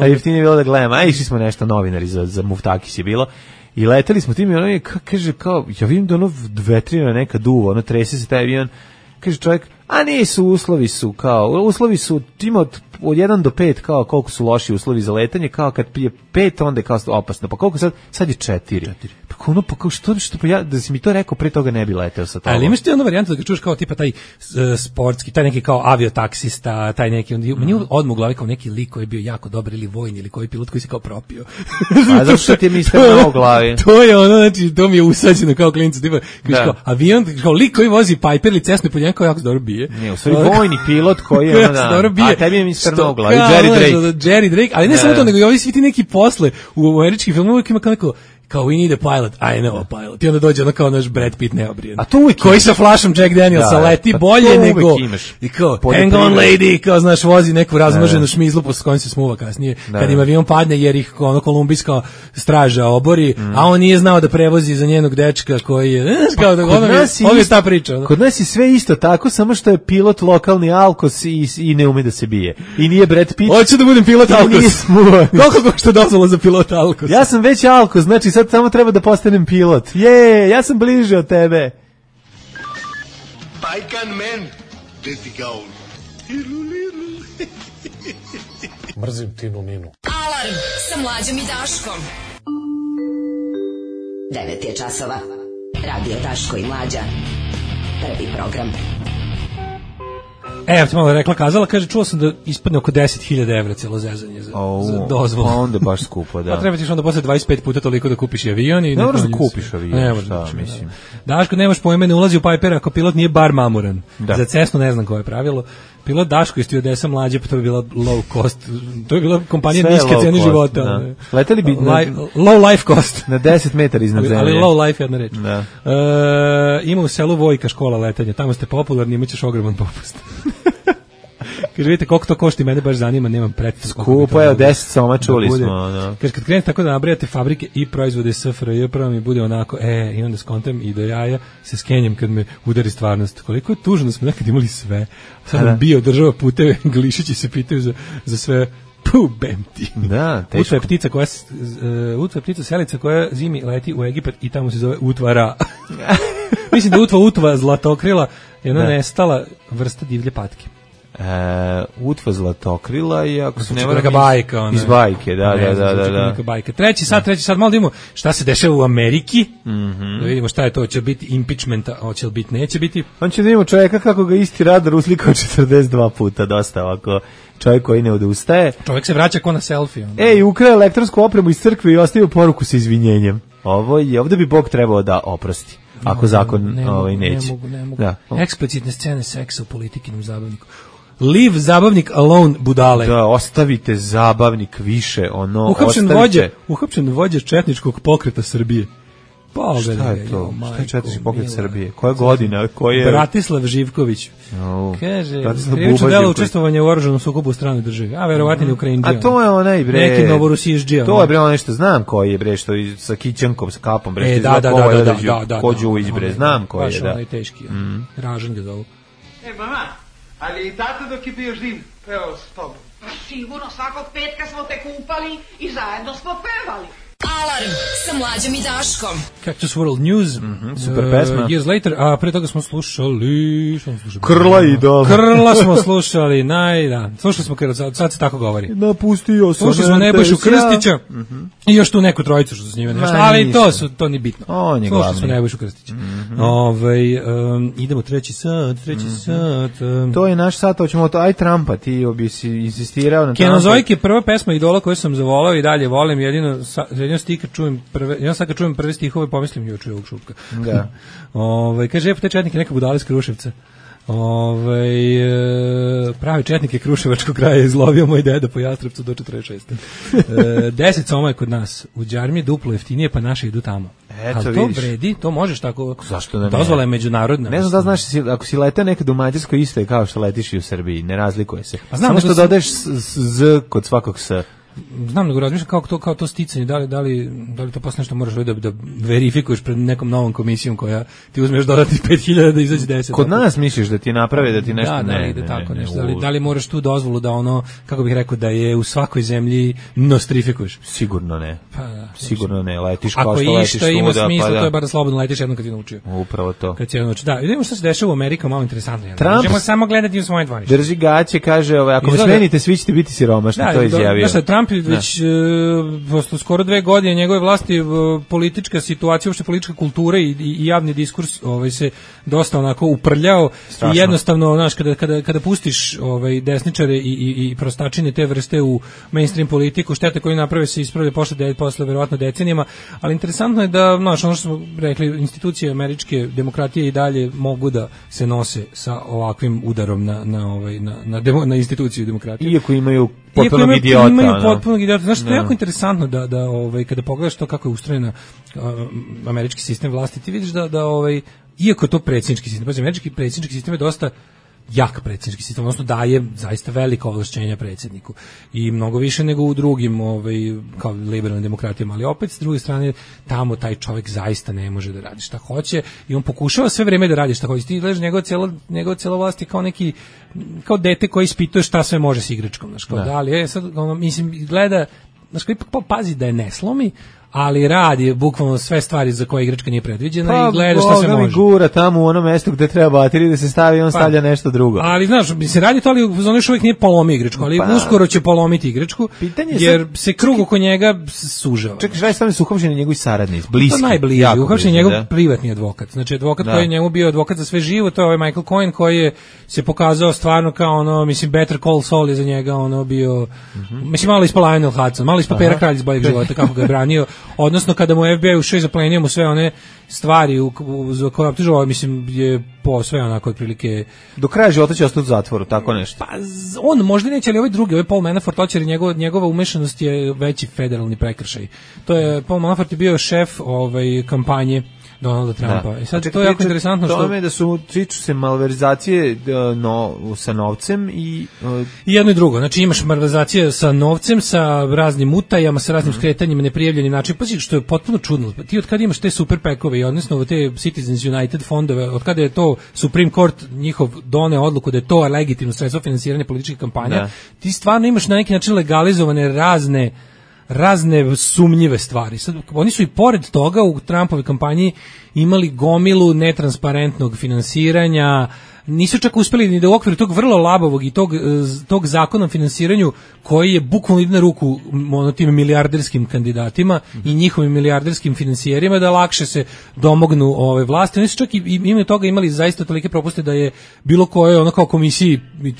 jeftinije bilo da gledamo. A išli smo nešto novinari za Muftakis je bilo. I leteli smo tim i ono je, kaže, kao, ja vidim da ono vetrina neka duva, ono trese se taj avion, kaže čovjek, a nisu, uslovi su, tim od 1 do 5, kao koliko su loši uslovi za letanje, kao kad je 5, onda je kao opasno, pa koliko sad je 4. Pa kao što pa ja, da si mi to rekao, pre toga ne bi leteo sa tobom. Ali imaš ti onda varijantu da ga čuš kao tipa taj sportski, taj neki kao aviotaksista, taj neki, meni odmah u glavi kao neki lik koji je bio jako dobar ili vojni ili koji pilot koji se kao propio. A zato što ti je mister na u glavi? To je ono, znači, to mi je usađeno kao klincu, tipa, kao avion, kao lik koji vozi Piper ili Cessna pod njega kao jako dobro bije. Ne, u stvari vojni pilot koji je ono a tebi je mister na u glavi, Jerry Drake, ali ne samo to, nego i ovi svi ti neki posle u američkih filmovima ima kao we need a pilot, I know a pilot. I onda dođe ono kao naš Brad Pitt neobrijen. A to uvijek koji sa flašom Jack Danielsa leti bolje nego... I kao, hang on lady, kao znaš, vozi neku razmnoženu šmizlu posle kojom se smuva kasnije. Kad im avion padne jer ih ono kolumbijska straža obori, a on nije znao da prevozi za njenog dečka koji je... Kao da ovo je ta priča. Kod nas je sve isto tako, samo što je pilot lokalni Alkos i ne ume da se bije. I nije Brad Pitt. Hoću da budem pilot Alkos. Koliko košta dozvola za pilota Alkos? Ja sam već Alkos, znači sad samo treba da postanem pilot. Ja sam bliže od tebe. Bajkan men, gde ti ga on? Mrzim Tinu Ninu. Alarm sa Mlađom i Daškom. 9 je časova. Radio Daško i Mlađa. Prvi program. Evo ti malo rekla, kazala, kaže, čuo sam da ispadne oko 10.000 evra cijelo zezanje za dozvolu. Pa onda baš skupo, da. Pa treba tiš onda posle 25 puta toliko da kupiš avion. Ne moraš da kupiš avion, ne šta, mislim. Daško, nemaš pojme, ne ulazi u Piper ako pilot nije bar mamuran. Za Cessnu ne znam koje je pravilo. Pilot Daško iz stewardesa Mlađe, pa to bi bila low cost. To je bila kompanija niske cijene života. Da. Leteli bi low life cost. Na 10 metara iznad zemlje. Ali low life, jedna reč. Da. Ima u selu Vojka škola letanja. Tamo ste popularni, imaćeš ogroman popust. Kaže, vidite koliko to košta i mene baš zanima, nemam predstavu. Skupo je, 10 soma čuli smo. No. Kaže, kad krenete tako da nabrajate fabrike i proizvode SFRJ, prvo mi bude onako, i onda skontam i do jaja se skenjem kad me udari stvarnost. Koliko je tužno da smo nekad imali sve. Sad nam bio država puteve, Glišići se pitaju za sve. Bem ti. Da, teško. Utva je ptica selica koja zimi leti u Egipat i tamo se zove utvara. Mislim da utva zlatokrila je ona nestala vrsta divlje patke. Utva zlatokrila i ako se ne neka bajka iz bajke, da. Neka bajka. Treći sad malo da vidimo šta se dešava u Ameriki. Da vidimo šta je to, hoće biti impeachmenta, hoće li biti, neće biti. On će da vidimo čovjeka kako ga isti radar uslikao 42 puta, dosta ovako. Čovjek koji ne odustaje. Čovjek se vraća ko na selfie. Ukrao elektronsku opremu iz crkve i ostavio poruku sa izvinjenjem. Ovdje bi Bog trebao da oprosti. Ako zakon neće. Ne mogu. Da. Eksplicitne scene seksa u politikinom zabavniku. Leave zabavnik alone, budale. Da, ostavite zabavnik više, Uhapšen vođa četničkog pokreta Srbije. Šta je to? Šta je četnički pokret Srbije? Koja godina? Bratislav Živković. Kaže, krivično delo učestvovanja u oružanom sukobu u stranoj državi. A verovatno je Ukrajinđija. A to je onaj bre. Neki Novorusijžđija. To je bre onaj što znam koji je bre, što sa kićankom, sa kapom bre. Da. Kođu bre, znam koji je. Baš onaj teški. Ražan ga zovu. Mama, ali i tata dok je bio živ, pevao s tobom. Sigurno, svakog petka smo te kupali i zajedno smo pevali. Alarm sa Mlađom i Daškom. Cactus World News. Super pesma. Years Later, a pre toga smo slušali... Krla idol. Krla smo slušali, slušali smo Krla, sad se tako govori. Napustio sam. Slušali smo Nebojšu Krstića i još tu neku trojicu što su s njime nešto, ali to ni bitno. On je slušali glavni. smo Nebojšu Krstića. Idemo treći sat. To je naš sat, hoćemo to, aj Trumpa, ti bi si insistirao na Trumpa. Kenozoik je prva pesma idola koju sam zavolao i dalje volim, jedino kad čujem prve stihove pomislim juče ovog Šupka. Da. Kaže, te četnike neka budale iz Kruševca. Pravi četnik je Kruševačkog kraja izlovio moj deda po Jastrepcu do 46. 10 soma je kod nas. U Đarmi duplo jeftinije, pa naši idu tamo. Ali to vredi, to možeš tako. Zašto da ne? Dozvola je međunarodna. Ne znam da znaš, ako si letao nekad u Mađarskoj, isto je kao što letiš i u Srbiji, ne razlikuje se. Pa znam, samo što dodaješ z kod svakog s. Znam, nego razmišljam kao to sticanje, da li to posle nešto moraš da verifikuješ pred nekom novom komisijom koja ti uzmeš dodatnih 5000 da izađe 10. Kod nas misliš da ti naprave da ti nešto da li moraš tu dozvolu da ono, kako bih rekao, da je u svakoj zemlji nostrifikuješ? Sigurno ne. Pa da. Sigurno ne, letiš kao što letiš. Ako išta ima smisla, to je bar da slobodno letiš jednom kad ti naučio. Upravo to. Kad ti naučio. Da, vidimo što se dešava u Americi, malo interesantno. Možemo samo gledati u svoje dvorište. Drži gaće, kaže, ako me smenite, svi ćete biti siromašni, to je izjavio. Trump već posle skoro 2 godine njegove vlasti politička situacija, uopšte politička kultura i javni diskurs se dosta onako uprljao. Strašno. I jednostavno, znaš, kada pustiš desničare i prostačine te vrste u mainstream politiku, štete koju naprave se ispravlja posle verovatno decenijama, ali interesantno je da, znaš, ono što smo rekli, institucije američke demokratije i dalje mogu da se nose sa ovakvim udarom na instituciju demokratije. Iako imaju potpunog idiota. Znaš, to je jako interesantno da kada pogledaš to kako je ustrojena američki sistem vlasti, ti vidiš da iako je to predsjednički sistem, američki predsjednički sistem je dosta jak predsjednički sistem, odnosno daje zaista velika ovlašćenja predsjedniku i mnogo više nego u drugim kao liberalnim demokratijama, ali opet s druge strane tamo taj čovjek zaista ne može da radi šta hoće i on pokušava sve vreme da radi šta hoće. Ti gledaš njegova cijela vlast je kao dete koji ispituje šta sve može s igračkom, znaš, kao da li sad mislim gleda, znaš, ipak pazi da je ne slomi, ali radi bukvalno sve stvari za koje igračka nije predviđena i gleda šta se može. Pa gura tamo u ono mesto gde treba baterije da se stavi, on stavlja nešto drugo. Ali znaš, se radi to, ali on još uvijek nije polomio igračku, ali uskoro će polomiti igračku, jer se krug oko njega sužava. Čekaj, šta je stavljeno su uhapšeni njegovi saradnici, bliski? To najbliži, uhapšen je njegov privatni advokat. Znači, advokat koji je njemu bio advokat za sve živo, to je ovaj Michael Cohen koji je se pokazao stvarno kao ono, mislim, Better Call Saul je za njega ono bio, mislim, malo ispod Lionel Hudson, malo ispod Pera Kralj iz Boljeg života, kako ga je branio. Odnosno, kada mu FBI ušao i zaplenio mu sve one stvari za koje optužovao, mislim, je po sve onako otprilike... Do kraja života će ostati u zatvoru, tako nešto? Pa, on možda neće, ali ovaj drugi, ovaj Paul Manafort, jer njegova umešanost je veći federalni prekršaj. To je, Paul Manafort je bio šef kampanje Donalda Trumpa. I sad to je jako interesantno što... Tome da su tiču se malverzacije sa novcem i jedno i drugo. Znači imaš malverzacije sa novcem, sa raznim utajama, sa raznim skretanjima, neprijavljenim način. Pazi, što je potpuno čudno. Ti od kada imaš te super pekove i odnosno te Citizens United fondove, od kada je to Supreme Court njihov doneo odluku da je to legitimno sredstvo finansiranja političkih kampanja, ti stvarno imaš na neki način legalizovane razne sumnjive stvari. Sad, oni su i pored toga u Trumpovoj kampanji imali gomilu netransparentnog finansiranja, nisu čak uspeli ni da u okviru tog vrlo labavog i tog zakona o finansiranju koji je bukvalno ide na ruku tim milijarderskim kandidatima i njihovim milijarderskim finansijerima da lakše se domognu ove vlasti. Oni su čak i imaju toga imali zaista tolike propuste da je bilo koje ono kao komisiji i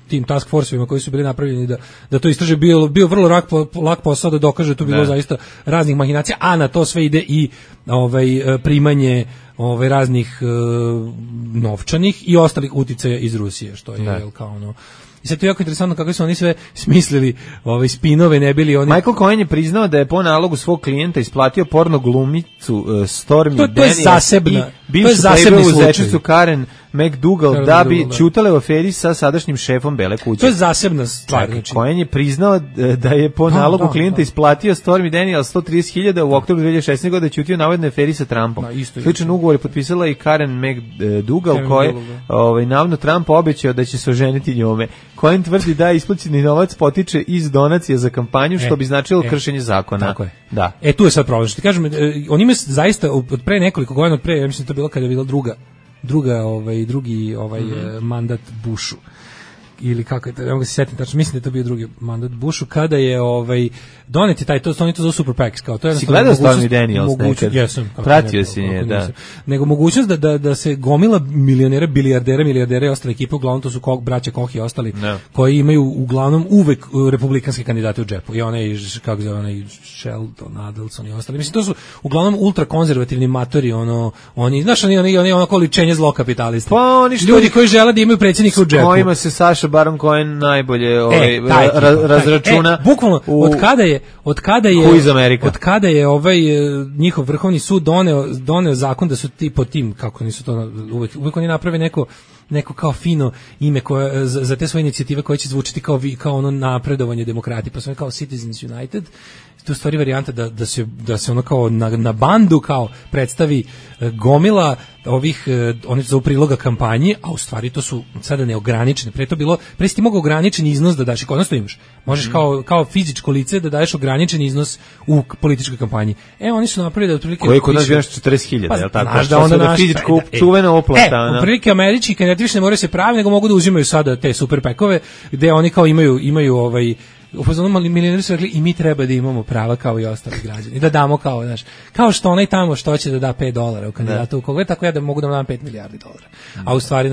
tim task forceovima koji su bili napravljeni da to istraže bio vrlo lak posao da dokaže da to bilo zaista raznih mahinacija, a na to sve ide i primanje raznih novčanih i ostalih uticaja iz Rusije, što je kao ono. I sad to je jako interesantno kako su oni sve smislili spinove, ne bili oni... Michael Cohen je priznao da je po nalogu svog klijenta isplatio porno glumicu Stormy Daniels i bivšu playboyu Karen McDougal da bi ćutale u aferi sa sadašnjim šefom Bele kuće. To je zasebna stvar. Znači. Cohen je priznao da je po nalogu klijenta isplatio Stormy Daniels 130.000 u oktobru 2016. godine ćutio navodne aferi sa Trumpom. Sličan ugovor je potpisala i Karen McDougal koja navodno Trump obećao da će se oženiti njome. Cohen tvrdi da isplaćeni novac potiče iz donacija za kampanju, što bi značilo kršenje zakona. Tako je. Da. Tu je sad problem. Što ti kažem, on ima zaista od pre nekoliko godina, ja mislim da to bilo kada je bila drugi mandat Bushu. Ili kako je to, ne mogu se sjetiti tačno, mislim da je to bio drugi mandat Bushu, kada je doneti taj, oni to zove Super PACs, kao to je si gledao Stormy Daniels nekad? Jesam. Pratio si nje, da. Nego mogućnost da se gomila milionera, milijardera i ostale ekipe, uglavnom to su braća Koch i ostali, koji imaju uglavnom uvek republikanske kandidate u džepu. I onaj, kako zove, onaj Sheldon Adelson i ostali. Mislim, to su uglavnom ultrakonzervativni matori, oni, znaš, oni onako ličenje zlokapitalista. Pa oni ljudi koji žele da imaju predsjednika u džepu. Kojima se Saša Baron Cohen najbolje razračuna. Bukvalno, od kada je njihov vrhovni sud doneo zakon da su ti po tim, kako nisu to uvek oni naprave neko kao fino ime za te svoje inicijative koje će zvučiti kao ono napredovanje demokratije, pa su kao Citizens United. To je stvari varijanta da se ono kao na bandu kao predstavi gomila oni su za priloga kampanji, a u stvari to su sada neograničene. Pre si ti mogao ograničen iznos da daš i konačno imaš. Možeš kao fizičko lice da daješ ograničen iznos u političkoj kampanji. Oni su napravili da otprilike... Koji kod nas bio nešto 40.000, je li tako? Znaš da onda fizičko čuvena oplata. Otprilike američki kandidati više ne moraju se pravi, nego mogu da uzimaju sada te super pekove, gde oni kao imaju milioneri su rekli i mi treba da imamo prava kao i ostali građani. I da damo kao što onaj tamo što će da da $5 u kandidatu u koga, tako ja da mogu da dam $5 milijardi. A u stvari,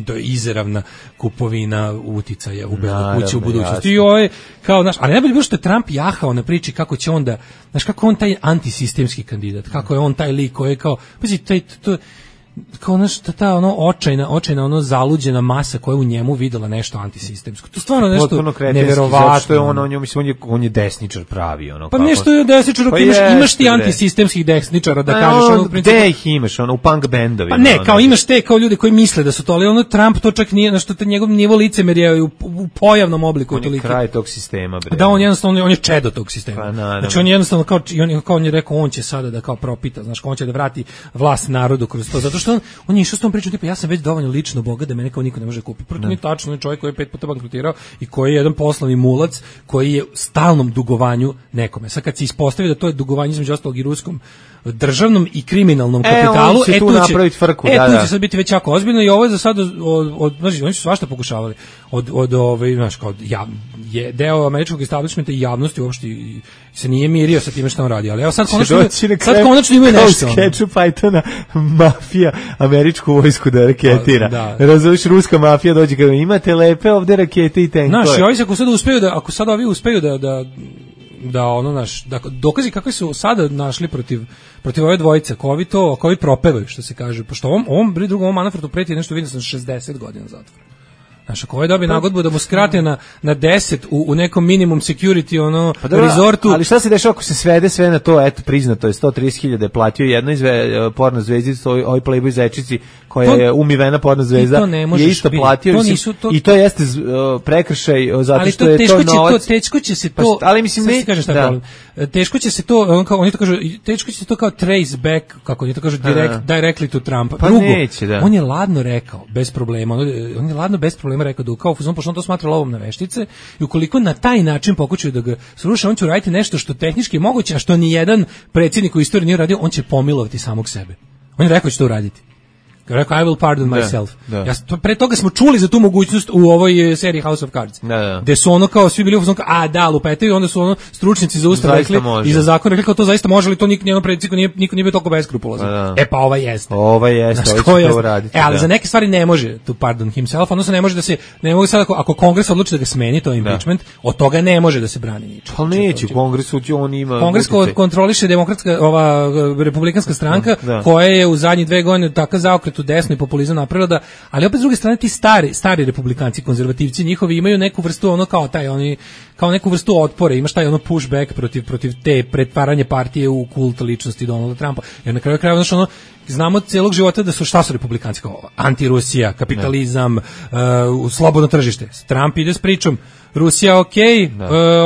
to je izeravna kupovina uticaja u Belu kuću u budućnosti. I ali najbolje bilo što je Trump jahao na priči kako će onda, kako on taj antisistemski kandidat, kako je on taj lik koji je kao, kao ta očajna zaluđena masa koja je u njemu videla nešto antisistemsko. To stvarno nešto neverovatno. Što je on je desničar pravi. Pa nešto je desničar, imaš ti antisistemskih desničara da kažeš. Gde ih imaš, u punk bendovima? Pa ne, kao imaš te kao ljudi koji misle da su to, ali Trump to čak nije, što njegov nivo licemerja je u pojavnom obliku. On je kraj tog sistema. Da, on je čedo tog sistema. Znači on jednostavno, kao on je rekao, on će sada da kao propita, on će da vrati vlast narodu kroz to, zato što on je išao s tom pričom, tipa ja sam već dovoljno lično bogat da mene kao niko ne može kupiti. Proto mi tačno je čovjek koji je 5 puta bankrotirao i koji je jedan poslovni mulac koji je u stalnom dugovanju nekome. Sad kad se ispostavi da to je dugovanje između ostalog i ruskom državnom i kriminalnom kapitalu, tu će sad biti već jako ozbiljno i ovo je za sad znači oni su svašta pokušavali je deo američkog establishmenta i javnosti uopšte se nije mirio sa time što on radi, ali evo sad konačno imaju nešto. Kao skeču Pythona, mafija američku vojsku da raketira. Razumiješ, ruska mafija dođe kada imate lepe ovde rakete i tenkove. Znaš, i ovi ako sad ovi uspeju da dokazi kakve su sada našli protiv ove dvojice, ako ovi propevaju, što se kaže, pošto ovom Manafortu preti nešto, vidim sam 60 godina zatvora. Znaš, ako ovaj dobije nagodbu da mu skrate na 10 u nekom minimum security resortu. Ali šta se dešava ako se svede sve na to, eto, priznato je 130.000 je platio jednoj porno zvezdici, ovoj Playboy zečici koja je umivena porno zvezda, je isto platio i to jeste prekršaj zato što je to novac. Teško će se to, ali mislim ne kažem šta je problem. Teško će se to, oni to kažu, teško će se to kao trace back, kako oni to kažu, directly to Trumpa. Pa neće, da. On je ladno rekao, bez problema, on je ladno bez problema rekao da kao fuzon, pošto on to smatra lovom na veštice i ukoliko na taj način pokušaju da ga sruše, on će uraditi nešto što tehnički je moguće, a što ni jedan predsjednik u istoriji nije uradio, on će pomilovati samog sebe. On je rekao da će to uraditi. Rekao, I will pardon myself. Pre toga smo čuli za tu mogućnost u ovoj seriji House of Cards. Gde su ono kao, svi bili u fazonu kao, lupetaju, onda su ono stručnici za ustav rekli i za zakon rekli kao to zaista može, ali to niko nije bio toliko beskrupulozan. Pa ova jeste. Ova jeste, ovo će to uraditi. Ali za neke stvari ne može to pardon himself, odnosno ne može da se, ne mogu sad ako Kongres odluči da ga smeni, to je impeachment, od toga ne može da se brani ničim. Pa neće, u Kongresu on ima... Kongres kontroliše demokratska, republikanska stranka, koja je u zadnjih 2 godine takav zaokret u desno i populizam napravila, ali opet s druge strane ti stari republikanci, konzervativci njihovi imaju neku vrstu ono kao neku vrstu otpora, imaš taj ono pushback protiv te pretvaranje partije u kult ličnosti Donalda Trumpa. Jer na kraju krajeva znamo celog života da su šta su republikanci kao anti-Rusija, kapitalizam, slobodno tržište. Trump ide s pričom Rusija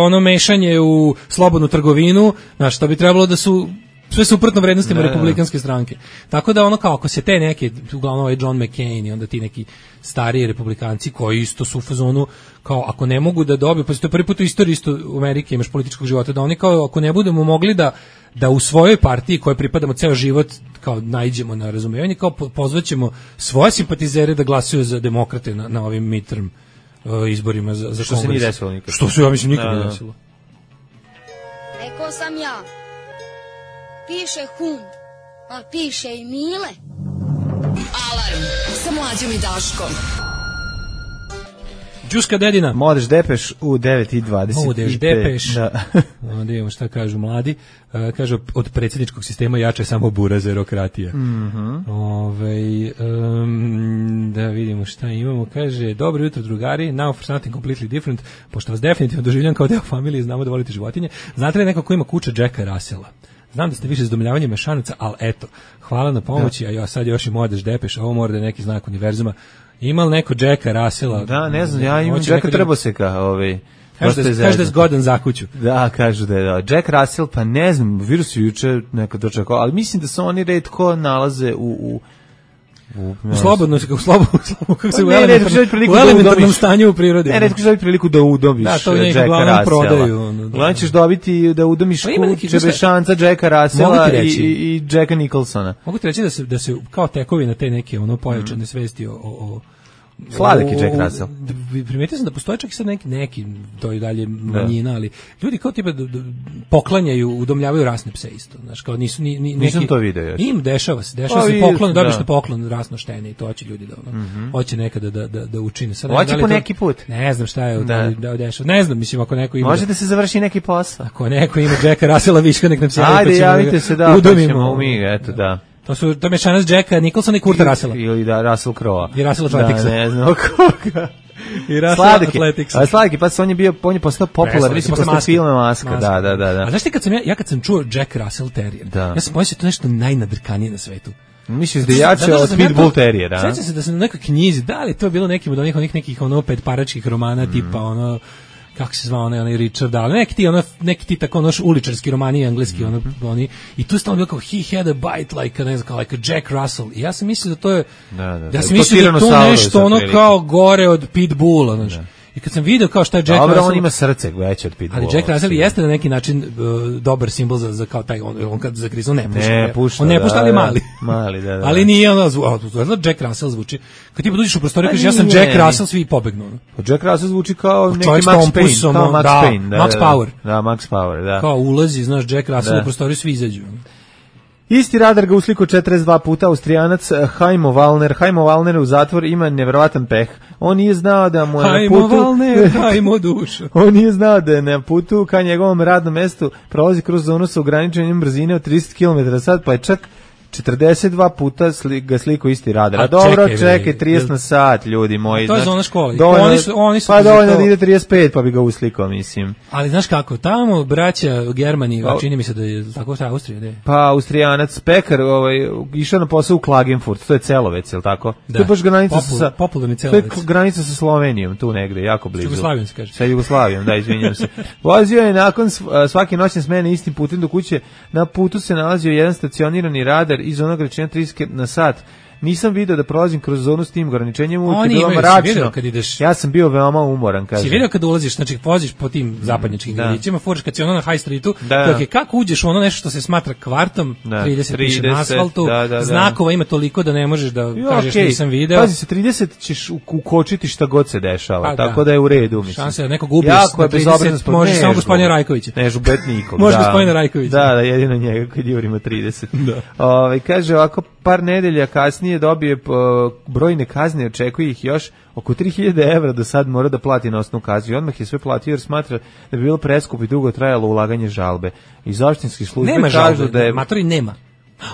ono mešanje u slobodnu trgovinu, znaš, što bi trebalo da su sve suprotno vrednostima republikanske stranke. Tako da ono kao ako se te neke, uglavnom ovaj John McCain i onda ti neki stariji republikanci koji isto su u fazonu kao ako ne mogu da dobiju, pa to je prvi put u istoriji isto u Amerike imaš političkog života, da oni kao ako ne budemo mogli da u svojoj partiji koje pripadamo ceo život kao naiđemo na razumevanje, kao pozvaćemo svoje simpatizere da glasuju za demokrate na ovim midterm izborima za Kongres. Što se nije desilo nikad. Što se, ja mislim, nikad nije desilo. Rekao sam ja. Piše hum, a piše i Mile. Alarm sa Mlađom i Daškom. Đuska dedina. Modeš Depeš u 9:20. Modeš Depeš. Da imamo šta kažu mladi. Kažu od predsjedničkog sistema jače samo burazerokratija. Da vidimo šta imamo. Kaže, dobro jutro drugari, now for something completely different. Pošto vas definitivno doživljam kao deo familije, znamo da volite životinje. Znate li neko ko ima kuća Jacka Russella? Znam da ste više zadovoljavanje mešanaca, ali eto, hvala na pomoći, a sad još i Modeš Depeš, ovo mora da je neki znak univerzuma. Ima li neko Jacka Russella? Da, ne znam, ja imam Jacka Trboseka. Kaže da je zgodan za kuću. Da, kažu da je. Jack Russell, pa ne znam, virus je juče nekad dočekao, ali mislim da se oni retko nalaze u slobodno, kako se u elementarnom stanju u prirodi. Ne, netko će dobiti priliku da udomiš Jacka Russella. Gledam ćeš dobiti da udomiš Čebešanca, Jacka Russella i Jacka Nicholsona. Mogu ti reći da se kao tekovi na te neke pojačane svesti o sladak je Jack Russell. Primetio sam da postoje čak i sad neki, to je dalje manjina, ali ljudi kao tipa poklanjaju, udomljavaju rasne pse isto. Znaš, kao nisu nisam to video još. Dešava se poklon, dobiš na poklon rasno štene i to hoće ljudi da hoće nekada da učine. Hoće po neki put. Ne znam šta je da dešava. Ne znam, mislim ako neko ima. Može da se završi neki posao. Ako neko ima Jacka Russella viška nek nam se javi. Ajde, javite se da udomimo mi, eto da. To je mešanac Jacka Nicholsona i Kurta Russella. Ili Russell Crowe. I Russell Athleticsa. Da, ne znam koga. I Russell Athleticsa. Ali Sladiki, pa on je postao popularan, mislim, postao filme Maska. Da. A znaš ti kad sam čuo Jack Russell Terrier, ja sam pomislio to nešto najnadrkanije na svetu. Misliš da je jače od Pitbull Terriera? Sjećam se da sam na nekoj knjizi, da li to je bilo nekim od onih nekih petparačkih romana tipa kako se zvao onaj Richard, ali neki ti tako uličarski romani engleski, oni, i tu stalno bilo kao he had a bite like a Jack Russell. I ja sam mislio da to je, ja sam mislio da to nešto kao gore od Pitbulla, znaš. I kad sam video kao šta je Jack Russell... on ima srce veće od Pitbulla. Ali Jack Russell jeste na neki način dobar simbol za kao taj, on kad zagriza, on ne pušta. On ne pušta, ali mali. Mali, da. Ali nije Jack Russell zvuči. Kad ti dođeš u prostoriju, kažeš ja sam Jack Russell, svi pobegnu. Jack Russell zvuči kao neki Max Payne. Max Power. Da, Max Power, da. Kao ulazi, znaš, Jack Russell u prostoriju, svi izađu. Isti radar ga usliko 42 puta, Austrijanac Heimo Wallner. Heimo Wallner u zatvor ima nevjerovatan peh. On nije znao da mu je na putu... Heimo Wallner, hajmo dušu. On nije znao da je na putu ka njegovom radnom mestu prolazi kroz zonu sa ograničenjem brzine od 30 km/h, pa je čak 42 puta ga sliku isti radar. A dobro, čekaj, 30 na sat, ljudi moji. To je zona škola. Oni su pa dovoljno da ide 35, pa bi ga uslikao, mislim. Ali znaš kako, tamo braća Germani, čini mi se da je tako šta Austrija, ne? Pa Austrijanac Pekar, išao na posao u Klagenfurt, to je Celovec, je li tako? Da. To je baš granica sa popularni Celovec. To je granica sa Slovenijom, tu negde, jako blizu. Sa Jugoslavijom se kaže. Sa Jugoslavijom, da, izvinjam se. Vozio je nakon svake noćne smene istim putem do kuće. Na putu se nalazio jedan stacionirani radar iz onog rečenja 30 na sat. Nisam video da prolazim kroz zonu s tim ograničenjem, uvijek je bilo mračno. Ja sam bio veoma umoran, kažem. Si vidio kad ulaziš, znači voziš po tim zapadnjačkim gradićima, furaš kad si ono na High Streetu, kako uđeš u ono nešto što se smatra kvartom, 30 piše na asfaltu, znakova ima toliko da ne možeš da kažeš nisam video. Pazi, sa 30 ćeš ukočiti šta god se dešava, tako da je u redu, mislim. Šanse da nekog ubiješ na 30, možeš samo gospodina Rajkovića. Ne žubet nikog. Može gospodina Rajkovića. Da, jedino njega kad jurimo 30. Kaže ovako, par nedelja kasnije dobije brojne kazne, očekuje ih još oko 3000 evra do sad mora da plati na osnovu kazne. Odmah je sve platio jer smatra da bi bilo preskupo i dugo trajalo ulaganje žalbe. Iz opštinskih službe kažu da je... Matori nema.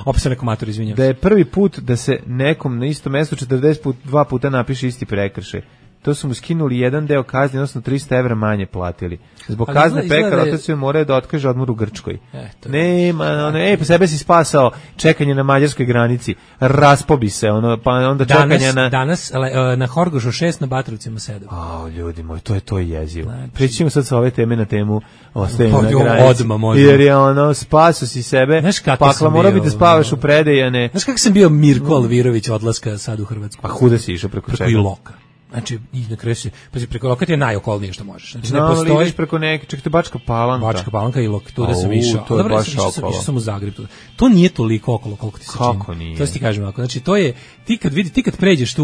Opet se neko mator, izvinjam. Da je prvi put da se nekom na istom mestu 42 puta napiše isti prekršaj. To su mu skinuli jedan deo kazne, odnosno 300 evra manje platili. Zbog kazne Pekar otac joj morao da otkaže odmor u Grčkoj. Nema, po sebe si spasao čekanje na mađarskoj granici. Raspobi se, pa onda čekanje na... Danas na Horgošu 6, na Batrovcima 7. Ljudi moji, to je jezivo. Pričimo sad sa ove teme na temu ostajanja na granici. Jer je spasao si sebe, pakla mora bi da spavaš u Predejane. Znaš kako sam bio Mirko Alvirović odlaska sad u Hrvatsku? Pa huda si išao preko čega? Iloka. Znači, na kraju se, pazi, preko Loka ti je najokolnije što možeš. Znači, ne postoji... ideš preko neke, čekaj, Bačka Palanka. Bačka Palanka i Lok, tu da sam išao. To je baš okolo. Išao sam u Zagreb. To nije toliko okolo koliko ti se čini. Kako nije? To ti kažem ovako. Znači, to je, ti kad pređeš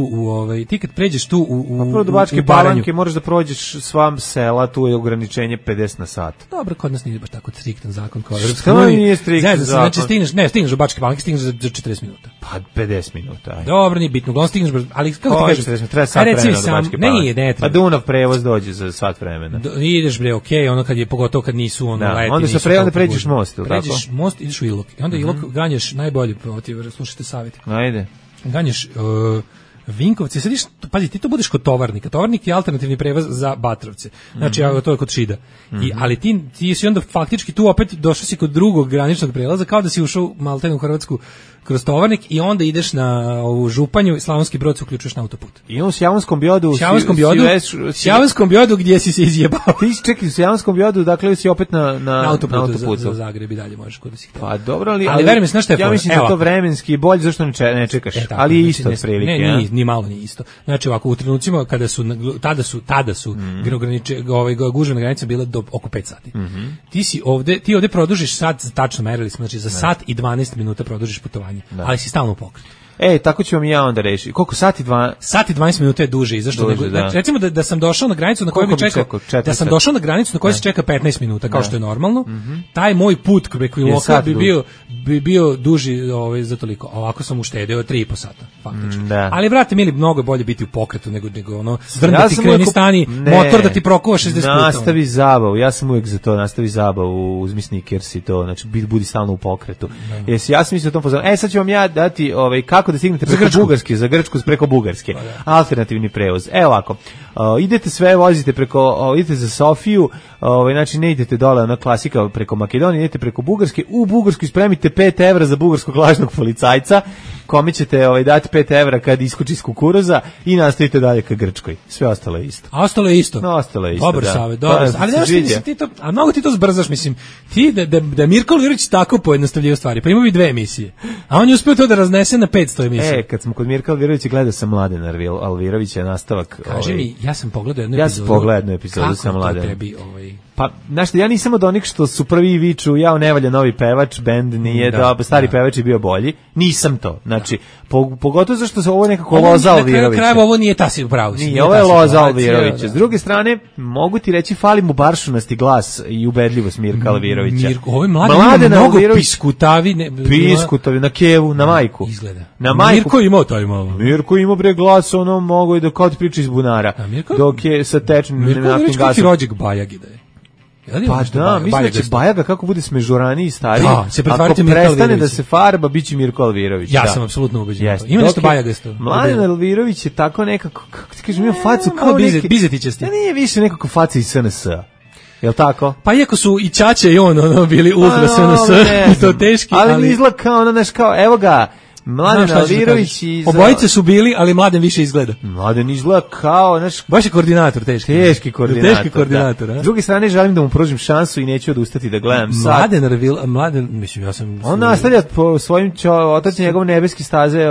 tu u prvo do Bačke Palanke moraš da prođeš sva sela, tu je ograničenje 50 na sat. Dobro, kod nas nije baš tako striktan zakon kao Evropska unija. Nije striktan zakon. Znači, stigneš do Bačke Palanke, stigneš za 40 minuta. Pa 50 minuta. Dobro, nije bitno, uglavnom stigneš, ali kako ti kažeš? Treba sat vremena do Bačke Palanke. Ne pa Dunav prevoz dođe za sat vremena. Ideš bre, ono kad je pogotovo kad nisu leti. Onda pređeš most, ili tako? Pređeš most, ideš u Ilok. I onda Ilok ganješ najbolje, slušajte savjet. Ajde. Ganješ Vinkovce, sediš, pazi, ti to budeš kod Tovarnika. Tovarnik je alternativni prevoz za Batrovce. Znači, to je kod Šida. Ali ti si onda faktički tu opet došao si kod drugog graničnog prelaza, kao da si ušao maltene u Hrvatsku kroz Tovarnik i onda ideš na ovu Županju i Slavonski Brod se uključuješ na autoput. I on s Javonskom Biodu... Javonskom Biodu gdje si se izjebao. Ti čekaj, s Javonskom Biodu, dakle si opet na autoputu. Za Zagreb i dalje možeš kod da si htio. Pa dobro, ali verujem mi, znaš šta je ja mislim da to vremenski bolje, zašto ne čekaš? Ali je isto otprilike. Ne, ni malo nije isto. Znači ovako, u trenucima kada su, tada su gužve na granici bile do oko 5 sati. Ti ovde produžiš sat, tačno merili smo, znači za sat i 12 minuta produžiš putovanje. Ali si stalno u pokretu. Tako ću vam i ja onda reći. Koliko sati 2? Sat i 12 minuta je duže, zašto nego? Recimo da sam došao na granicu na kojoj mi čeka, da sam došao na granicu na kojoj se čeka 15 minuta, kao što je normalno. Taj moj put preko Iloka bi bio duži za toliko. Ovako sam uštedeo 3,5 sata, faktički. Ali brate mili, mnogo je bolje biti u pokretu nego ono zdrndati, kreni, stani, motor da ti prokuva 60 puta. Nastavi zabavu. Ja sam uvijek za to, nastavi zabavu, uzmi Snickers i to, znači budi stalno u pokretu. Ja sam mislio o tom pozorno. Sad ću vam ja dati kako da stignete preko Bugarske, za Grčku preko Bugarske. Alternativni prevoz. Ovako, idete sve, vozite idete za Sofiju, znači ne idete dole, ona klasika preko Makedonije, idete preko Bugarske, u Bugarskoj spremite 5 evra za bugarskog lažnog policajca, kome ćete dati 5 evra kad iskoči iz kukuruza i nastavite dalje ka Grčkoj. Sve ostalo je isto. Ostalo je isto. Dobar savjet, dobro. Ali znaš ti to, a mnogo ti to zbrzaš, mislim. Ti da Mirko Alvirović tako pojednostavljaju stvari, pa ima bi 2 emisije. A on je uspio to da raznese na 500 emisija. Kad smo kod Mirka Alvirovića, gledao sam Mladen Alvirovića, nastavak. Kaži mi, ja sam pogledao jednu epizodu sa Mladenom. Kako to tebi Pa, znaš, ja nisam od onih što su prvi viču, ja ne valja novi pevač, bend nije dobro, stari pevač je bio bolji. Nisam to. Znači, pogotovo zašto se ovo nekako Loza Alvirovića. Na kraju ovo nije tasi upravo. Nije, ovo je Loza Alvirovića. S druge strane, mogu ti reći, fali mu baršunasti glas i ubedljivost Mirka Alvirovića. Ovo je Mladen mnogo piskutavi. Piskutavi, na kevu, na majku. Izgleda. Na majku. Mirko imao taj malo. Mirko imao bre glas, ono mogo i da kao ti priča iz bunara. Dok je sa tečnim naftnim gasom. Mirko Alvirović rođak Bajagi da je. Pa da, mislim da će Bajaga kako bude smežuraniji i stariji, se ako prestane da se farba, bit će Mirko Alvirović. Ja sam apsolutno ubeđen. Ima nešto Bajagasto. Mladen Alvirović je tako nekako, kako ti kažem, ima facu kao neki... Bizetićasti. Nije više nekako faca iz SNS-a. Jel tako? Pa iako su i Ćaća i on bili ultra SNS, i to teški, ali izgleda kao, znaš, kao, evo ga, Mladen Alvirović i... Obojice su bili, ali Mladen više izgleda. Mladen izgleda kao, znaš... Baš je koordinator, teški. Teški koordinator, teški koordinator, da. S druge strane, želim da mu pružim šansu i neću odustati da gledam sad. Mladen, mislim, ja sam... On nastavlja po svojim otac njegov nebeski staze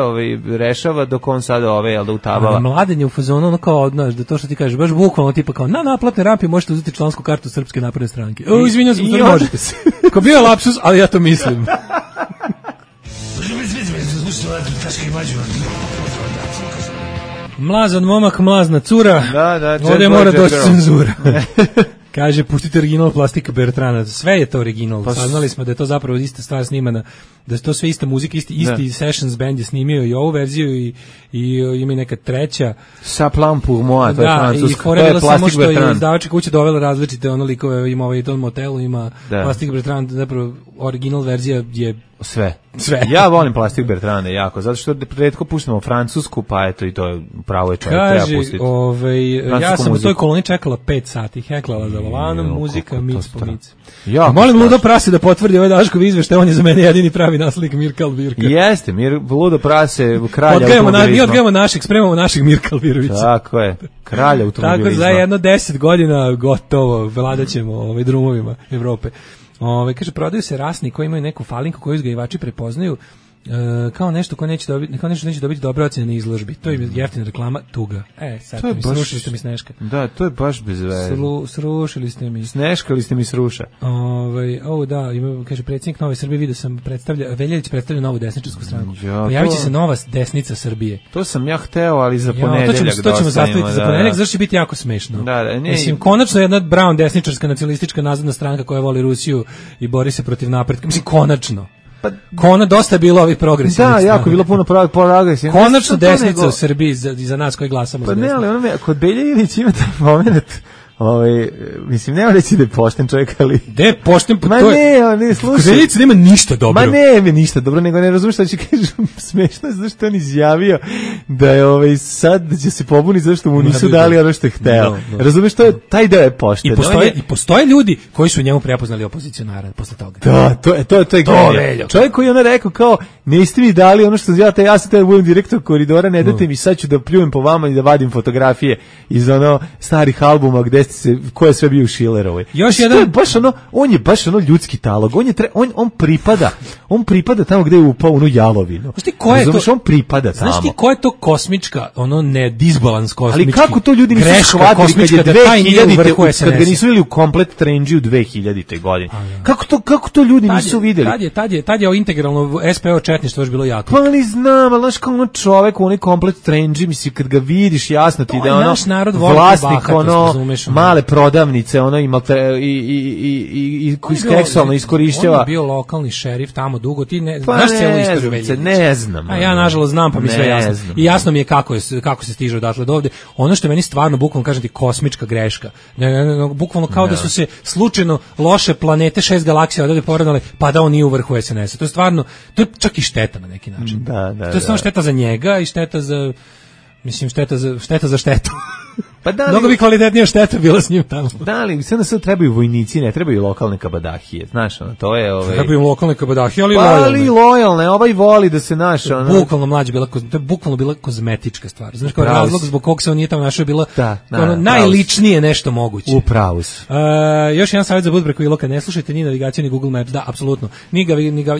rešava, dok on sad da utabala. Mladen je u fazonu, ono kao, znaš, da to što ti kažeš, baš bukvalno tipa kao, na naplatne rampi možete uzeti člansku kartu Srpske napredne stranke. Izvinjam se, možete se. Ko bio je lapsus, ali ja to mislim. Mlazan momak, mlazna cura. Da, ovdje mora doći cenzura. Kaže, pustite original Plastika Bertrana. Sve je to original. Saznali smo da je to zapravo ista stvar snimana, da je to sve ista muzika, isti sessions band je snimio i ovu verziju i ima i neka treća. Sa plan pour moi, to je francuska. To je samo što je izdavačka kuća dovela različite likove, ima ovaj Don Motelu, ima Plastika Bertrana, zapravo original verzija je sve. Ja volim Plastik Bertrane jako, zato što retko puštamo francusku, pa eto i to je pravo je čovjek, treba pustiti. Ja sam u toj koloni čekala 5 sati, heklala za volanom, muzika, mic po mic. Molim Ludo Prase da potvrdi ovaj Daškov izveštaj, on je za mene jedini pravi naslednik Mirka Alvirka. Jeste, Ludo Prase, kralja automobilizma. Mi odgajamo spremamo našeg Mirka Alvirovića. Tako je, kralja automobilizma. Tako za jedno 10 godina gotovo, vladaćemo drumovima Evrope. Kaže, prodaju se rasni koji imaju neku falinku koju uzgajivači prepoznaju kao nešto ko neće dobiti dobre ocjene na izložbi. To je jeftina reklama, tuga. Sad srušili ste mi Sneška. Da, to je baš bez veze. Srušili ste mi. Sneškali ste mi sruša. Kaže, predsjednik Nove Srbije, vidio sam Veljelić predstavlja novu desničarsku stranku. Pojavit će se nova desnica Srbije. To sam ja hteo, ali za ponedeljak to ćemo zastaviti za ponedeljak, zašto će biti jako smešno. Mislim, konačno jedna Brown desničarska nacionalistička nazadna stranka koja voli Rusiju i bori se protiv napretka. Mislim, konačno. Dosta je bilo ovih progresivnih. Da, jako je bilo puno progresivnih. Konačno desnica u Srbiji za nas koji glasamo za desnicu. Pa ne, ali kod Beljilić ima taj moment, mislim, nema reći da je pošten čovjek, ali... Da je pošten, pa ne, slušaj. Kod Beljica nema ništa dobro. Ne ništa dobro, nego ne razumiješ što će kažem, smešno je zašto on izjavio da je sad da će se pobuniti zašto mu nisu dali ono što je hteo. Razumiješ, taj deo je pošten. I postoje ljudi koji su njemu prepoznali opozicionara posle toga. Da, to je genije. Čovjek koji je rekao kao, niste mi dali ono što ja sam da budem direktor koridora, ne date mi, sad ću da pljujem po vama i da vadim fotografije iz starih albuma gde ko je sve bio u Šilerovoj. Još jedan on je baš ljudski talog. On pripada tamo gde je upao u jalovinu. Znaš ti ko je to? On pripada tamo. Znaš ti ko je to kosmička, disbalans kosmički. Ali kako to ljudi nisu shvatili kad je 2000 kad ga nisu vidjeli u komplet trendži u 2000. godine. Kako to ljudi nisu vidjeli? Tad je integralno SPO četništvo još bilo jako. Pa ali znam, ali znaš kao čovek u onaj komplet trendži, misli kad ga vidiš jasno ti da je vlasnik male prodavnice, i seksualno iskorišćava. On je bio lokalni šerif tamo dugo, ti znaš cijelu istoriju Veljevića? Ne znam. A ja nažalost znam, pa mi sve jasno. I jasno mi je kako se stiže odatle do ovde. Ono što je meni stvarno, bukvalno kažem ti, kosmička greška. Bukvalno kao da su se slučajno loše planete 6 galaksija odavde poravnale, pa da on nije u vrhu SNS-a. To je stvarno, to je čak i šteta na neki način. To je samo šteta za njega i šteta za... Mislim, šteta za štetu. Pa da, mnogo bi kvalitetnija šteta bila s njim tamo. Da, ali sve na sve trebaju vojnici, ne trebaju lokalne kabadahije, znaš, to je... Trebaju lokalne kabadahije, ali lojalne. Ali lojalne, ovaj voli da se naša... Bukvalno mlađe bila, to je bukvalno bila kozmetička stvar. Znaš, kao razlog zbog kog se on nije tamo našao je bilo najličnije nešto moguće. Upravo su. Još jedan savjet za Budbregu Iloka, ne slušajte ni navigaciju ni Google Maps, da, apsolutno.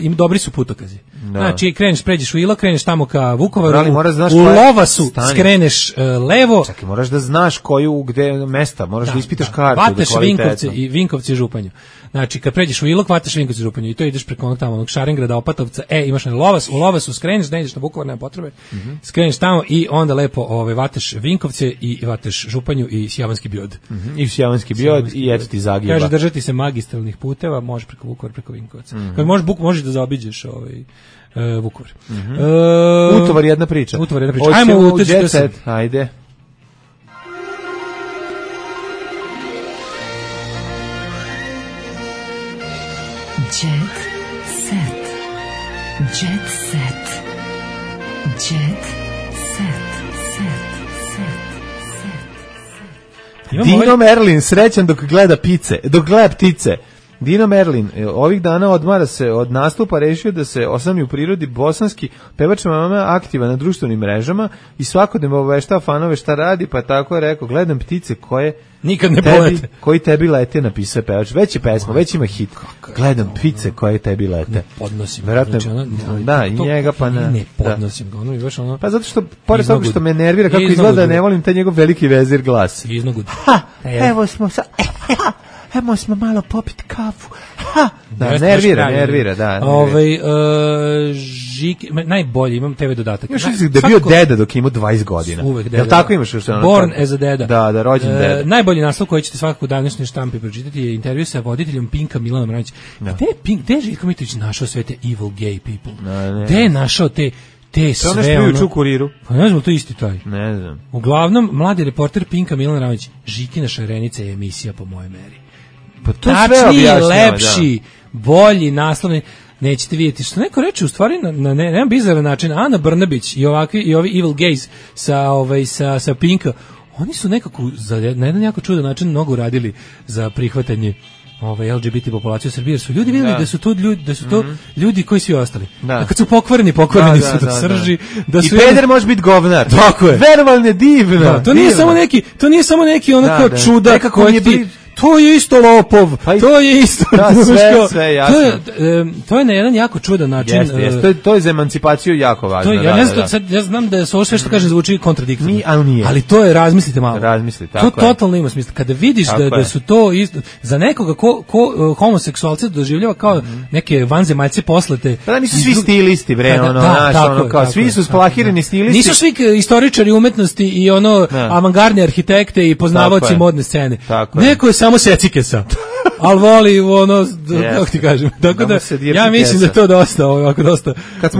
Im dobri su putokazi. Znači, kreneš, pređeš u Ilok, kreneš tamo ka Vukovaru, u Lovasu skreneš levo. Čekaj, moraš da znaš koju, gde mesta, moraš da ispitaš kartu. Vataš Vinkovci i Županju. Znači, kad pređeš u Ilok, vataš Vinkovci i Županju i to ideš preko onog Šarengrada, Opatovca, imaš na Lovas, u Lovasu skreneš, ne ideš na Vukovar, nema potrebe, skreneš tamo i onda lepo vataš Vinkovce i vataš Županju i Sjavanski Biod. I Sjavanski Biod i eto ti Zagreba. Kaže, držati se magistralnih puteva, možeš preko Vukovara, preko Vinkovaca. Kad možeš da zaobiđeš Vukovar. Utovar jedna priča. Ajmo u Jet Set, ajde. set. Jet set. Jet set. Dino Merlin, srećan dok gleda ptice. Dino Merlin, ovih dana odmara se od nastupa, rešio da se osami u prirodi. Bosanski pevač mama aktivan na društvenim mrežama i svakodnevno obaveštava fanove šta radi, pa tako je rekao, gledam ptice koje nikad ne polete. Koji tebi lete, napisao pevač. Već je pesma, već ima hit. Gledam ptice koje tebi lete. Ne podnosim. Verovatno, da, i njega pa ne podnosim ga. Ono, baš ono. Pa zato što, pored toga što me nervira kako izgleda, ne volim taj njegov veliki vezir glas. Iznogud. Evo smo sa... Hajmo smo malo popiti kafu. Ha! Da, nervira, da. Najbolji, imam TV dodatak. Imaš da je bio deda dok ima 20 godina. Uvek deda. Jel tako imaš još ono? Born as a deda. Da, rođen deda. Najbolji naslov koji ćete svakako u današnjoj štampi pročitati je intervju sa voditeljem Pinka Milanom Radović. Gde je Željko Mitrović našao sve te evil gay people? Gde je našao te sve ono... Kuriru. Pa ne znam, to isti taj. Ne znam. Uglavnom, mladi reporter Pinka Milan Radović, Žikina šarenica je emisija po moje meri. Pa to tačniji, lepši, bolji naslov. Nećete vidjeti što neko reče u stvari na jedan bizaran način. Ana Brnabić i ovi evil gays sa Pinka, oni su nekako na jedan jako čudan način mnogo radili za prihvatanje LGBT populaciju u Srbiji, jer su ljudi vidjeli da su to ljudi koji svi ostali. Da. Kad su pokvareni su do srži. Da su i peder može biti govnar. Tako je. Verovalne divno. Da, to nije samo neki ono kao čudak koji ti... To je isto lopov, to je isto... Da, sve jasno. To je na jedan jako čudan način. Jeste, to je za emancipaciju jako važno. Ja znam da se ovo sve što kažem zvuči kontradiktorno. Nije. Ali to je, razmislite malo. To totalno ima smisla. Kada vidiš da su to isto... Za nekoga ko homoseksualce doživljava kao neke vanzemaljce poslate... Da, nisu svi stilisti, bre, svi su splahirani stilisti. Nisu svi istoričari umetnosti i avangardni arhitekte i poznavaoci modne scene. Neko je samo secikesa, ali voli kako ti kažem. Tako da, ja mislim da je to dosta, ovako dosta. Kad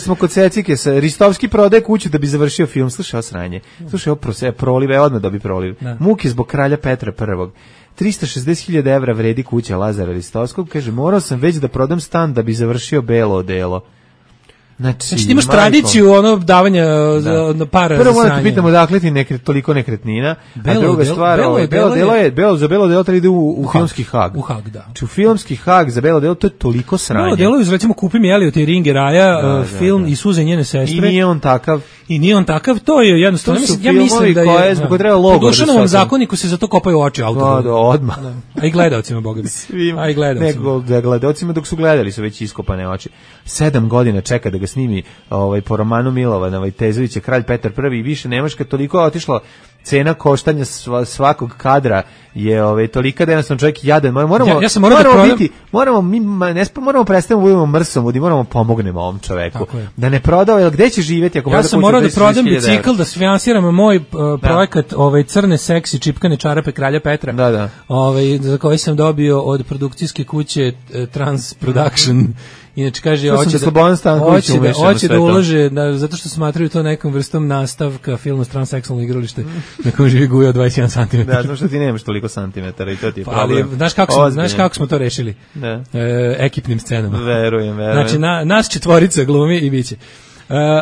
smo kod secikesa, Ristovski prodaje kuću da bi završio film. Slušaj, osranje. Slušaj, prolive, odmah dobi proliv. Muke zbog kralja Petra I. 360.000 evra vredi kuća Lazara Ristovskog. Kaže, morao sam već da prodam stan da bi završio belo odelo. Znači ti imaš tradiciju davanja para. Prvo morate pitamo dakle ti toliko nekretnina, a druga stvar, za belo delo treba ide u filmski Hag. U Hag, da. Znači u filmski Hag za belo delo to je toliko sranje. Belo delo, recimo Kupi mi Elliot i Ringe Raja, film i Suze njene sestre. I nije on takav. To je jednostavno, ja mislim da je zbog treba logo. Po Dušanovom zakoniku se za to kopaju oči autora. Odmah. A i gledalcima, boga mi. A i gledalcima dok su gledali su već iskopane oči. 7 godina čeka da ga snimi po romanu Milovana Vajtezovića Kralj Petar I i više Nemačka toliko je otišla, cena koštanja svakog kadra je tolika da jednostavno čovjek jadan. Moramo prestati budemo mrsomudi, moramo pomognemo ovom čoveku. Da ne prodao, jer gde će živjeti ako ja sam morao da prodam bicikl, da financiram moj projekat crne seksi čipkane čarape Kralja Petra. Za koji sam dobio od produkcijske kuće Trans Production. Inače kaže hoće da ulože zato što smatraju to nekom vrstom nastavka filmu Transseksualno igralište na kojem živi Guja od 21 cm. Da, zato što ti nemaš toliko santimetara i to ti je problem. Znaš kako smo to rešili? Ekipnim scenama. Verujem. Znači nas četvorica glumi i biće.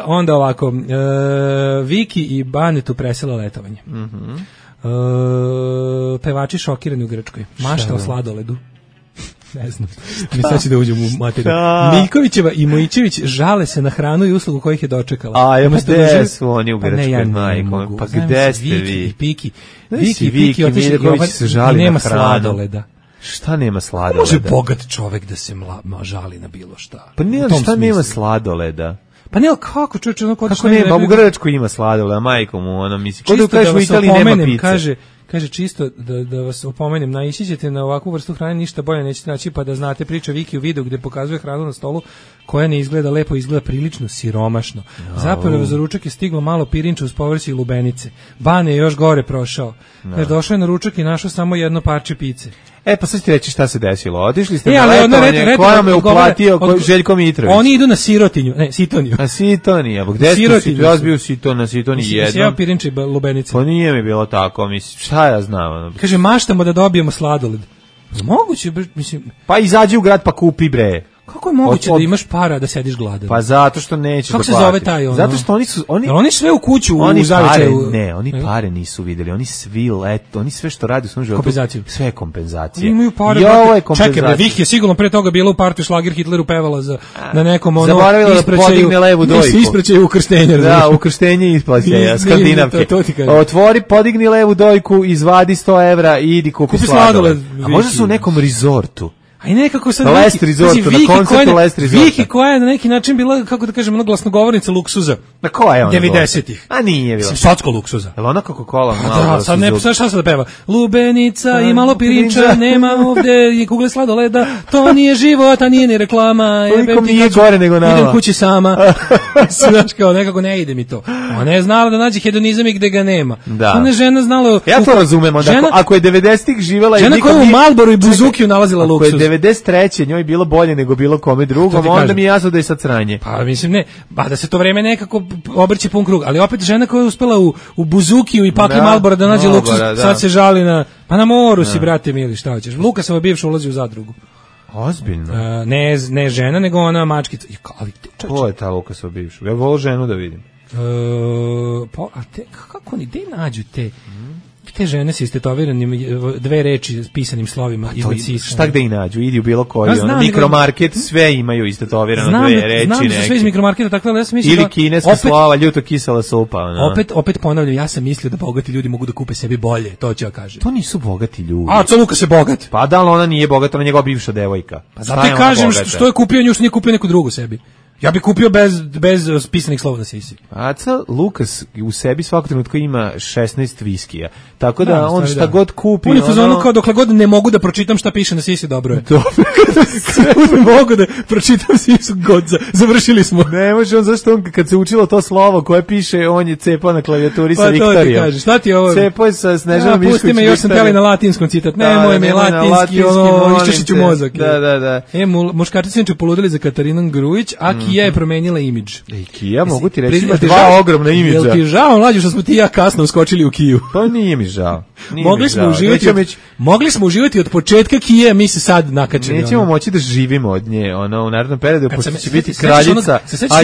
Onda ovako, Viki i Banetu presela letovanje. Pevači šokirani u Grčkoj. Mašta o sladoledu. Ne znam, mi sad će da uđem u materiju. Miljkovićeva i Mojićević žale se na hranu i uslugu kojih je dočekala. Gde su oni u Grčkoj, majko? Pa gde ste vi? Viki i Piki. Viki i Miljković se žali na hranu. Sladoleda. Šta nema sladoleda? Može bogat čovek da se žali na bilo šta. Pa šta nema sladoleda? Pa ne, kako čovječe, kako nema, u Grčkoj ima sladoleda, majko mu, misli. Čisto da vas opomenem, kaže čisto da vas opomenem, naići ćete na ovakvu vrstu hrane, ništa bolje nećete naći, pa da znate priča Viki u videu gde pokazuje hranu na stolu koja ne izgleda lepo, izgleda prilično siromašno. Zapravo za ručak je stiglo malo pirinča uz povrće i lubenice. Bane je još gore prošao. Došao je na ručak i našao samo jedno parče pice. Pa sad ti reći šta se desilo. Otišli ste na letovanje, koja vam je uplatio Željko Mitrović. Oni idu na Sirotinju, ne, Sitoniju. A Sitonija, gde ste ja bio na Sitoniji jednom? Sjeo pirinče i lubenice. Pa nije mi bilo tako, mislim, šta ja znam. Kaže, maštamo da dobijemo sladoled. Moguće, mislim... Pa izađi u grad pa kupi, bre. Kako je moguće da imaš para da sediš gladan? Pa zato što nećeš da platiš. Kako se zove taj ono? Zato što oni sve u kuću u zavičaju. Ne, oni pare nisu videli. Oni sve što radi u svom životu. Kompenzaciju. Sve je kompenzacije. Imaju pare. I ovo je kompenzacija. Čekaj, Vih je sigurno pre toga bila u partiju Šlager Hitleru pevala na nekom ono zaboravila da podigne levu dojku. Ispraćaju ukrštenje. Da, ukrštenje isplaćaja, skandinavke. Otvori, podigni levu dojku, izvadi 100 evra i idi kupi sladoled. A možda su u nekom rezortu. A i nekako sad Last Resort, na koncertu Last Resort. Viki koja je na neki način bila, kako da kažem, glasnogovornica luksuza. Na koja je ona? 90-ih. A nije bila. Socko luksuza. Jel ona Coca-Cola? Da, sad ne, šta se da peva? Lubenica i malo pirinča, nema ovde i kugle sladoleda, to nije život, a nije ni reklama. Nikom nije gore nego nama. Idem kući sama. Znaš kao, nekako ne ide mi to. Ona je znala da nađe hedonizam i gde ga nema. Ona je žena znala... Ja to razumem, ako je 90-ih živela... Žena koja u Malboru i Buzukiju nalazila luksuz. 93. njoj bilo bolje nego bilo kome drugom, onda mi je jasno da je sad sranje. Pa mislim ne, da se to vreme nekako obrće pun krug, ali opet žena koja je uspela u Buzukiju i pakli Malbora da nađe luksuz, sad se žali na moru si, brate mili, šta hoćeš. Lukasova bivša ulazi u zadrugu. Ozbiljno? Ne žena, nego ona mačkica. Ko je ta Lukasova bivša? Ja volim ženu da vidim. Kako oni, gde nađu te žene sa istetoviranim dve reči s pisanim slovima iznad sisa. Šta gde i nađu? Idi u bilo koji mikromarket, sve imaju istetovirano dve reči. Znam da su sve iz mikromarketa, tako da ja sam mislio ili kineska slova, ljuto kisela supa. Opet ponavljam, ja sam mislio da bogati ljudi mogu da kupe sebi bolje, to ću ja kažem. To nisu bogati ljudi. A, co Lukas je bogat? Pa da, ali ona nije bogata, ona je njegova bivša devojka. Pa zato ti kažem što je kupio nju, što nije kupio neku drugu sebi. Ja bih kupio bez pisanih slova na sisi. Aca Lukas u sebi svakog trenutka ima 16 viskija. Tako da on šta god kupi... On je fazonu kao dokle god ne mogu da pročitam šta piše na sisi, dobro je. Dobro. Ne mogu da pročitam sisu, završili smo. Ne može on, zašto on kad se učilo to slovo koje piše, on je cepao na klavijaturi sa Viktorijom. Pa to ti kažeš, šta ti je ovo? Cepao je sa Snežanom Mišković. Pusti me, još sam teli na latinskom citat. Nemoj me latinski, iščešit ću mozak. Da. Muškarci se neću poludili za Katarinom Grujić, a Kija je promenila imidž. Kija, mogu ti reći, ima dva ogromna imidža. Jel ti žao, mlađe, što smo ti ja kasno uskočili u Kiju? Pa nije mi žao. Mogli smo uživati od početka Kije, mi se sad nakačili. Nećemo moći da živimo od nje, u narednom periodu, pošto će biti kraljica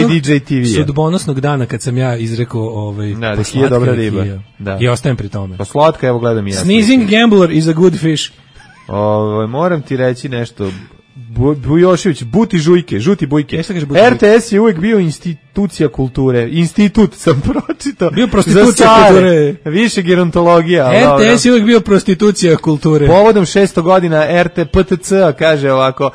IDJ TV-a. Sudbonosnog dana kad sam ja izrekao da Kija je dobra riba. I ostajem pri tome. Pa slatka, evo gledam i ja. Sneezing gambler is a good fish. Moram ti reći nešto. Bujošević, žuti bujke. RTS je uvijek bio institucija kulture. Institut sam pročitao. Bio prostitucija kulture. Više gerontologija. RTS je uvijek bio prostitucija kulture. Povodom 600 godina RTPTC kaže ovako,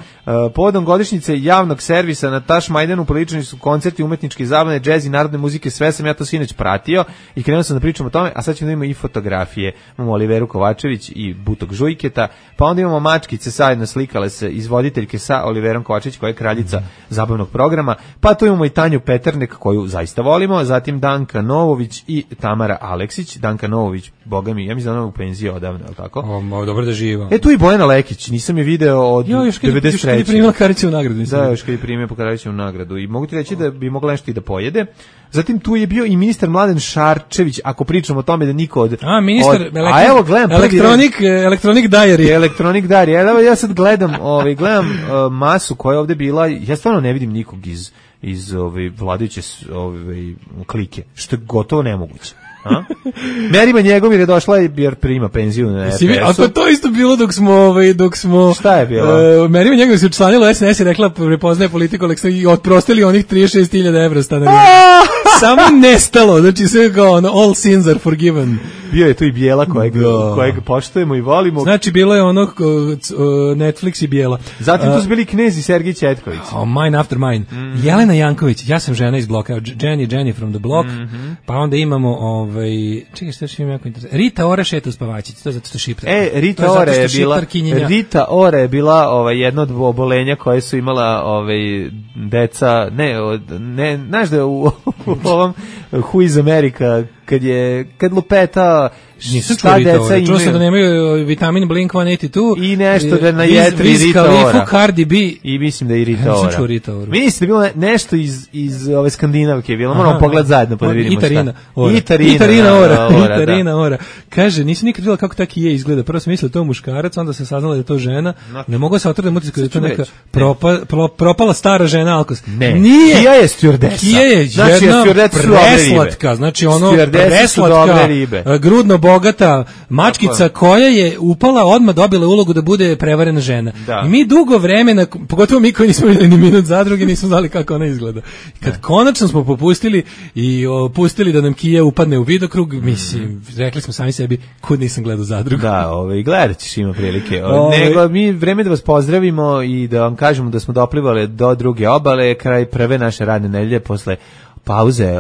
povodom godišnjice javnog servisa na Taš Majdanu priličani su koncerti umetničke zabavne, džez i narodne muzike, sve sam ja to sinoć pratio i krenuo sam da pričam o tome, a sad ćemo da imamo i fotografije. Imamo Oliveru Kovačević i Butog Žujketa, pa onda imamo mačkice zajedno slikale se izvoditeljke sa Oliverom Kovačević koja je kraljica zabavnog programa, pa tu imamo i Tanju Peternek koju zaista volimo, zatim Danka Novović i Tamara Aleksić. Danka Novović, boga mi, ja mislim da ona u penziji odavno, je tako? Dobro da živa. Tu i Bojana Lekić, nisam je video od 93. Još kad je primila Karaćevu nagradu. Da, još kad je primila po Karaćevu nagradu i mogu ti reći da bi mogla nešto i da pojede. Zatim tu je bio i ministar Mladen Šarčević, ako pričamo o tome da niko od... Ministar evo gledam Electronic Diary. Ja sad gledam masu koja je ovde bila, ja stvarno ne vidim nikog iz vladajuće klike, što je gotovo nemoguće. Merima Njegomir je došla jer prima penziju na RTS-u. A to isto bilo dok smo šta je bilo? Merima Njegomir se učlanila SNS i rekla prepoznaje politiku i otprostili onih 36.000 evra stanarina. Samo nestalo, znači sve kao all sins are forgiven. Bio je tu i Bijela kojeg poštujemo i volimo. Znači bilo je Netflix i Bijela. Zatim tu su bili Knez i Sergij Četković. Mine after mine. Jelena Janković, ja sam žena iz bloka, Jenny from the block, pa onda imamo čekaj, što je jako interesantno. Rita Ora šeta u spavačici, to je zato što šiptar. Rita Ora je bila jedna od obolenja koje su imala deca, znaš da u ovom Who is America, kad lupeta Nisam čuo Rita Ora. Čuo sam da nemaju vitamin Blink-182 i nešto da na jetri Rita Ora. Cardi B. I mislim da i Rita Ora. Mislim da je bilo nešto iz ove Skandinavke. Bilo moramo pogled zajedno pa da vidimo šta. Itarina Ora. Kaže, nisam nikad videla kako ta Kija izgleda. Prvo sam mislila da je to muškarac, onda sam saznala da je to žena. Ne mogu se otrdati mutisku da je to neka propala stara žena Alkos. Nije. Kija je stjordesa. Kija je jedna preslatka. Znači ono preslatka, grudno bogata mačkica koja je upala, odmah dobila ulogu da bude prevarena žena. I mi dugo vremena, pogotovo mi koji nismo vidjeli ni minut zadruge, nismo znali kako ona izgleda. Kad konačno smo popustili i pustili da nam Kija upadne u vidokrug, mislim, rekli smo sami sebi, kud nisam gledao zadrugu. Da, gledat ćeš ima prilike. Nego mi vreme da vas pozdravimo i da vam kažemo da smo doplivali do druge obale, kraj prve naše radne nedelje posle pauze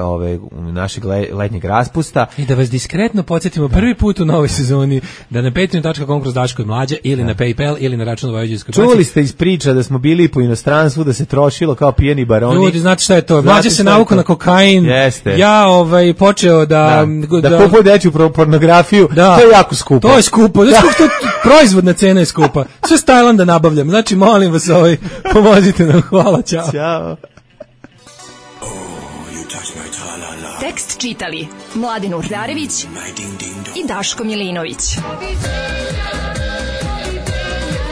našeg letnjeg raspusta. I da vas diskretno podsjetimo prvi put u novoj sezoni da na patreon.com kroz Daško i Mlađa ili na PayPal ili na račun Vojvođanskoj banci. Čuli ste iz priča da smo bili po inostranstvu, da se trošilo kao pijeni baroni. Ljudi, znate šta je to? Mlađa se navukao na kokain. Jeste. Ja počeo da kupuje dečju pornografiju. To je jako skupo. To je skupo. Proizvodna cena je skupa. Sve s Tajlanda nabavljam. Znači, molim vas, pomozite nam. Hvala, čao. Ćao. Tekst čitali Mladin Urdarević i Daško Milinović.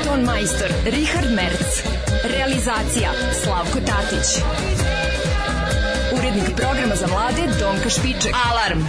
Ton majstor Richard Merc. Realizacija Slavko Tatić. Urednik programa za mlade Donka Špiček. Alarm!